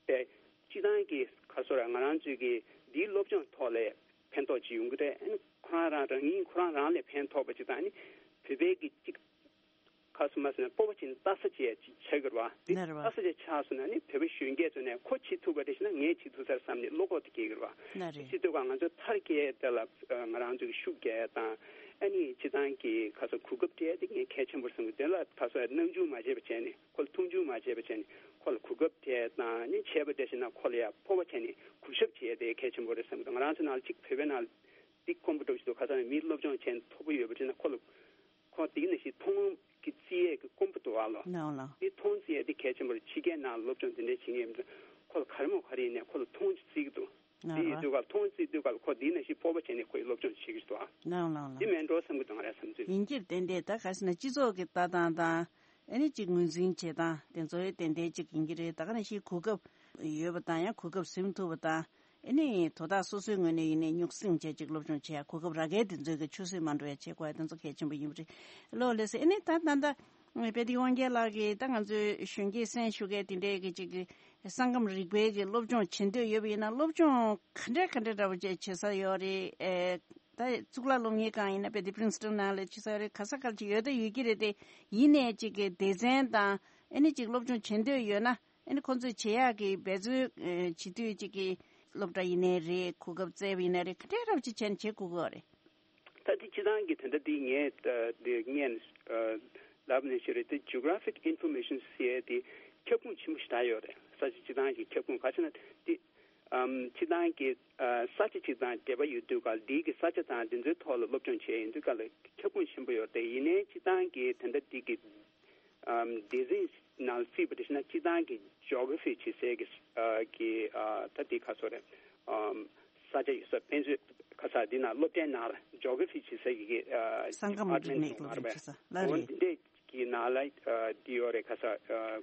པའི་སྤྱི་བཏང་གི་ག་སོ་ར་ང་རང་ཚོའི་གི་འདིའི་སློབ་སྦྱོང་ཐོག་ལ་ཕན་ཐོགས་ཅིག་ཡོང་གི་རེད། ཨ་ནི་ཁོ་རང་རང་རང་ཉིད་ཁོ་རང་རང་ལ་ཕན་ཐོགས་པ་ཅིག་དང་ཨ་ནི་བོད་པའི་གི་གཅིག་ཁ་སོ་མ་སོ་ན་སྤོབས་པ་ཅན་ལྟ་ས་བྱས་ཅིག་ཆགས་ཀྱི་རེད་བ། འདི་ལྟ་ས་བྱས་ཆགས་སོང་ན་ནི་བོད་པ་གཞོན་སྐྱེས་ཚོ་ནས་ཁོ་བྱེད་ཐུབ་པ་རེད་ཤེ་ན་ངས་བྱེད་ཐུབ་ས་རེད་བསམ་ནས་བློ་ཁོག་དེ་སྐྱེ་གི་རེད་བ། ལགས་རེད། སྤྱི་ཚོགས་ཁ་ང་ཚོ་མཐར་སྐྱེལ་དེ་ལ་ང་རང་ཚོ་གི་ཤུགས་རྒྱག་ཡ་དང་ཨ་ནི་སྤྱི་བཏང་གི་ཁ་སོ་གོ་སྐབས་སྤྲད་དེ་ངས་གལ་ཆེན་པོ་རེད་བསམ་གི། དེ་ལ་ཁ་སོ་སྣང་ཆུང་མ་བྱས་པ་བྱས་ནས་ཁོ་ལ་མཐོང་ཆུང་མ་བྱས་པ་བྱས་ནས་ཁོ་ལ་གོ་སྐབས་སྤྲད་དང་ནི་བྱས་པ་འདྲ་ཤེ་ན་ཁོ་ལ་ཡ་སྤོབས་པ་བྱས་ནས་གུས་ཞབས་བྱས་དེ་གལ་ཆེན་པོ་རེད་བསམ་གི། ང་རང་ཚོ་ནང་ལ་གཅིག་བོད་པའི་ནང་ལ་འདི་དཀོན་པོ་འགྲོ་བཞིན་འདུག་ཁ་སང་ནས་མིའི་སློབ་སྦྱོང་བྱས་ནས་མཐོ་པོ་ཡོད་པ་བྱས་ན་ཁོ་ལ། ཁོ་དེ་ནང་བཞིན་མཐོང་ལམ་གྱི་རྩིས་ཡས་ཀྱི་དཀོན་པོ་འདུག་ཨ་ལོ། ནའོ་ལོ། དེ་མཐོང་རྩིས་ཡས་དེ་གལ་ཆེན་པོ་རེད། ཕྱི་རྒྱལ་ནང་སློབ་སྦྱོང་དེ་འདྲས་བྱེད་མཁན་ཡིན་ན་ཁོ་ལ་ག་རེ་མོ་ག་རེ་ཡིན་ནའི་ཁོ་ལ་མཐོང་རྩིས་ཀྱི་འདུག་ནའོ་དེ་ཡིན་ལོ། དུས་སྐབས་མཐོང་རྩིས་དུས་སྐབས་ཁོ་དེ་ནང་བཞིན་སྤོབས་པ་བྱས་ནས་ཁོ་ཡི་སློབ་སྦྱོང་བྱེད་ཀྱི་འདུག་ཨ། ནའོ་ལོ་ལོ། དེ་མེད་འགྲོ་བསམ་གྱི་འདུག་ང་རའི་བསམ་ཚུལ། ཡིན་གྱི་རེད། དེ་འདྲས་ད་ག་ཟེར་ན་སྤྱི་ཚོགས་ཀྱི་ལྟ་སྟངས་དང་ཨ་ནི་གཅིག་ངོས་འཛིན་བྱེད་སྟངས་དེ་ཚོ་ཡང་ཏན་ཏན་གཅིག་ཡིན་གྱི་རེད། ད་ག་ནང་བཞིན་གོ་སྐབས་ཡོད་པ་དང་ཡང་གོ་སྐབས་ཟིན་ཐུབ་པ་དང་། ཨ་ནི་དོ་བདག་སོ་སོའི་ངོས་ནས་ཡིན་ནའི་སྨྱུག་སྲིང་བྱས་ཅིག་སློབ་སྦྱོང་བྱེད་ཡ་གོ་སྐབས་རག་གས་དེ་ཚོའི་གི་ཆུད་ཟོས་མ་འགྲོ་ཡ་བྱེད་དགོས་ཡ་དེ་ཚོ་གལ་ཆེན་པོ་ཡིན་པ་རེད། ལོ་ལེགས་སེ་ཨ་ནི་ད་ད་ལྟ་དཔལ་ལྡན་དབང་རྒྱལ་ལགས་ཀྱིས་ད་ང་ཚོའི་གཞོན་སྐྱེས་སེམས་ཤུགས་གས་དེ་འདྲའི་གི་ཅིག་གི་ས་ཁམས་རིག་པའི་གི་སློབ་སྦྱོང་བྱེད་འདོད་ཡོད་པ་ཡིན་ན་སློབ་སྦྱོང་ག་འདྲ་ག་འདྲ་འདྲ་པོ་བྱས་བྱེད་ས་ཡོད་རེད། ཨེ་ད་གཙུག་ལག་སློབ་གཉེར་ཁང་ཡིན་ན་དཔེ་དེ་Princeton་ནང་ལ་བྱེད་ས་ཡོད་རེད། ག་ས་ག་ལ་ཅིག་ཡོད་ད་ཡོད་ཀྱི་རེད་དེ་ཡིན་ནའི་ཅིག་གི་སྡེ་ཚན་དང་ཨ་ནི་ཅིག་སློབ་སྦྱོང་བྱེད་འདོད་ཡོད་ན། ཨ་ནི་ཁོང་ཚོས་བྱེད་ཡག་གི་འབད་བརྩོན་ཨ་བྱེད་དུས་གཅིག་གི་སློབ་གྲྭ་ཡིན་ནའི་རེད། གོ་སྐབས་བཙལ་བ་ཡིན་ནའི་རེད། ག་འདྲའི་རབ་ཅིག་བྱས་ནས་བྱེད་དགོས་ཀྱི་ཡོད་རེད། ད་དེ་སྤྱི་བཏང་གི་དེ་འདྲ་དེ་ངས་ད་དེ་ངས་ཨ་ལབ་ནས་ཞུ་རེད། དེ་Geographic Information ཟེར་ཡས་དེ་ཁྱབ་ཁོངས་ཆེན་པོ་ཞིག་ད་ཡོད་རེད། ས་ཆ་སྤྱི་བཏང་གི་ཁྱབ་ཁོངས་ག་ཚོད་ན་དེ་ཨམ་སྤྱི་བཏང་གི་ཨ་ས་ཆ་གཅིག་དང་འབྲེལ་བ་ཡོད་དུས་ག་ལ་དེའི་གི་ས་ཆ་དང་དེ་ཚོའི་ཐོག་ལ་སློབ་སྦྱོང་བྱས་ཡིན་དུས་ག་ལ་ཁྱབ་ཁོངས་ཆེན་པོ་ཡོད་རེད། ཡིན་ནའི་སྤྱི་བཏང་གི་དེ་འདྲ་དེ་གི་ཨམ་སྡེ་ཚན་ནང་བརྩིས་པ་དེ་བྱས་ན་སྤྱི་བཏང་གི་Geography བྱེད་སའི་གི་ཨ་གི་ཨ་ད་དེ་ག་ཚོད་རེད། ཨམ་ས་ཆ་ཡོད་ས་དཔེ་མཛོད་ག་ས་འདི་ནང་སློབ་གྲྭའི་ནང་ལ་Geography བྱེད་སའི་གི་ཨ་ས་ཁམས་རིག་Department གནས་སློབ་སྦྱོང་བྱེད་ས་ལ་འོ་རེད། འདི་འདྲས་ཀྱི་ནང་ལ་ཨ་འདི་ཡོད་རེད། ག་ས་ཨ་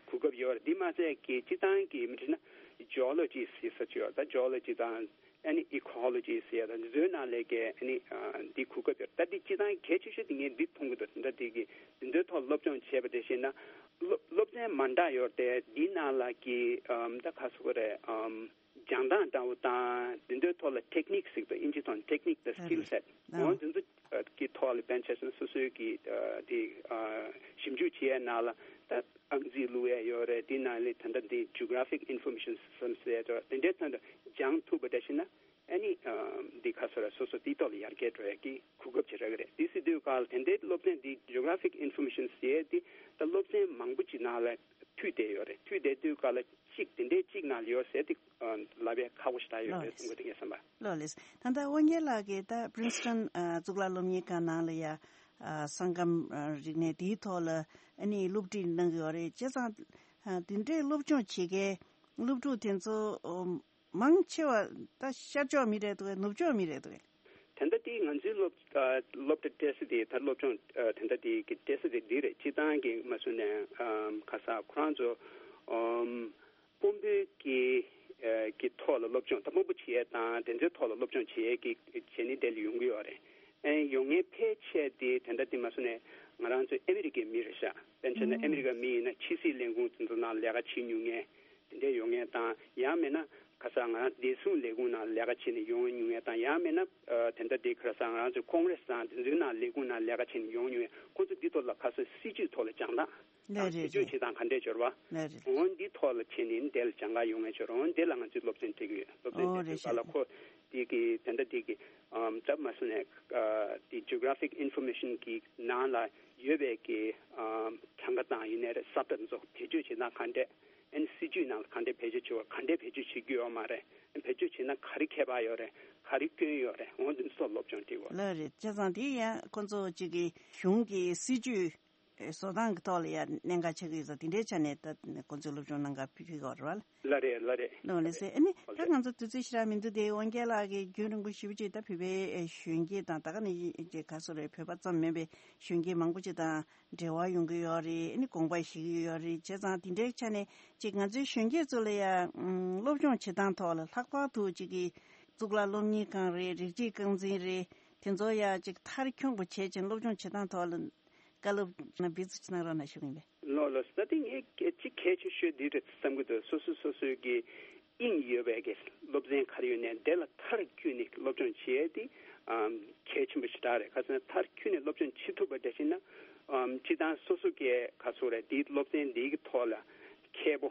གོ་སྐབས་ཡོད་རེད། འདི་མ་ཚད་ཀྱི་སྤྱི་བཏང་གི་མི་དྲིས་ན་Geology ཟེར་ས་ཅིག་ཡོད། ད་Geology དང་ཨ་ནི་Ecology ཟེར་ཡ་དང་འདི་ཚོའི་ནང་ལས་ཀའི་ཨ་ནི་ཨ་འདི་གོ་སྐབས་ཡོད། ད་འདི་སྤྱི་བཏང་གལ་ཆེ་ཤོས་དེ་ངས་འདི་མཐོང་གི་འདུག་ད་འདི་གི་འདི་ཚོའི་ཐོག་སློབ་སྦྱོང་བྱས་པ་དེ་བཞིན་ན་སློབ་སློབ་ཚན་མ་འདྲ་ཡོད་དེ་འདི་ནང་ལ་གི་ཨམ་ད་ག་ཟེར་དགོས་རེད། ཨམ་སྦྱང་སྟངས་འདྲ་བོ་དང་འདི་ཚོའི་ཐོག་ལ་Technique ཟེར་གི་འདུག་ཨིན་ཇི་ཐོག་Technique དང་Skill Set འོ་འདི་ཚོ་གི་ཐོག་ལ་དཔེར་ན་ཆ་བཞག་ན་སོ་སོའི་གི་ཨ་དེ་ཨ་ཞིབ་འཇུག་བྱེད་ཡའི་ནང་ལ་ད་ཨང་རྩིས་བླུག་ཡས་ཡོད་རེད། དེ་ནང་ལས་ད་ལྟ་འདི་Geographic Information Systems ཟེར་ཡ་དེ་འདྲའི་ཐོག་ནས་སྦྱང་ཐུབ་པ་འདྲ་ཞིག་ན་ཨ་ནི་ཨ་འདི་ག་ཟེར་ར་སོ་སོ་དེའི་ཐོག་ལ་ཡར་རྒྱས་འགྲོ་ཡས་ཀྱི་གོ་སྐབས་ཅིག་རག་གི་རེད། དེ་ཟེར་དུས་ག་ལ་དེ་འདྲའི་སློབ་ཚན་འདི་Geographic Information ཟེར་ཡས་འདི་ད་སློབ་ཚན་མང་པོ་ཅིག་ནང་ལ་མཐུད་བསྡད་ཡོད་རེད། མཐུད་བསྡད་དུས་ག་ལ་གཅིག་དེ་འདྲའི་གཅིག་ནང་ལ་ཡོད་ཟེར་ཏེ་ལབ་ཡ་ཁག་པོ་ཞིག་ད་ཡོད་རེད་བསམ་གི་འདུག་ངས་བསམ་པ། ལགས་ལགས། ད་ལྟ་དབང་རྒྱལ་ལགས་ཀྱིས་ད་Princeton ཨ་གཙུག་ལག་སློབ་གཉེར་ཁང་ནང་ལ་ཡ་ཨ་ས་ཁམས་ཨ་རིག་གནས་དེའི་ཐོག་ལ་ཨ་ནི་སློབ་ཁྲིད་གནང་གི་ཡོད་རེད། བྱས་ཙང་ཨ་དེ་འདྲའི་སློབ་སྦྱོང་བྱེད་མཁན་སློབ་ཕྲུག་དེ་ཚོ་ཨོ་མང་ཆེ་བ་ད་ཤར་ཕྱོགས་མི་རེད་འདུག་གས། ནུབ་ཕྱོགས་མི་རེད་འདུག་གས། དེ་འདྲ་དེ་ང་ཚོའི་སློབ་ཨ་སློབ་གྲྭ་སྤྲད་ས་དེ་ད་སློབ་སྦྱོང་ཨ་དེ་འདྲ་དེ་གི་སྤྲད་ས་དེ་འདི་རེད། སྤྱི་བཏང་གི་མ་སུ་ནས་ཨམ་ག་ས་ཁོ་རང་ཚོ་ཨམ་དཔོན་པོའི་གི་ཨ་གི་ཐོག་ལ་སློབ་སྦྱོང་ད་དཔོན་པོ་བྱེད་ཡས་དང་དེ་ཚོའི་ཐོག་ལ་སློབ་སྦྱོང་བྱེད་ཡས་ཀྱི་བྱས་ནས་དེ་ལ་ཡོང་གི་ཡོད་རེད། ཨེ་ཡོང་མཁན་ཕལ་ཆེར་དེ་དེ་འདྲ་དེ་མ་སུ་ནས་ང་རང་ཚོ་ཨ་མི་རི་ཀའི་མི་རེད་ཤག་དཔེར་ན་ཆ་ན་ཨ་མི་རི་ཀ་མི་ཡིན་ན་ཕྱི་སྲིད་ལས་ཁུངས་དེ་ཚོ་ནང་ལས་ཀ་བྱེད་མྱོང་མཁན་དེ་འདྲ་ཡོང་མཁན་དང་ཡང་མིན་ན་ ཁ་སང་ང་རང་བདེ་སྲུང་ལས་ཁུངས་ནང་ལས་ཀ་བྱེད་ནས་ཡོང་མྱོང་ཡས་དང་། ཡང་མིན་ན་ཨ་དེ་འདྲ་དེ་ཁ་སང་ང་རང་ཚོ་ཀོང་རེ་སི་དང་དེ་ཚོའི་ནང་ལས་ཁུངས་ནང་ལས་ཀ་བྱེད་ནས་ཡོང་མྱོང་ཡས། ཁོང་ཚོ་འདི་ཐོག་ལ་ཁ་སང་སྲིད་ཇུས་ཐོག་ལ་སྦྱང་སྟངས་ལགས་རེད་རེད། བེད་སྤྱོད་བྱེད་སྟངས་ག་འདྲས་འབྱོར་བ། ལགས་རེད། འོན་འདི་ཐོག་ལ་བྱས་ནས་འདི་ལ་སྦྱང་ག་ཡོང་ངེས་འབྱོར། འོན་འདི་ལ་ང་ཚོས་སློབ་ཚན་སྤྲད་ཀྱི་ཡོད། སློབ་ཚན་ཨོ་སྤྲད་རེད་དུས་ག་ལ་ཤག་ཁོ་དེ་གི་དེ་འདྲ་དེ་གི་ཨམ་ཙམ་མ་སོང་ནས་ཨ་དེ་geographic information གི་ནང་ལ་ཡོད་པའི་གི་ཨམ་གྲངས་ཀ་དང་ཡིན་ནའི་རེད། ས་བཀྲ་འཛུགས་བེད་སྤྱོད་བྱེད་སྟངས་ག་འདྲས། ཨ་ནི་སྲིད་ཇུས་ནང་ལ་ག་འདྲས་བེད་སྤྱོད་བྱེད་དགོས། ག་འདྲས་བེད་སྤྱོད་བྱེད་རྒྱུ་ཡོད་མ་རེད། ཨ་ནི་བེད་སྤྱོད་བྱེད་ན་ག་རེ་ཁྱད་པར་ཡོད་རེད། ག་རེ་སྐྱོན་ཡོད་རེད། འོ་འདི་ཚོ་སློབ་སྦྱོང་སྤྲད་དགོས། ལགས་རེད། བྱས་ཙང་དེ་ཡང་ཁོ་ཚོ་གཅིག་གི་གཞུང་གི་སྲིད་ཇུས་བཟོ་སྟངས་ཀྱི་ཐོག་ལ་ཡང་གནད་འགག་ཆགས་ཀྱི་ཡོད་ཙང་། དེ་འདྲའི་ཆ་ནས་ད་ཁོ་ཚོས་སློབ་སྦྱོང་གནང་ག་ཕུལ་གྱི་ཡོད་རེད་བ། ལགས་རེད། ལགས་རེད། ལགས་ལགས་སེ། ཨ་ནི་ད་ང་ཚོ་དུས་ཚོད་ཞེ་དྲག་མི་འདུག་སྟེ། དབང་རྒྱལ་ལགས་ཀྱིས་རྒྱུན་རིང་པོ་ཞེ་པོ་ཅིག་ད་བོད་པའི་གཞོན་སྐྱེས་དང་། ད་ག་ནས་ཅིག་ག་སོ་རེད། བོད་པ་ཙམ་མིན་པའི་གཞོན་སྐྱེས་མང་པོ་ཅིག་དང་འབྲེལ་བ་ཡོང་གི་ཡོད་རེད། ཨ་ནི་དགོངས་པ་བཞེས་ཀྱི་ཡོད་རེད། བྱས་ཙང་དེ་འདྲའི་ཆ་ནས་ཅིག་ང་ཚོའི་གཞོན་སྐྱེས་ཚོ་ལ་ཡང་སློབ་སྦྱོང་བྱེད་སྟངས་ཐོག་ལ་ལྷག་པར་དུ་ཅིག་གི་གཙུག་ལག་སློབ་གཉེར་ཁང་རེད། རིགས་གཅིག་རྐང་འཛིན་རེད། དེ་ཚོ་ཡང་ཅིག་མཐར་འཁྱོངས་པོ་བྱས་ཅིང་སློབ་སྦྱོང་བྱེད་སྟངས་ཐོག་ལ་བཀའ་སློབ་གནང་འབུལ་ཚུལ་ཅིག་གནང་རོགས་གནང་ཞུ་གི་ཡིན་པས། ལགས་ལགས། ད་དེ་ངས་གལ་ཅིག་གལ་ཆེ་ཤོས་འདི་རེད་བསམ་གྱི་འདུག་སོ་སོ་སོ་སོའི་གི་དབྱིངས་ཡོད་པའི་གི་སློབ་ཚན་ག་རེ་ཡོད་ནའི་དེ་ལ་མཐར་འཁྱོལ་ནས་སློབ་སྦྱོང་བྱེད་ཡས་དེ་ཨམ་གལ་ཆེན་པོ་ཞེ་དྲག་རེད། ག་ཟེར་ན་མཐར་འཁྱོལ་ནས་སློབ་སྦྱོང་བྱེད་ཐུབ་པ་འདྲ་ཞིག་ན་ཨམ་སྤྱིར་བཏང་སོ་སོ་གི་ག་ཚོད་རེད། དེའི་སློབ་ཚན་འདིའི་གི་ཐོག་ལ་མཁས་པོ་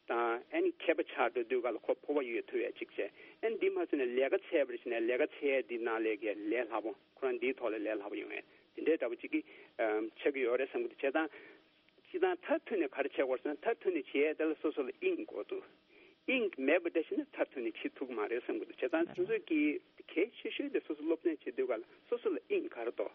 དང་། ཨ་ནི་མཁས་པ་ཆགས་འགྲོ་དུས་ག་ལ་ཁོ་སྤོབས་པ་ཡོད་ཐུབ་ཡས་ཅིག་བྱས། ཨ་ནི་འདི་མ་ཚད་ནས་ལས་ཀ་བྱས་པ་རེད་ཟེར་ནས་ལས་ཀ་བྱས་ཡས་འདི་ནང་ལས་ཀའི་ལས་སླ་པོ། ཁོ་རང་འདིའི་ཐོག་ལ་ལས་སླ་པོ་ཡོང་ཡས་དེ་འདྲའི་འདྲ་པོ་ཅིག་གི་ཨམ་ཆགས་ཀྱི་ཡོད་རེད་བསམ་གྱི་འདུག་བྱས་ཙང་། སྤྱིར་བཏང་མཐར་ཐུག་ནས་ག་རེ་བྱེད་དགོས་ཟེར་ན། མཐར་ཐུག་ནས་བྱེད་ཡས་དེ་ལ་སོ་སོ་ལ་དབྱིངས་དགོས་འདུག་དབྱིངས་མེད་པ་འདྲ་ཞིག་ན་མཐར་ཐུག་ནས་བྱེད་ཐུབ་ཀྱི་མ་རེད་བསམ་གྱི་འདུག་བྱས་ཙང་ང་ཚོས་ཀྱི་གལ་ཆེ་ཤོས་དེ་སོ་སོ་སློབ་ཚན་བྱེད་དུས་ག་ལ་སོ་སོ་ལ་དབྱིངས་ག་རེ་འདུག་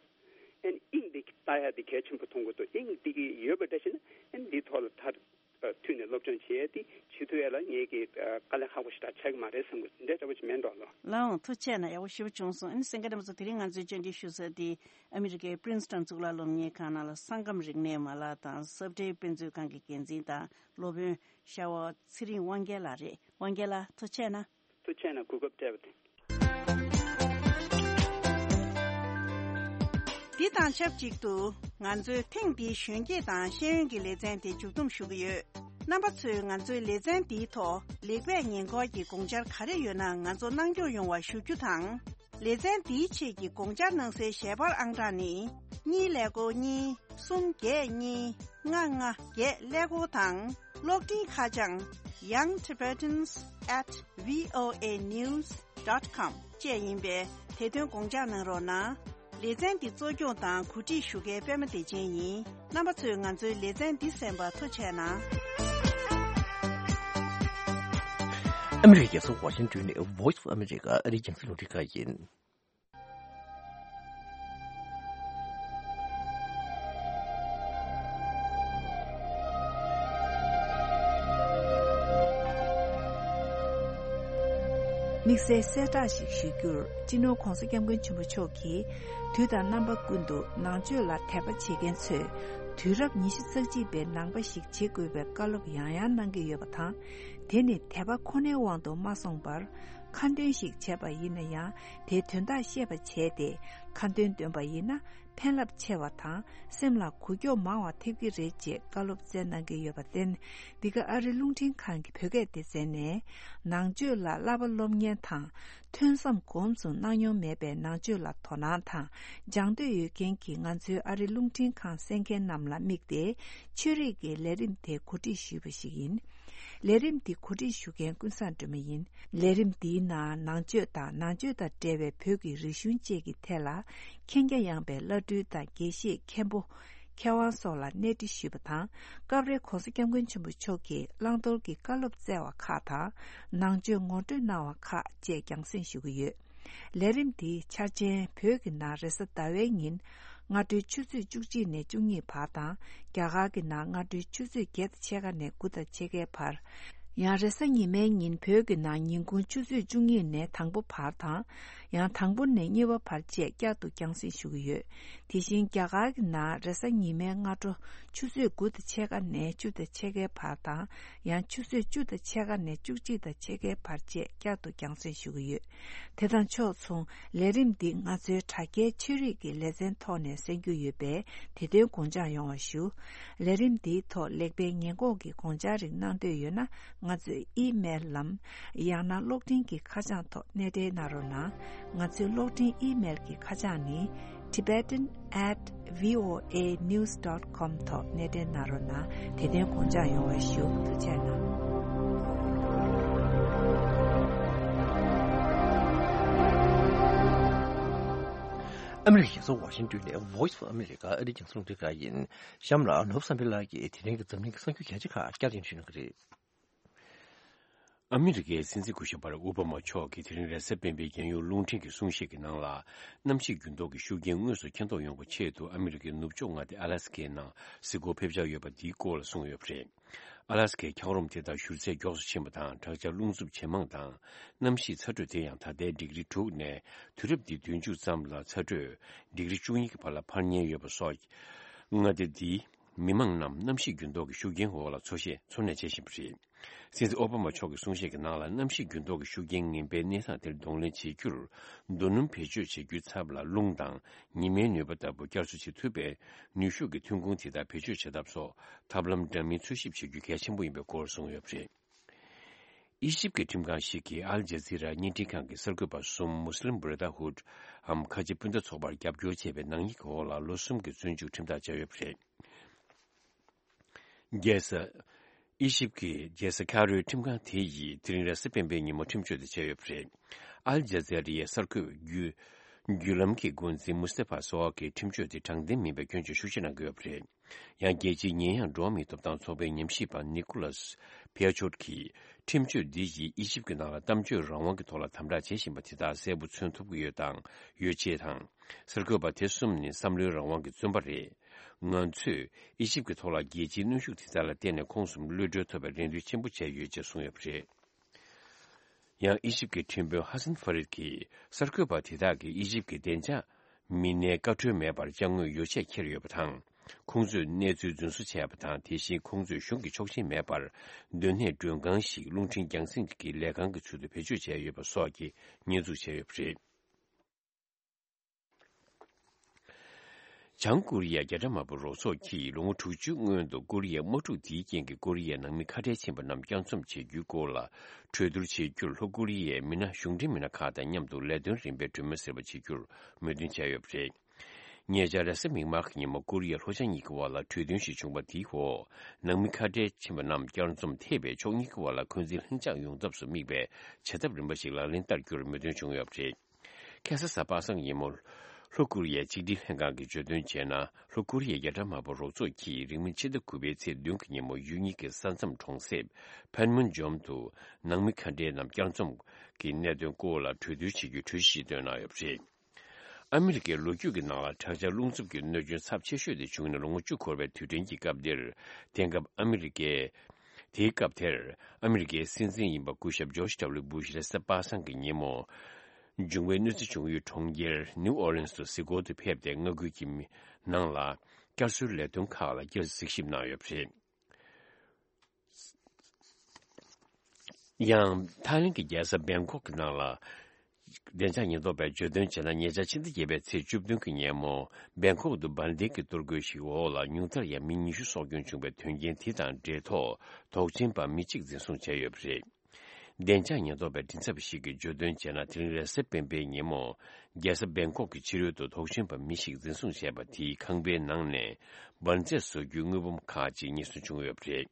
ཨ་ནི་དབྱིངས་དེ་ལྟ་ཡ་དེ་གལ་ཆེན་པོ་མཐོང་གི་འདུག་དབྱིངས་དེ་གི་ཡོད་པ་འདྲ་ཞིག་ན་ཨ་ནི་འདིའི་ཐོག་ལ་མཐར་ཐུག་ནས་སློབ་སྦྱོང་བྱེད་ཡས་དེ་བྱེད་ཐུབ་ཡས་ལ་ངས་ཀྱི་དཀའ་ལས་ཁག་པོ་ཞེ་དྲག་ཆགས་ཀྱི་མ་རེད་བསམ་གྱི་འདུག་འདྲ་འདྲ་པོ་ཅིག་མེད་འགྲོ་ལོ། ལགས་འོང་། ཐུགས་རྗེ་ཆེ་གནང་། ཡག་པོ་ཞེ་པོ་བྱུང་སོང་། ཨ་ནི་གསན་མཁན་རྣམ་པ་ཚོ་དེ་རིང་ང་ཚོའི་བཅར་འདྲི་ཞུ་ས་དེ་ཨ་མི་རི་ཀའི་པི་རིན་སི་ཊོན་གཙུག་ལག་སློབ་གཉེར་ཁང་ནང་ལ་སངས་སྐམ་རིག་གནས་མ་ལག་དང་ས་བཀྲའི་དཔེ་མཛོད་ཁང་གི་འགན་འཛིན་དང་སློབ་དཔོན་ཤར་བ་ཚེ་རིང་དབང་རྒྱལ་ལགས་རེད། དབང་རྒྱལ་ལགས་ཐུགས་རྗེ་ཆེ་གནང་། ཐུགས་རྗེ་ཆེ་གནང་། གོ་སྐབས་སྤྲད་པ་དེ། འདི་དང་ཆབས་ཅིག་ཏུ་ང་ཚོའི་ཐེངས་འདིའི་གཞོན་སྐྱེས་དང་ཤེས་ཡོན་གྱི་ལེ་ཚན་དེ་མཇུག་བསྡོམས་ཞུ་གི་ཡོད། རྣམ་པ་ཚོས་ང་ཚོའི་ལེ་ཚན་འདིའི་ཐོག་ལེགས་སྤེལ་ཉེ་འཁོར་གྱི་དགོངས་འཆར་ག་རེ་ཡོད་ན་ང་ཚོ་གནང་སྐྱོང་ཡོང་བ་ཞུ་རྒྱུ་དང་། ལེ་ཚན་འདིའི་ཆེད་ཀྱི་དགོངས་འཆར་གནང་སའི་ཞལ་པར་ཨང་གྲངས་ནི། གཉིས་ཀླད་ཀོར་གཉིས། གསུམ་བརྒྱད་གཉིས། ལྔ་ལྔ་བརྒྱད་ཀླད་ཀོར་དང་། གློག་འཕྲིན་ཁ་བྱང་young tibetans at voa news dot com བཅས་ཡིན་པས། དེ་དོན་དགོངས་འཇགས་གནང་རོགས་གནང་། ལེ་ཚན་འདི་གཙོ་སྐྱོང་དང་གོ་སྒྲིག་ཞུ་མཁན་པད་མ་བདེ་ཆེན་ཡིན། རྣམ་པ་ཚོས་ང་ཚོའི་ལེ་ཚན་འདི་གསན་པར་ཐུགས་རྗེ་གནང་། ཨ་མི་རི་ཀའི་རྒྱལ་ས་ཝ་ཤིང་ཏོན་ནས་Voice of America ཨ་རིའི་རྒྱང་སྲིང་རླུང་འཕྲིན་ཁང་ཡིན། དམིགས་བསལ་གསལ་བསྒྲགས་ཤིག་ཞུ་རྒྱུར། སྤྱི་ནོར་༧གོང་ས་༧སྐྱབས་མགོན་ཆེན་པོ་མཆོག་གིས་དུས་དང་རྣམ་པ་ཀུན་ཏུ་ནང་ཆོས་ལ་དད་པ་བྱེད་མཁན་ཚོས་དུས་རབས་ཉི་ཤུ་རྩ་གཅིག་པའི་ནང་པ་ཞིག་བྱེད་དགོས་པའི་བཀའ་སློབ་ཡང་ཡང་གནང་གི་ཡོད་པ་དང་། དེ་ནི་དད་པ་ཁོ་ནའི་དབང་དུ་མ་སོང་བར། ཁ་འདོན་ཞིག་བྱས་པ་ཡིན་ན་ཡང་། དེའི་དོན་དག་ཤེས་པ་བྱས་ཏེ། ཁ་འདོན་འདོན་པ་ཡིན་ན། ཕན་རླབས་ཆེ་བ་དང་། སེམས་ལ་འགུལ་སྐྱོད་མང་བ་ཐེབས་ཀྱི་རེད་ཅེས་བཀའ་སློབ་སྩལ་གནང་གི་ཡོད་པར་བརྟེན། འདི་ག་ཨ་རི་རླུང་འཕྲིན་ཁང་གི་བོད་སྐད་སྡེ་ཚན་ནས། ནང་ཆོས་ལ་བསླབ་པ་སློབ་གཉེར་དང་། ཐོས་བསམ་གོམས་སུ་གནང་མྱོང་མེད་པའི་ནང་ཆོས་ལ་དོ་སྣང་དང་། སྦྱང་འདོད་ཡོད་མཁན་གྱི་ང་ཚོའི་ཨ་རི་རླུང་འཕྲིན་ཁང་གསན་མཁན་རྣམས་ལ་དམིགས་ཏེ། ཆོས་རིག་གི་ལས་རིམ་དེ་གོ་སྒྲིག་ཞུས་པ་ཞིག་ཡིན། ལས་རིམ་འདི་གོ་སྒྲིག་ཞུ་མཁན་ཀུན་བཟང་སྒྲོལ་མ་ཡིན། ལས་རིམ་འདིའི་ནང་ནང་ཆོས་དང་། ནང་ཆོས་དང་འབྲེལ་བའི་བོད་ཀྱི་རིག་གཞུང་བཅས་ཀྱི་ཐད་ལ། མཁྱེན་རྒྱ་ཡངས་པའི་བླ་སྤྲུལ་དང་། དགེ་བཤེས། མཁན་པོ། མཁས་དབང་སོགས་ལ་གནས་འདྲི་ཞུས་པ་དང་། སྐབས་རེ་༧གོང་ས་༧སྐྱབས་མགོན་ཆེན་པོ་མཆོག་གིས་བླང་དོར་གྱི་བཀའ་སློབ་སྩལ་བ་ཁག་དང་། ནང་ཆོས་ངོ་སྤྲོད་གནང་བ་ཁག་བཅས་རྒྱང་སྲིང་ཞུ་གི་ཡོད། ལས་རིམ་འདིའི་འཆར་ཅན། བོད་ཀྱི་ནང་རེས་གཟའ་ཟླ་བའི་ཉིན་སྔ་དྲོའི་ཆུ་ཚོད་བཅུ་གཅིག་ནས་བཅུ་གཉིས་བར་དང་། རྒྱ་གར་གྱི་ནང་སྔ་དྲོའི་ཆུ་ཚོད་བརྒྱད་དང་ཕྱེད་ཀ་ནས་དགུ་དང་ཕྱེད་ཀའི་བར། ཡང་རེས་གཟའ་ཉི་མའི་ཉིན་བོད་ཀྱི་ནང་ཉིན་གུང་ཆུ་ཚོད་བཅུ་གཉིས་ནས་དང་པོ་བར་དང་། ཡང་དང་པོ་ནས་གཉིས་པ་བར་བཅས་བསྐྱར་དུ་རྒྱང་སྲིང་ཞུ་གི་ཡོད། དེ་བཞིན་རྒྱ་གར་གྱི་ནང་རེས་གཟའ་ཉི་མའི་སྔ་དྲོ་ཆུ་ཚོད་དགུ་དང་ཕྱེད་ཀ་ནས་བཅུ་དང་ཕྱེད་ཀའི་བར་དང་། ཡང་ཆུ་ཚོད་བཅུ་དང་ཕྱེད་ཀ་ནས་བཅུ་གཅིག་དང་ཕྱེད་ཀའི་བར་བཅས་བསྐྱར་དུ་རྒྱང་སྲིང་ཞུ་གི་ཡོད། དེ་དང་ཕྱོགས་མཚུངས་ལས་རིམ་འདི་ང་ཚོའི་དྲ་རྒྱའི་ཆོས་རིག་གི་ལེ་ཚན་ཐོག་ནས་གསན་རྒྱུ་ཡོད་པས། དེ་དོན་དགོངས་འཇགས་ཡོང་བ་ཞུ། ལས་རིམ་འདིའི་ཐོག་ལེགས་སྤེལ་ཉེས་འགོག་གི་དགོངས་འཆར་རིགས་གནང་འདོད་ཡོད་ན། ང་ཚོའི་ཨི་མེལ་ལམ། ཡང་ན་གློག་འཕྲིན་གྱི་ཁ་བྱང་ཐོག་སྣེ་འདྲེན་གནང་རོགས་གནང་། ང་ཚོའི་གློག་འཕྲིན་ཨི་མེལ་གྱི་ཁ་བྱང་ནི། tibetan at voanews dot com ཐོག་སྣེ་འདྲེན་གནང་རོགས་གནང་། དེ་དོན་དགོངས་འཇགས་ཡོང་བ་ཞུ། ཐུགས་རྗེ་གནང་། ཨ་མི་རི་ཀའི་རྒྱལ་ས་ཝ་ཤིང་ཏོན་ནས་Voice of America ཨ་རིའི་རྒྱང་སྲིང་རླུང་འཕྲིན་ཁང་ཡིན། གཤམ་ལ་ནོར་བུ་བསམ་འཕེལ་ལགས་ཀྱིས་དེ་རིང་གི་འཛམ་གླིང་གི་གསར་འགྱུར་གལ་ཆེ་ཁག་བསྐྱར་ཟློས་ཞུ་གནང་གི་རེད། ཨ་མི་རི་ཀའི་སྲིད་འཛིན་སྐུ་ཞབས་བྷ་རག་ཨོ་བྷ་མ་མཆོག་གིས་དེ་རིང་རེས་གཟའ་སྤེན་པའི་རྒྱལ་ཡོངས་རླུང་འཕྲིན་གྱི་གསུང་བཤད་ཀྱི་ནང་ལ། གནམ་གཤིས་འགྱུར་ལྡོག་གི་ཤུགས་རྐྱེན་དངོས་སུ་མཁྱེན་རྟོགས་ཡོང་བའི་ཆེད་དུ་ཨ་མི་རི་ཀའི་ནུབ་ཕྱོགས་མངའ་སྡེ་ཨ་ལ་སི་ཀའི་ནང་གཟིགས་སྐོར་ཕེབས་འཆར་ཡོད་པ་འདིའི་སྐོར་ལ་གསུངས་ཡོད་པ་རེད། ཨ་ལ་སི་ཀའི་འཁྱགས་རོམ་དེ་དག་བཞུར་ཚད་མགྱོགས་སུ་ཕྱིན་པ་དང་། དྲག་ཆར་རླུང་འཚུབ་ཇེ་མང་དང་། གནམ་གཤིས་ཚ་དྲོད་དེ་ཡང་ད་ལྟའི་ཌིག་རི་དྲུག་ནས་དུས་རབས་འདིའི་དུས་མཇུག་ཙམ་ལ་ཚ་དྲོད་ཌིག་རི་བཅུ་གཉིས་ཀྱི་བར་ལ་འཕར་ཉེན་ཡོད་པ་སོགས་མངའ་སྡེ་འདིའི་མི་མང་རྣམས་གནམ་གཤིས་འགྱུར་ལྡོག་གི་ཤུགས་རྐྱེན་འོག་ལ་འཚོ་གཞེས་འཚོ་གནས་བྱེད་བཞིན་པ་རེད། སྲིད་འཛིན་ཨོ་བྷ་མ་མཆོག་གི་གསུང་བཤད་ཀྱི་ནང་ལ། གནམ་གཤིས་འགྱུར་ལྡོག་གི་ཤུགས་རྐྱེན་ངན་པའི་གནས་སྟངས་དེར་གདོང་ལེན་བྱེད་རྒྱུར། རྡོ་སྣུམ་བེད་སྤྱོད་བྱེད་རྒྱུའི་ཚབ་ལ་རླུང་དང་ཉི་མའི་ནུས་པ་ལྟ་བུ་བསྐྱར་གསོ་བྱེད་ཐུབ་པའི་ནུས་ཤུགས་ཀྱི་ཐོན་ཁུངས་དེ་དག་བེད་སྤྱོད་བྱེད་ཐབས་སོགས་ཐབས་ལམ་འདྲ་མིན་འཚོལ་ཞིབ་བྱེད་རྒྱུ་གལ་ཆེན་པོ་ཡིན་པའི་སྐོར་གསུངས་ཡོད་པ་རེད། ཨི་ཞིབ་ཀྱི་ཁྲིམས་ཁང་ཞིག་གིས་ཨལ་ཇ་ཛི་ར་བརྙན་འཕྲིན་ཁང་གི་གསར་འགོད་པ་གསུམ་མུ་སི་ལིམ་བྷ་ར་དྷ་ཧུད་འམ་ཁ་ཆེ་སྤུན་ཟླ་ཚོགས་པར་རྒྱབ་སྐྱོར་བྱས་པའི་ནག་ཉེས་ཀྱི་འོག་ལ་ལོ་གསུམ་གྱི་བཙོན་འཇུག་ཁྲིམས་ཐག་བཅད་ཡོད་པ་རེད། རྒྱལ་ས། ཨི་ཞིབ་ཀྱི་རྒྱལ་ས་ཁ་རོའི་ཁྲིམས་ཁང་དེ་ཡིས་དེ་རིང་རེས་གཟའ་སྤེན་པའི་ཉིན་མོ་ཁྲིམས་གཅོད་དེ་བྱས་ཡོད་པ་རེད། ཨལ་ཇ་ཛི་རའི་གསར་འགོད་བརྒྱུད་བརྒྱུད་ལམ་གྱི་འགོ་འཛིན་མུ་སྟེ་ཕ་སོ་ཨ་གིས་ཁྲིམས་གཅོད་དེ་དྲང་བདེན་མིན་པའི་སྐྱོན་བརྗོད་ཤུགས་ཆེ་གནང་གི་ཡོད་པ་རེད། ཡང་རྒྱལ་སྤྱིའི་ཉེས་ཡངས་འགྲོ་བ་མིའི་ཐོབ་ཐང་ཚོགས་པའི་ཉམས་ཞིབ་པ་ནི་ཀོ་ལཱས་ཕི་ཡ་ཆོད་ཀྱིས། ཁྲིམས་གཅོད་འདི་ཡིས་ཨི་ཞིབ་ཀྱི་ནང་ལ་གཏམ་བརྗོད་རང་དབང་གི་ཐོག་ལ་དམ་དྲག་བྱེད་བཞིན་པ་དེ་དག་གསལ་པོ་མཚོན་ཐུབ་ཀྱི་ཡོད་དང་ཡོད་ཅེས་དང་། གསར་འགོད་པ་དེ་གསུམ་ནི་བསམ་བློའི་རང་དབང་གི་བཙོན་པ་རེད། ང་ཚོས་ཨི་ཞིབ་ཀྱི་ཐོག་ལ་རྒྱལ་སྤྱིའི་གནོན་ཤུགས་དེ་དག་ལ་བརྟེན་ནས་ཁོང་གསུམ་གློད་གྲོལ་ཐོབ་པའི་རེ་འདུན་ཆེན་པོ་བྱས་ཡོད་ཅེས་གསུངས་ཡོད་པ་རེད། ཡང་ཨི་ཞིབ་ཀྱི་ཁྲིམས་དཔོན་ཧ་སན་ཧྥ་རིད་ཀྱིས་གསར་འགོད་པ་དེ་དག་གིས་ཨི་ཞིབ་ཀྱི་བདེ་འཇགས་མི་སྣའི་བཀའ་འཁྲོལ་མེད་པར་ཅ་དངོས་ཡོ་ཆས་འཁྱེར་ཡོད་པ་དང་། ཁོང་ཚོས་གནས་ཚུལ་རྫུན་བཟོ་བྱས་པ་དང་། དེ་བཞིན་ཁོང་ཚོས་གཞུང་གི་ཆོག་མཆན་མེད་པར་སྡོད་གནས་མགྲོན་ཁང་ཞིག་རླུང་འཕྲིན་རྒྱང་སྲིང་གི་ལས་ཁང་གི་ཚུལ་དུ་བེད་སྤྱོད་བྱས་ཡོད་པ་སོགས་ཀྱི་ཉེས་འཛུགས་བྱས་ཡོད་པ་རེད། བྱང་ཀོ་རི་ཡས་རྒྱ་གྲམ་དམར་པོ་རོགས་ཚོགས་ཀྱིས་ལོ་ངོ་དྲུག་ཅུའི་སྔོན་དུ་ཀོ་རི་ཡའི་དམག་འཁྲུག་དེའི་རྐྱེན་གྱིས་ཀོ་རི་ཡའི་ནང་མི་ཁ་བྲལ་ཕྱིན་པ་རྣམས་བསྐྱར་འཛོམས་བྱེད་རྒྱུའི་སྐོར་ལ་གྲོས་བསྡུར་བྱེད་རྒྱུར། ལྷོ་ཀོ་རི་ཡའི་མི་སྣ་གཞུང་འབྲེལ་མི་སྣ་ཁག་དང་མཉམ་དུ་ལས་དོན་རིམ་པའི་གྲོས་མོལ་ཟེར་བ་བྱེད་རྒྱུར་མོས་མཐུན་བྱས་ཡོད་པ་རེད། ཉེ་ཆར་རེས་གཟའ་མིག་དམར་གྱི་ཉིན་མོ་ཀོ་རི་ཡ་ལྷོ་བྱང་གཉིས་ཀྱི་དབར་ལ་གྲོས་མཐུན་ཞིག་བྱུང་བ་དེའི་འོག་ནང་མི་ཁ་བྲལ་ཕྱིན་པ་རྣམས་བསྐྱར་འཛོམས་ཐེ་བའི་ཕྱོགས་གཉིས་ཀྱི་དབར་ལ་འཁོན་འཛིན་ལྷིང་འཇགས་ཡོང་ཐབས་སུ་དམིགས་པའི་བྱ་ཐབས་རིམ་པ་ཞིག་ལག་ལེན་བསྟར་རྒྱུར་མོས་མཐུན་བྱུང་ཡོད་པ་རེད། ཁ་སང་གཟའ་པ་སངས་ཉིན་མོ། ལྷོ་ཀོ་རི་ཡའི་གཅིག་སྒྲིལ་ལྷན་ཁང་གིས་བརྗོད་དོན་བྱས་ན། ལྷོ་ཀོ་རི་ཡའི་རྒྱ་གྲམ་དམར་པོ་རོགས་ཚོགས་ཀྱིས་རིང་མིན་ཕྱི་ཟླ་དགུ་པའི་ཚེས་བདུན་གྱི་ཉིན་མོ་ཡུལ་གཉིས་ཀྱི་ས་མཚམས་གྲོང་གསེབ་ཕན་མུན་ཇོམ་དུ་ནང་མི་ཁ་བྲལ་རྣམས་བསྐྱར་འཛོམས་ཀྱི་གནད་དོན་སྐོར་ལ་གྲོས་བསྡུར་བྱེད་རྒྱུའི་གྲོས་གཞི་ཞིག་བཏོན་གནང་ཡོད་པ་རེད། ཨ་མི་རི་ཀའི་ལོ་རྒྱུས་ཀྱི་ནང་ལ་དྲག་ཆར་རླུང་འཚུབ་ཀྱི་གནོད་སྐྱོན་ཚབས་ཆེ་ཤོས་དེ་བྱུང་ནས་ལོ་ངོ་བཅུ་འཁོར་བའི་དུས་དྲན་གྱི་སྐབས་འདིར། དེང་སྐབས་ཨ་མི་རི་ཀའི། དེའི་སྐབས་དེར་ཨ་མི་རི་ཀའི་སྲིད་འཛིན་ཡིན་པ་སྐུ་ཞབས་ཇོརྗ་ཌབ་ལིའུ་བྷུ་ཤ་རེས་གཟའ་པ་སངས་ཀྱི་ཉིན་མོ། འབྱུང་བའི་གནོད་འཚེ་བྱུང་ཡུལ་གྲོང་ཁྱེར་ནིའུ་ཨོ་ལིན་སུ་གཟིགས་སྐོར་དུ་ཕེབས་ཏེ། མངའ་ཁུལ་གྱི་མི་ནང་ལ་བསྐྱར་གསོའི་ལས་དོན་ཁག་ལ་བསྐྱར་གཟིགས་ཞིབ་གནང་ཡོད་པ་རེད། ཡང་ཐའི་ལེན་གྱི་རྒྱལ་ས་བེང་ཀོག་གི་ནང་ལ། བདེ་འཇགས་ཉེན་རྟོག་པས་བརྗོད་དོན་བྱས་ན། ཉེ་ཆར་ཕྱི་ཟླ་བརྒྱད་པའི་ཚེས་བཅུ་བདུན་གྱི་ཉིན་མོ། བེང་ཀོག་ཏུ་འབར་མདེལ་གྱི་གཏོར་རྒོལ་ཞིག་འོག་ལ་ཉུང་མཐར་ཡང་མི་ཉི་ཤུ་སྲོག་སྐྱོན་བྱུང་བའི་དོན་རྐྱེན་དེ་དང་འབྲེལ་ཐོག་དོགས་ཟོན་པ་མི་གཅིག་འཛིན་བཟུང་བྱས་ཡོད་པ་རེད། བདེ་འཇགས་ཉེན་རྟོག་པའི་མགྲིན་ཚབ་ཞིག་གིས་བརྗོད་དོན་བྱས་ན། དེ་རིང་རེས་གཟའ་སྤེན་པའི་ཉིན་མོ། རྒྱལ་ས་བེང་ཀོག་གི་ཕྱི་རོལ་དུ་དོགས་ཟོན་པ་མི་ཞིག་འཛིན་བཟུང་བྱས་པ་དེས་ཁང་པའི་ནང་ནས་འབར་རྫས་བཟོ་རྒྱུའི་དངུལ་འབུམ་ཁག་ཅིག་ཉེན་སྲུང་བྱུང་ཡོད་པ་རེད།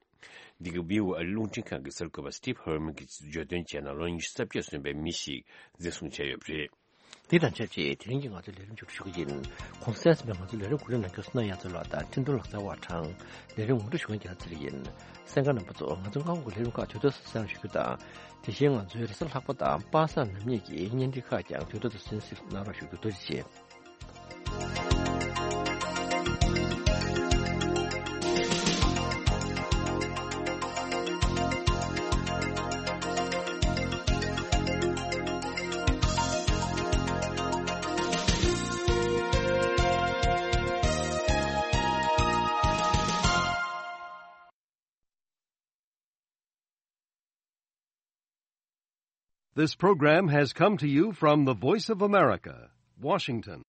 འདི་ག་བྷི་ཨོ་ཨེ་རླུང་འཕྲིན་ཁང་གི་གསར་འགོད་པ་སི་ཊིབ་ཧར་མན་གྱིས་བརྗོད་དོན་བྱས་ན། ལོ་ཉི་ཤུ་རྩ་བརྒྱད་སོན་པའི་མི་ཞིག་འཛིན་བཟུང་བྱས་ཡོད་པ་རེད། དེ་དང་ཆབས་ཅིག་དེ་རིང་གི་ང་ཚོའི་ལས་རིམ་མཇུག་སྒྲིལ་ཞུ་གི་ཡིན། གོང་གསལ་ཟིན་པའི་ང་ཚོའི་ལས་རིམ་གོ་སྒྲིག་གནང་མཁན་བསོད་ནམས་དབྱངས་མཚོ་ལགས་དང་འཕྲིན་གཏོང་ལག་རྩལ་བ་གྲངས། ལས་རིམ་ངོ་སྤྲོད་ཞུ་མཁན་རྒྱལ་ལགས་ཚེ་རིང་ཡིན། གསན་མཁན་རྣམ་པ་ཚོ། ང་ཚོའི་སྔ་དགོང་གི་ལས་རིམ་ཁག་དུས་ཐོག་ཏུ་གསན་རོགས་ཞུ་རྒྱུ་དང་། དེ་བཞིན་ང་ཚོའི་རེས་གཟའ་ལྷག་པ་དང་པ་སངས་ནམ་ཉིན་གྱི་བརྙན་འཕྲིན་ཁག་ཀྱང་དུས་ཐོག་ཏུ་གསན་གཟིགས་གནང་རོགས་ཞུ་རྒྱུ། ཐུགས་རྗེ་ཆེ། This program has come to you from the Voice of America, Washington.